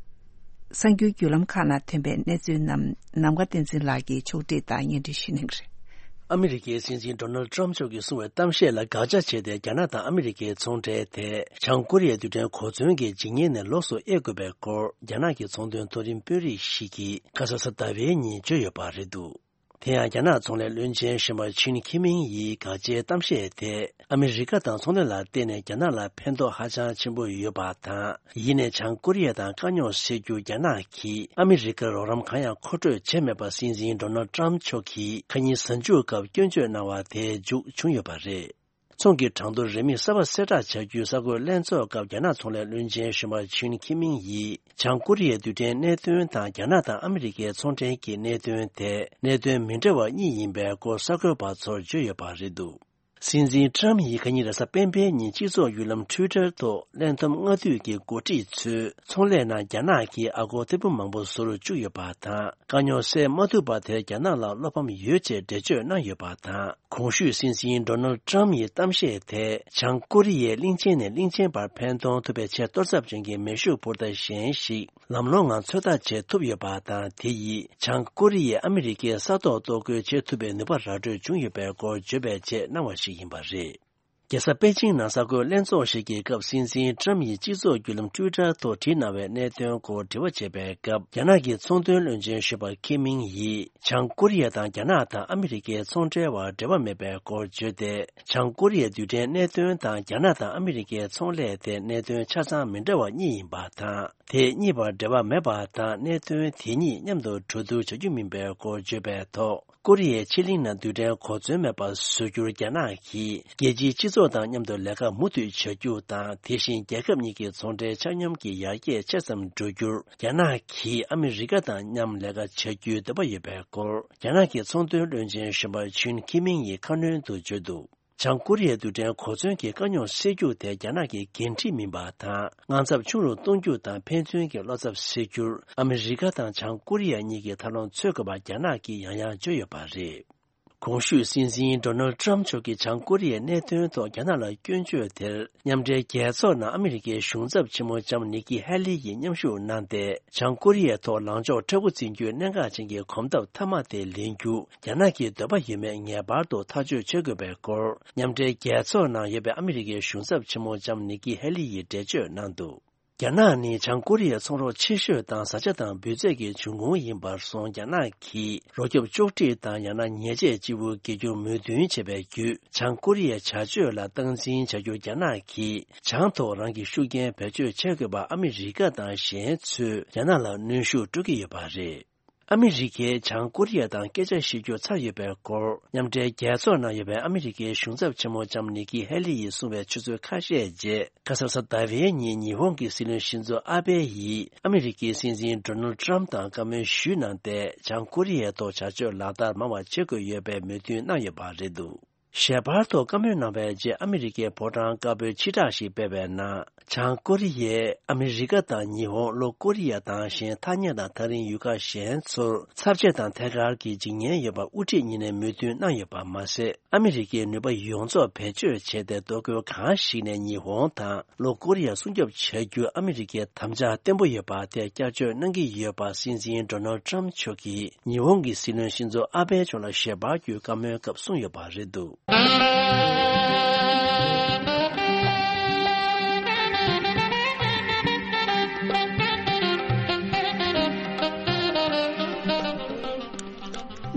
གསར་འགྱུར་བརྒྱུད་ལམ་ཁག་ནང་ཐོན་པའི་གནས་ཚུལ་རྣམས་ནམ་མཁའ་བསྟན་འཛིན་ལགས་ཀྱིས་ཕྱོགས་སྒྲིག་དང་སྙན་སྒྲོན་ཞུ་གནང་གི་རེད། ཨ་མི་རི་ཀའི་སྲིད་འཛིན་ཌོ་ནལ་ཊམ་མཆོག་གིས་གསུངས་པའི་གཏམ་བཤད་ལ་དགག་བྱ་བྱས་ཏེ། རྒྱ་ནག་དང་ཨ་མི་རི་ཀའི་ཚོང་འབྲེལ་དེ་བྱང་ཀོ་རི་ཡའི་རྡུལ་ཕྲན་གོ་མཚོན་གྱི་ཇི་སྙེད་ནས་ལོགས་སུ་དབྱེ་དགོས་པའི་སྐོར། རྒྱ་ནག་གི་ཚོང་དོན་མཐོ་རིམ་དཔོན་རིགས་ཤིག་གིས་ཁ་སང་གཟའ་ཟླ་བའི་ཉིན་བརྗོད་ཡོད་པ་རེད་འདུག་དེ་ཡང་རྒྱ་ནག་ཚོང་ལས་བློན་ཆེན་གཞོན་པ་ཆིན་ཁི་མིང་ཡིས་དགག་བྱའི་གཏམ་བཤད་དེ། ཨ་མི་རི་ཀ་དང་ཚོང་ལས་ལ་བརྟེན་ནས་རྒྱ་ནག་ལ་ཕན་ཐོགས་ཧ་ཅང་ཆེན་པོ་ཡོད་པ་དང་། ཡིན་ནའི་བྱང་ཀོ་རི་ཡ་དང་དཀའ་རྙོག་སེལ་རྒྱུར་རྒྱ་ནག་གིས་ཨ་མི་རི་ཀར་རོགས་རམ་གང་ཡང་མཁོ་སྤྲོད་བྱས་མེད་པ། སྲིད་འཛིན་ཌོ་ནལ་ཊམ་མཆོག་གིས་ཁ་ཉིན་གཟའ་མཇུག་སྐབས་སྐྱོན་བརྗོད་གནང་བ་དེ་མཇུག་བྱུང་ཡོད་པ་རེད། ཚོང་གི་གྲངས་ཐོ་རིན་མེད་གསར་པ་གསལ་བསྒྲགས་བྱ་རྒྱུའི་གསར་འགོད་ལྷན་ཚོགས་སྐབས། རྒྱ་ནག་ཚོང་ལས་བློན་ཆེན་གཞོན་པ་ཆིན་ཁི་མིང་ཡིས་བྱང་ཀོ་རི་ཡའི་རྡུལ་ཕྲན་གནད་དོན་དང་། རྒྱ་ནག་དང་ཨ་མི་རི་ཀའི་ཚོང་འབྲེལ་གྱི་གནད་དོན་དེ་གནད་དོན་མི་འདྲ་བ་གཉིས་ཡིན་པའི་སྐོར་གསར་འགོད་པ་ཚོར་བརྗོད་ཡོད་པ་རེད་འདུག་སྲིད་འཛིན་ཊམ་ཡིས་ཁ་ཉིན་རེས་གཟའ་སྤེན་པའི་ཉིན་སྤྱི་ཚོགས་བརྒྱུད་ལམ་ཊུའི་ཊར་ཐོག་ལས་བསྡོམས་སྔ་དུས་ཀྱི་འགོ་ཁྲིད་ཚོས་ཚོང་ལས་ནང་རྒྱ་ནག་གིས་ཨ་སྒོར་ཐེར་འབུམ་མང་པོ་བཟོ་རུ་བཅུག་ཡོད་པ་དང་། དཀའ་རྙོག་སེལ་མ་ཐུབ་པ་དེར་རྒྱ་ནག་ལ་བློ་ཕམ་ཡོད་ཅེས་འགྲེལ་བརྗོད་གནང་ཡོད་པ་དང་། གོང་ཞུས་སྲིད་འཛིན་ཌོ་ནལ་ཊམ་ཡི་གཏམ་བཤད་དེ་བྱང་ཀོ་རི་ཡའི་གླིང་ཆེན་ནས་གླིང་ཆེན་བར་ཕན་ཐོགས་ཐུབ་པའི་ཆེས་གཏོར་ཚབས་ཅན་གྱི་མེ་ཤུགས་འཕུར་མདའ་གཞན་ཞིག་ལམ་ལྷོང་ངང་ཚོད་ལྟ་བྱེད་ཐུབ་ཡོད་པ་དང་། དེ་ཡིས་བྱང་ཀོ་རི་ཡས་ཨ་མི་རི་ཀའི་ས་ཐོག་གཏོར་རྒོལ་བྱེད་ཐུབ་པའི་ནུས་པ་ར་སྤྲོད་བྱུང་ཡོད་པའི་སྐོར་བརྗོད་པའི་ཆེད་གནང་བ་ཞིག་ཡིན་པ་རེད། རྒྱལ་ས་པེ་ཅིང་ནང་གསར་འགོད་ལྷན་ཚོགས་ཤིག་གི་སྐབས། སྲིད་འཛིན་ཊམ་ཡིས་སྤྱི་ཚོགས་བརྒྱུད་ལམ་ཊུའི་ཊར་ཐོག་བྲིས་གནང་བའི་གནད་དོན་སྐོར་དྲི་བ་བྱས་པའི་སྐབས། རྒྱ་ནག་གི་ཚོང་དོན་བློན་ཆེན་གཞོན་པ་ཁི་མིང་ཡིས། བྱང་ཀོ་རི་ཡ་དང་རྒྱ་ནག་དང་ཨ་མི་རི་ཀའི་ཚོང་འབྲེལ་བར་འབྲེལ་བ་མེད་པའི་སྐོར་བརྗོད་དེ། བྱང་ཀོ་རི་ཡའི་རྡུལ་ཕྲན་གནད་དོན་དང་རྒྱ་ནག་དང་ཨ་མི་རི་ཀའི་ཚོང་ལས་དེ་གནད་དོན་ཆ་ཚང་མི་འདྲ་བ་གཉིས་ཡིན་པ་དང་། དེ་གཉིས་བར་འབྲེལ་བ་མེད་པ་དང་། གནད་དོན་དེ་གཉིས་མཉམ་དུ་གྲོས་བསྡུར་བྱ་རྒྱུ་མིན་པའི་སྐོར་བརྗོད་པའི་ཐོག་ཀོ་རི་ཡའི་ཕྱེད་གླིང་ནང་རྡུལ་ཕྲན་གོ་མཚོན་མེད་པ་བཟོ་རྒྱུར་རྒྱ་ནག་གིས་རྒྱལ་སྤྱིའི་སྤྱི་ཚོགས་དང་མཉམ་དུ་ལས་ཀ་མུ་མཐུད་བྱ་རྒྱུ་དང་། དེ་བཞིན་རྒྱལ་ཁབ་གཉིས་ཀྱི་ཚོང་འབྲེལ་ཆ་སྙོམས་ཀྱི་ཡར་རྒྱས་ཆེ་ཙམ་འགྲོ་རྒྱུར། རྒྱ་ནག་གིས་ཨ་མི་རི་ཀ་དང་མཉམ་ལས་ཀ་བྱ་རྒྱུའི་འདོད་པ་ཡོད་པའི་སྐོར། རྒྱ་ནག་གི་ཚོང་དོན་བློན་ཆེན་གཞོན་པ་ཆུན་ཁི་མིང་ཡིས་ཁ་སྣོན་དུ་བརྗོད་འདུག་བྱང་ཀོ་རི་ཡའི་རྡུལ་ཕྲན་གོ་མཚོན་གྱི་དཀའ་རྙོག་སེལ་རྒྱུ་དེ་རྒྱ་ནག་གི་འགན་འཁྲི་མིན་པ་དང་། དངངས་འཚབ་ཆུང་རུ་གཏོང་རྒྱུ་དང་། ཕན་ཚུན་གྱི་བློ་འཚབ་སེལ་རྒྱུར་ཨ་མི་རི་ཀ་དང་བྱང་ཀོ་རི་ཡ་གཉིས་ཀྱིས་ཐབས་ལམ་འཚོལ་དགོས་པ་རྒྱ་ནག་གིས་ཡང་ཡང་བརྗོད་ཡོད་པ་རེད། གོང་ཞུས་སྲིད་འཛིན་ཌོ་ནལ་ཊམ་མཆོག་གིས་བྱང་ཀོ་རི་ཡའི་གནད་དོན་ཐོག་རྒྱ་ནག་ལ་སྐྱོན་བརྗོད་དེར། མཉམ་འབྲེལ་རྒྱལ་ཚོགས་ནང་ཨ་མི་རི་ཀའི་གཞུང་ཚབ་ཆེན་མོ་ལྕམ་ནི་ཀི་ཧེ་ལི་ཡིས་མཉམ་ཞུགས་གནང་སྟེ། བྱང་ཀོ་རི་ཡའི་ཐོག་ལངས་ཕྱོགས་མཁྲེགས་པོ་འཛིན་རྒྱུའི་གནད་འགག་ཅན་གྱི་གོམ་སྟབས་མཐའ་མ་དེ་ལེན་རྒྱུ། རྒྱ་ནག་གི་འདོད་པ་ཡོད་མེད་ངེས་པར་དུ་ཐག་གཅོད་བྱེད་དགོས་པའི་སྐོར། མཉམ་འབྲེལ་རྒྱལ་ཚོགས་ནང་ཡོད་པའི་ཨ་མི་རི་ཀའི་གཞུང་ཚབ་ཆེན་མོ་ལྕམ་ནི་ཀི་ཧེ་ལི་ཡིས་འགྲེལ་བརྗོད་གནང་འདུག་རྒྱ་ནག་ནི་བྱང་ཀོ་རི་ཡའི་ཚོང་རོགས་ཆེ་ཤོས་དང་། བཟའ་བཅའ་དང་འབུད་རྫས་ཀྱི་འབྱུང་ཁུངས་ཡིན་པར་སོང་། རྒྱ་ནག་གིས་རོགས་སྐྱོབ་གཅོག་འཕྲི་དང་། ཡང་ན་ཉེས་ཆད་ལྕི་བོ་འགེལ་རྒྱུར་མོས་མཐུན་བྱས་པའི་བརྒྱུད། བྱང་ཀོ་རི་ཡའི་བྱ་སྤྱོད་ལ་སྟངས་འཛིན་བྱ་རྒྱུར་རྒྱ་ནག་གིས་བྱང་ཐོག་རང་གི་ཤུགས་རྐྱེན་བེད་སྤྱོད་བྱེད་དགོས་པ། ཨ་མི་རི་ཀ་དང་གཞན་ཚོས་རྒྱ་ནག་ལ་གནོན་ཤུགས་སྤྲོད་ཀྱི་ཡོད་པ་རེད། ཨ་མི་རི་ཀས་བྱང་ཀོ་རི་ཡ་དང་སྐད་ཆ་བཤད་རྒྱུ་ཚར་ཡོད་པའི་སྐོར། མཉམ་འབྲེལ་རྒྱལ་ཚོགས་ནང་ཡོད་པའི་ཨ་མི་རི་ཀའི་གཞུང་ཚབ་ཆེན་མོ་ལྕམ་ནི་ཀི་ཧེ་ལི་ཡིས་གསུངས་པའི་ཆུ་ཚོད་ཁ་ཤས་རྗེས། ཁ་སང་གཟའ་ཟླ་བའི་ཉིན་ཉི་ཧོང་གི་སྲིད་བློན་ཤིན་ཛོ་ཨ་བྷེ་ཡིས་ཨ་མི་རི་ཀའི་སྲིད་འཛིན་ཌོ་ནལ་ཊམ་དང་བཀའ་མོལ་ཞུས་གནང་སྟེ། བྱང་ཀོ་རི་ཡའི་ཐོག་བྱ་སྤྱོད་ལག་བསྟར་མང་བ་བྱེད་དགོས་ཡོད་པའི་མོས་མཐུན་གནང་ཡོད་པ་རེད་འདུག་ཞལ་པར་ཐོག་བཀའ་མོལ་གནང་བའི་རྗེས། ཨ་མི་རི་ཀའི་ཕོ་བྲང་དཀར་པོའི་ཕྱི་བསྒྲགས་ཤིག་སྤེལ་བའི་ནང་། བྱང་ཀོ་རི་ཡས་ཨ་མི་རི་ཀ་དང་ཉི་ཧོང་། ལྷོ་ཀོ་རི་ཡ་དང་གཞན་ཐ་སྙད་དང་ཐག་རིང་ཡུལ་ཁག་གཞན་ཚོར་ཚབས་ཆེ་དང་ཐད་ཀར་གྱི་འཇིགས་ཉེན་ཡོད་པ་དབུ་ཁྲིད་གཉིས་ནས་མོས་མཐུན་གནང་ཡོད་པ་མ་ཟད། ཨ་མི་རི་ཀའི་ནུས་པ་ཡོངས་རྫོགས་བེད་སྤྱོད་བྱས་ཏེ། གཏོར་རྒོལ་གང་ཞིག་ནས་ཉི་ཧོང་དང་ལྷོ་ཀོ་རི་ཡ་སྲུང་སྐྱོབ་བྱ་རྒྱུར་ཨ་མི་རི་ཀའི་དམ་བཅའ་བརྟན་པོ་ཡོད་པ་དེ་བསྐྱར་བརྗོད་གནང་གི་ཡོད་པ། སྲིད་འཛིན་ཌོ་ནལ་ཊམ་མཆོག་གིས་ཉི་ཧོང་གི་སྲིད་བློན་ཤིན་ཛོ་ཨ་བྷེ་མཆོག་ལ་ཞལ་པར་བརྒྱུད་བཀའ་མོལ་སྐབས་གསུངས་ཡོད་པ་རེད་འདུག་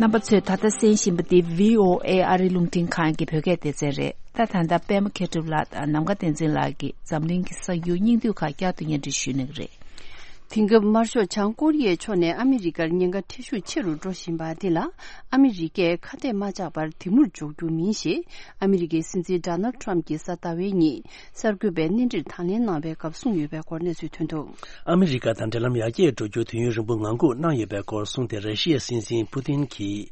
རྣམ་པ་ཚོས་ད་ལྟ་གསན་བཞིན་པ་འདི་བྷི་ཨོ་ཨེ་ཨ་རིའི་རླུང་འཕྲིན་ཁང་གི་བོད་སྐད་སྡེ་ཚན་རེད། ད་ད་ལྟ་པད་མ་མཁས་གྲུབ་ལགས་དང་ནམ་མཁའ་བསྟན་འཛིན་ལགས་ཀྱིས་འཛམ་གླིང་གི་གསར་འགྱུར་སྙིང་བསྡུས་ཁག་བསྐྱར་དུ་སྙན་སྒྲོན་ཞུ་གནང་གི་རེད། དེང་སྐབས་དམར་ཤོག་བྱང་ཀོ་རི་ཡའི་ཕྱོགས་ནས་ཨ་མི་རི་ཀར་ཉེན་ཁ་ཁྲི་ཤུགས་ཆེ་རུ་འགྲོ་བཞིན་པ་འདི་ལ། ཨ་མི་རི་ཀས་ཁ་གཏད་མ་བཅག་པར་དེ་མུར་འཇོག་རྒྱུ་མིན་ཞེས། ཨ་མི་རི་ཀའི་སྲིད་འཛིན་ཌོ་ནལ་ཊམ་གྱིས་གཟའ་ཟླ་བའི་ཉིན་གསར་འགོད་པའི་གནས་འདྲིར་དང་ལེན་གནང་བའི་སྐབས་གསུངས་ཡོད་པའི་སྐོར་གནས་ཚུལ་ཐོན་འདུག་ཨ་མི་རི་ཀ་དང་འབྲེལ་ལམ་ཡར་རྒྱས་འགྲོ་རྒྱུར་དུས་ཡུན་རིང་པོ་ངང་སྒུག་གནང་ཡོད་པའི་སྐོར་གསུངས་ཏེ། ར་ཤི་ཡའི་སྲིད་འཛིན་ཕུ་ཏིན་གྱིས།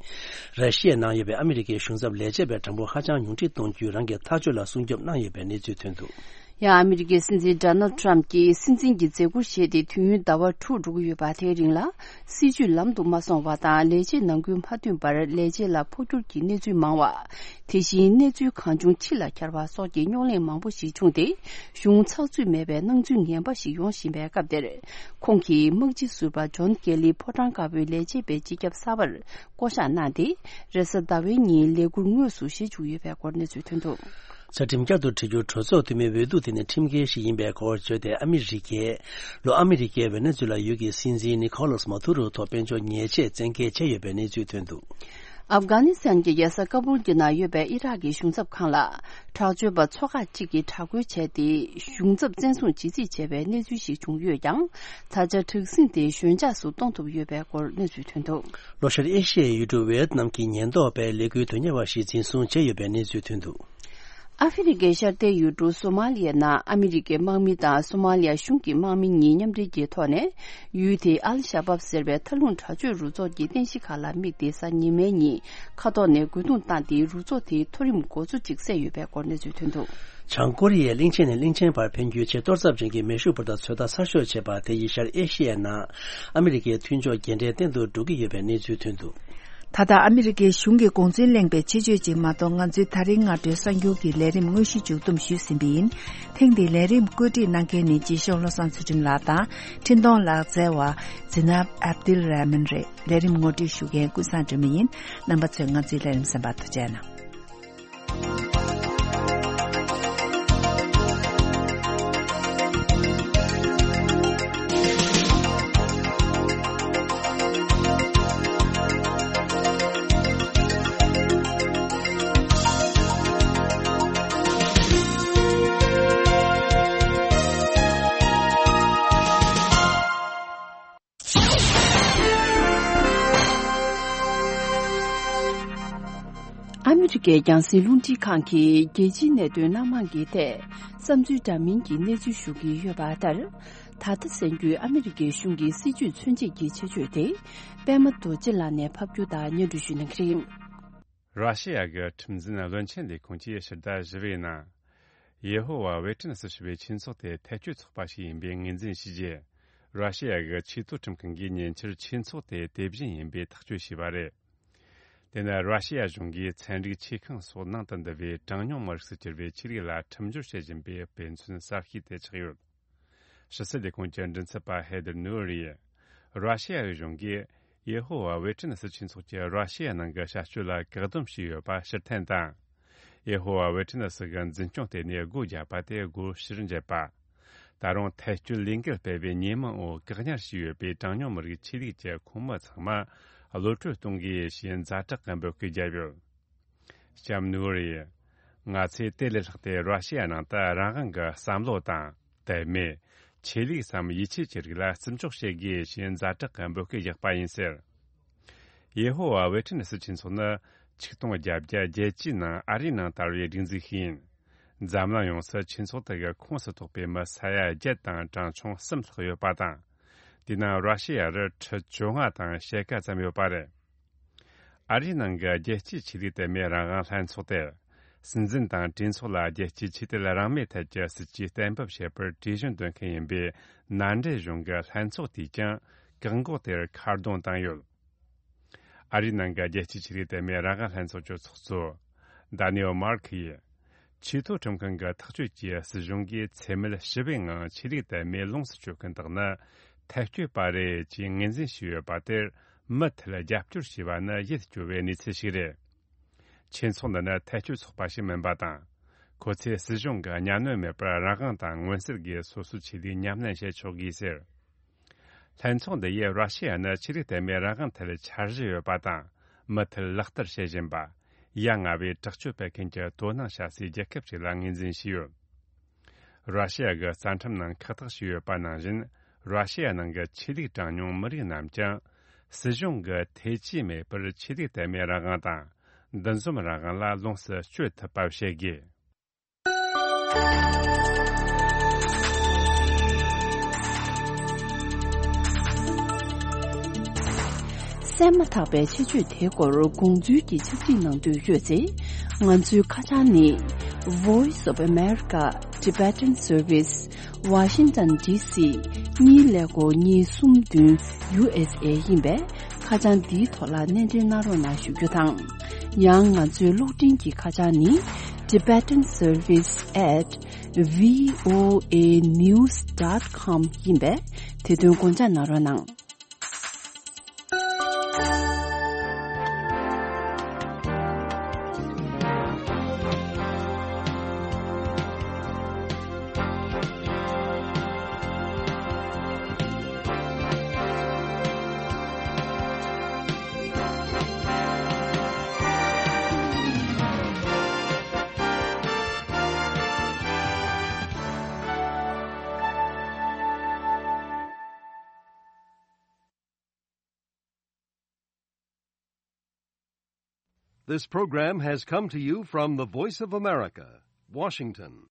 ར་ཤི་ཡའི་ནང་ཡོད་པའི་ཨ་མི་རི་ཀའི་གཞུང་ཚབ་ལས་བྱེད་པའི་གྲངས་འབོར་ཧ་ཅང་ཉུང་འཕྲི་གཏོང་རྒྱུའི་རང་གི་ཐག་གཅོད་ལ་སྲུང་སྐྱོབ་གནང་ཡོད་པའི་གནས་ཚུལ་ཐོན་འདུག་ཡང་ཨ་མི་རི་ཀའི་སྲིད་འཛིན་ཌོ་ནལ་ཊམ་གྱིས་སྲིད་འཛིན་གྱི་མཛད་ཁུར་བཞེས་ཏེ་དུས་ཡུན་ཟླ་བ་དྲུག་འགྲོ་གི་ཡོད་པ། དེའི་རིང་ལ་སྲིད་བྱུས་ལམ་དུ་མ་སོང་བ་དང་། ལས་བྱེད་ནང་ཁུལ་མ་མཐུན་པར་ལས་བྱེད་ལ་འཕོ་འགྱུར་གྱི་གནས་ཚུལ་མང་བ། དེ་བཞིན་གནས་ཚུལ་གང་བྱུང་ཕྱི་ལ་འཁྱེར་བ་སོགས་ཀྱི་རྙོག་གླེང་མང་པོ་ཞིག་བྱུང་སྟེ། གཞུང་ཚགས་ཚུད་མེད་པའི་སྣང་ཚུལ་ངན་པ་ཞིག་ཡོང་བཞིན་པའི་སྐབས་དེར། ཁོང་གིས་དམག་སྤྱི་ཟུར་པ་ཇོན་ཀེ་ལི་ཕོ་བྲང་དཀར་པོའི་ལས་བྱེད་པའི་སྤྱི་ཁྱབ་གསར་པར་བསྐོ་གཞག་གནང་སྟེ། རེས་གཟའ་ཟླ་བའི་ཉིན་ལས་འཁུར་དངོས་སུ་བཞེས་བཅུག་ཡོད་པའི་སྐོར་གནས་ཚུལ་ཐོན་འདུག། རྩ་ཁྲིམས་བསྐྱར་དུ་བྲིས་རྒྱུར་གྲོས་ཚོགས་འཐུས་མིའི་འོས་བསྡུ་དེ་ནི་ཁྲིམས་འགལ་ཞིག་ཡིན་པའི་སྐོར་བརྗོད་དེ། ཨ་མི་རི་ཀའི་ལྷོ་ཨ་མི་རི་ཀའི་ཝེ་ནེ་ཛུ་ལ་ཡུལ་གྱི་སྲིད་འཛིན་ནི་ཁོ་ལཱས་མ་ཐུ་རོ་ཐོག་དཔལ་འབྱོར་ཉེས་ཆད་བཙན་འགེལ་བྱས་ཡོད་པའི་གནས་ཚུལ་ཐོན་འདུག། ཨབ་གྷ་ནི་སི་ཐན་གྱི་རྒྱལ་ས་ཀ་བུལ་གྱི་ནང་ཡོད་པའི་ཨི་རག་གི་གཞུང་ཚབ་ཁང་ལ། དྲག་སྤྱོད་པ་ཚོ་ཁག་ཅིག་གིས་དྲག་རྒོལ་བྱས་ཏེ། གཞུང་ཚབ་བཙན་བཟུང་བྱེད་རྩིས་བྱས་པའི་གནས་ཚུལ་ཞིག་བྱུང་ཡོད་ཀྱང་། ད་ཆ་དྲག་ཟིང་དེ་ཞོད་འཇགས་སུ་གཏོང་ཐུབ་ཡོད་པའི་སྐོར་གནས་ཚུལ་ཐོན་འདུག། ལྷོ་ཤར་ཨེ་ཤི་ཡའི་ཡུལ་གྲུ་ཝེ་ཏི་ནམ་གྱི་ཉེན་རྟོག་པས་ལས་འགུལ་དོན་གཉེར་བ་ཞིག་འཛིན་བཟུང་བྱས་ཡོད་པའི་གནས་ཚུལ་ཐོན་འདུག། ཨ་ཧྥེ་རི་ཁའི་ཤར་མཐའི་ཡུལ་གྲུ་སོ་མ་ལི་ཡའི་ནང་ཨ་མི་རི་ཀའི་དམག་མི་དང་སོ་མ་ལི་ཡ་གཞུང་གི་དམག་མི་གཉིས་མཉམ་འབྲེལ་གྱི་ཐོག་ནས། ཡུལ་དེའི་ཨལ་ཤ་བབ་ཟེར་བའི་མཐའ་ལྷུང་དྲག་སྤྱོད་རུ་ཚོགས་ཀྱི་རྟེན་གཞི་ཁག་ལ་དམིགས་ཏེ། གཟའ་ཉི་མའི་ཉིན་མཁའ་ཐོག་ནས་རྒོལ་རྡུང་བཏང་སྟེ། རུ་ཚོགས་དེའི་མཐོ་རིམ་འགོ་གཙོ་གཅིག་བསད་ཡོད་པའི་སྐོར་གནས་ཚུལ་ཐོན་འདུག། བྱང་ཀོ་རི་ཡས་གླིང་ཆེན་ནས་གླིང་ཆེན་བར་འཕེན་རྒྱུའི་ཆེས་གཏོར་ཚབས་ཅན་གྱི་མེ་ཤུགས་འཕུར་མདའ་ཚོད་ལྟ་གསར་ཤོག་བྱས་པ་དེ་ཡིས་ཤར་ཨེ་ཤི་ཡའི་ནང་ཨ་མི་རི་ཀའི་མཐུན་ཕྱོགས་རྒྱུན་འབྲས་བརྟན་དུ་འགྲོ་གི་ཡོད་པའི་གནས་ཚུལ་ཐོན་འདུག། ད་ལྟ་ཨ་མི་རི་ཀའི་གཞུང་གི་དགོངས་ཚུལ་གླེང་བའི་ཆེད་བརྗོད་ཅིག་མ་གཏོགས། ང་ཚོའི་ད་རེས་སྔ་དྲོའི་གསར་འགྱུར་གྱི་ལས་རིམ་དངོས་གཞི་མཇུག་བསྡོམས་ཞུས་ཟིན་པ་ཡིན། ཐེངས་འདིའི་ལས་རིམ་བཀོད་སྒྲིག་གནང་མཁན་ནི་རྗེ་ཤོག་བློ་བཟང་ཚུལ་ཁྲིམས་ལགས་དང་། འཕྲིན་གཏོང་ལག་རྩལ་བ་ཛི་ནབ་ཨབ་དིལ་ར་མན་རེད། ལས་རིམ་ངོ་སྤྲོད་ཞུ་མཁན་ཀུན་བཟང་སྒྲོལ་མ་ཡིན། རྣམ་པ་ཚོས་ང་ཚོའི་ལས་རིམ་གསན་པར་ཐུགས་རྗེ་གནང་། ཨ་མི་རི་ཀའི་རྒྱང་སྲིང་རླུང་འཕྲིན་ཁང་གིས་རྒྱལ་སྤྱིའི་གནད་དོན་སྣ་མང་གི་ཐད་བསམ་ཚུལ་འདྲ་མིན་གྱི་གནས་ཚུལ་ཞུ་གི་ཡོད་པ་ལྟར། ད་ལྟ་གསན་རྒྱུའི་ཨ་མི་རི་ཀའི་གཞུང་གི་སྲིད་ཇུས་མཚོན་བྱེད་ཀྱི་ཆེད་བརྗོད་དེ། པད་མ་རྡོ་རྗེ་ལགས་ནས་ཕབ་སྒྱུར་དང་སྙན་སྒྲོན་ཞུ་གནང་གི་རེད། ར་ཤི་ཡ་གི་ཁྲིམས་འཛིན་བློན་ཆེན་ལས་ཁུངས་ཀྱིས་ཕྱི་ཟླ་བཞི་པའི་ནང་། ཡེ་ཧོ་ཝཱ་ཝེ་ཏི་ནེ་སི་ཞེས་པའི་ཆོས་ཚོགས་དེ་ཐལ་སྐྱོད་ཚོགས་པ་ཞིག་ཡིན་པའི་ངོས་འཛིན་བྱས་རྗེས། ར་ཤི་ཡ་གི་ཆེས་མཐོའི་ཁྲིམས་ཁང་གིས་ཉེ་ཆར་ཆོས་ཚོགས་དེ་དེ་བཞིན་ཡིན་པའི་ཐག་གཅོད་བྱས་པ་རེད། དེ་ནི་ར་ཤི་ཡ་གཞུང་གིས་ཚན་རིག་ཆེ་ཁང་སོགས་ནང་དུ་འདུ་བའི་གྲངས་ཉུང་མི་རིགས་སུ་གྱུར་པའི་ཆོས་ལུགས་ལ་ཁྲིམས་སྦྱོར་བྱེད་བཞིན་པའི་དཔེ་མཚོན་གསར་ཤོས་དེ་ཆགས་ཡོད། ཕྱི་སྲིད་ལས་ཁུངས་ཀྱི་མགྲིན་ཚབ་པ་ཧེ་དར་ནུའུ་རི་ཡིས། ར་ཤི་ཡ་གི་གཞུང་གིས་ཡེ་ཧོ་ཝཱ་ཝེ་ཏི་ནེ་སི་ཆོས་ཚོགས་ཀྱིས་ར་ཤི་ཡ་ནང་གི་བྱ་སྤྱོད་ལ་བཀག་སྡོམ་བྱས་ཡོད་པ་ཕྱིར་འཐེན་དང་། ཡེ་ཧོ་ཝཱ་ཝེ་ཏི་ནེ་སི་གི་འཛིན་སྐྱོང་ལྟེ་གནས་སྒོ་བརྒྱབ་པ་དེ་སྒོ་ཕྱིར་འབྱེད་པ། ད་རུང་ཐལ་སྐྱོད་ལས་འགུལ་སྤེལ་བའི་ཉེས་མིང་འོག་བཀག་ཉར་བྱས་ཡོད་པའི་གྲངས་ཉུང་མི་རིགས་ཆོས་ལུགས་ཀྱི་ཁོངས་མི་ཚང་མ་གློད་གྲོལ་གཏོང་དགོས་ཞེས་ཛ་དྲག་གི་འབོད་སྐུལ་བརྒྱབ་ཡོད། ལྕམ་ནུའུ་རེ། ང་ཚོས་དེ་ལས་ལྷག་སྟེ་ར་ཤི་ཡ་ནང་དུ་རང་དབང་གི་བསམ་བློ་དང་། དད་མོས། ཆོས་ལུགས་སམ་ཡིད་ཆེས་ཀྱི་རིགས་ལ་བརྩི་འཇོག་བྱེད་དགོས་ཞེས་ཛ་དྲག་གི་འབོད་སྐུལ་བཞག་པ་ཡིན་ཟེར། ཡེ་ཧོ་ཝཱ་ཝེ་ཏི་ནེ་སི་ཆོས་ཚོགས་ནི་ཆིག་སྟོང་བརྒྱད་བརྒྱ་བརྒྱད་ཅུའི་ནང་ཨ་རིའི་ནང་དར་བའི་སྒྲིག་འཛུགས་ཤིག་ཡིན། འཛམ་གླིང་ཡོངས་སུ་ཆོས་ཚོགས་དེ་གི་ཁོངས་སུ་གཏོགས་པའི་མི་ས་ཡ་བརྒྱད་དང་གྲངས་ཆུང་གསུམ་ལྷག་ཡོད་པ་དང་། དེའི་ནང་ར་ཤི་ཡ་རུ་ཁྲི་བཅོ་ལྔ་དང་ཕྱེད་ཀ་ཙམ་ཡོད་པ་རེད། ཨ་རིའི་ནང་གི་རྒྱལ་སྤྱིའི་ཆོས་ལུགས་དད་མོས་རང་དབང་ལྷན་ཚོགས་དེར། སྲིད་འཛིན་དང་གྲོས་ཚོགས་ལ་རྒྱལ་སྤྱིའི་ཆོས་དད་རང་མོས་ཐད་ཀྱི་སྲིད་ཇུས་གཏན་འབེབས་བྱེད་པར་གྲོས་གཞི་འདོན་མཁན་ཡིན་པའི་མནའ་འབྲེལ་གཞུང་གི་ལྷན་ཚོགས་དེས་ཀྱང་བཀག་འགོག་དེར་ཁ་རྡུང་བཏང་ཡོད། ཨ་རིའི་ནང་གི་རྒྱལ་སྤྱིའི་ཆོས་ལུགས་དད་མོས་རང་དབང་ལྷན་ཚོགས་ཀྱི་ཚོགས་གཙོ་ཌ་ནེལ་མར་ཁི་ཡིས། ཆེས་མཐོའི་ཁྲིམས་ཁང་གི་ཐག་གཅོད་ཀྱིས་སྲིད་གཞུང་གིས་འཚེ་མེད་ཞི་བའི་ངང་ཆོས་ལུགས་དད་མོས་ལོངས་སུ་སྤྱོད་མཁན་དག་ནི་ཐལ་སྐྱོད་པ་རེད་ཅེས་ངོས་འཛིན་བྱས་ཡོད་པ་དེར་མུ་མཐུད་རྒྱབ་སྐྱོར་བྱས་པ་ནི་ཡིད་སྐྱོ་བའི་གནས་ཚུལ་ཞིག་རེད། ཆོས་ཚོགས་འདི་ནི་ཐལ་སྐྱོད་ཚོགས་པ་ཞིག་མིན་པ་དང་། ཁོ་ཚོས་སྲིད་གཞུང་གི་གཉའ་གནོན་མེད་པར་རང་དབང་དང་མངོན་གསལ་སྒོས་སོ་སོའི་ཆོས་ལུགས་ཉམས་ལེན་བྱེད་ཆོག་གི་ཟེར། ལྷན་ཚོགས་འདི་ཡིས་ར་ཤི་ཡ་ནི་ཆོས་ལུགས་དད་མོས་རང་དབང་ཐད་འཆར་གཞི་ཡོད་པ་དང་མུ་མཐུད་ལག་བསྟར་བྱེད་བཞིན་པ། ཡ་ང་བའི་དྲག་སྤྱོད་སྤེལ་མཁན་གྱི་དོ་སྣང་བྱ་སའི་རྒྱལ་ཁབ་ཅིག་ལ་ངོས་འཛིན་བྱས་ཡོད། ར་ཤི་ཡ་གི་རྩ་ཁྲིམས་ནང་ཁག་ཐེག་བྱས་ཡོད་པ་ནང་བཞིན། ར་ཤི་ཡ་ནང་གི་ཆོས་ལུགས་གྲངས་ཉུང་མི་རིགས་རྣམས་ཀྱང་སྲིད་གཞུང་གི་ཐེ་ཇུས་མེད་པར་ཆོས་ལུགས་དད་མོས་རང་དབང་དང་འདུ་འཛོམས་རང་དབང་ལ་ལོངས་སུ་སྤྱོད་ཐུབ་པ་བྱེད་དགོས། གསན་མ་ཐག་པའི་ཆེད་བརྗོད་དེའི་སྐོར་དགོངས་ཚུལ་གྱི་ཕྱག་བྲིས་གནང་འདོད་ཡོད་ཚེ། ང་ཚོའི་ཁ་བྱང་ནི། Voice of America Tibetan Service, Washington D C གཉིས་ཀླད་ཀོར་གཉིས་གསུམ་བདུན་U S A ཡིན་པས། ཁ་བྱང་འདིའི་ཐོག་ལ་སྣེ་འདྲེན་གནང་རོགས་གནང་ཞུ་རྒྱུ་དང་། ཡང་ང་ཚོའི་གློག་འཕྲིན་གྱི་ཁ་བྱང་ནི། tibetan service at voanews dot com ཡིན་པས། དེ་དོན་དགོངས་འཇགས་གནང་རོགས་གནང་། This program has come to you from the Voice of America, Washington.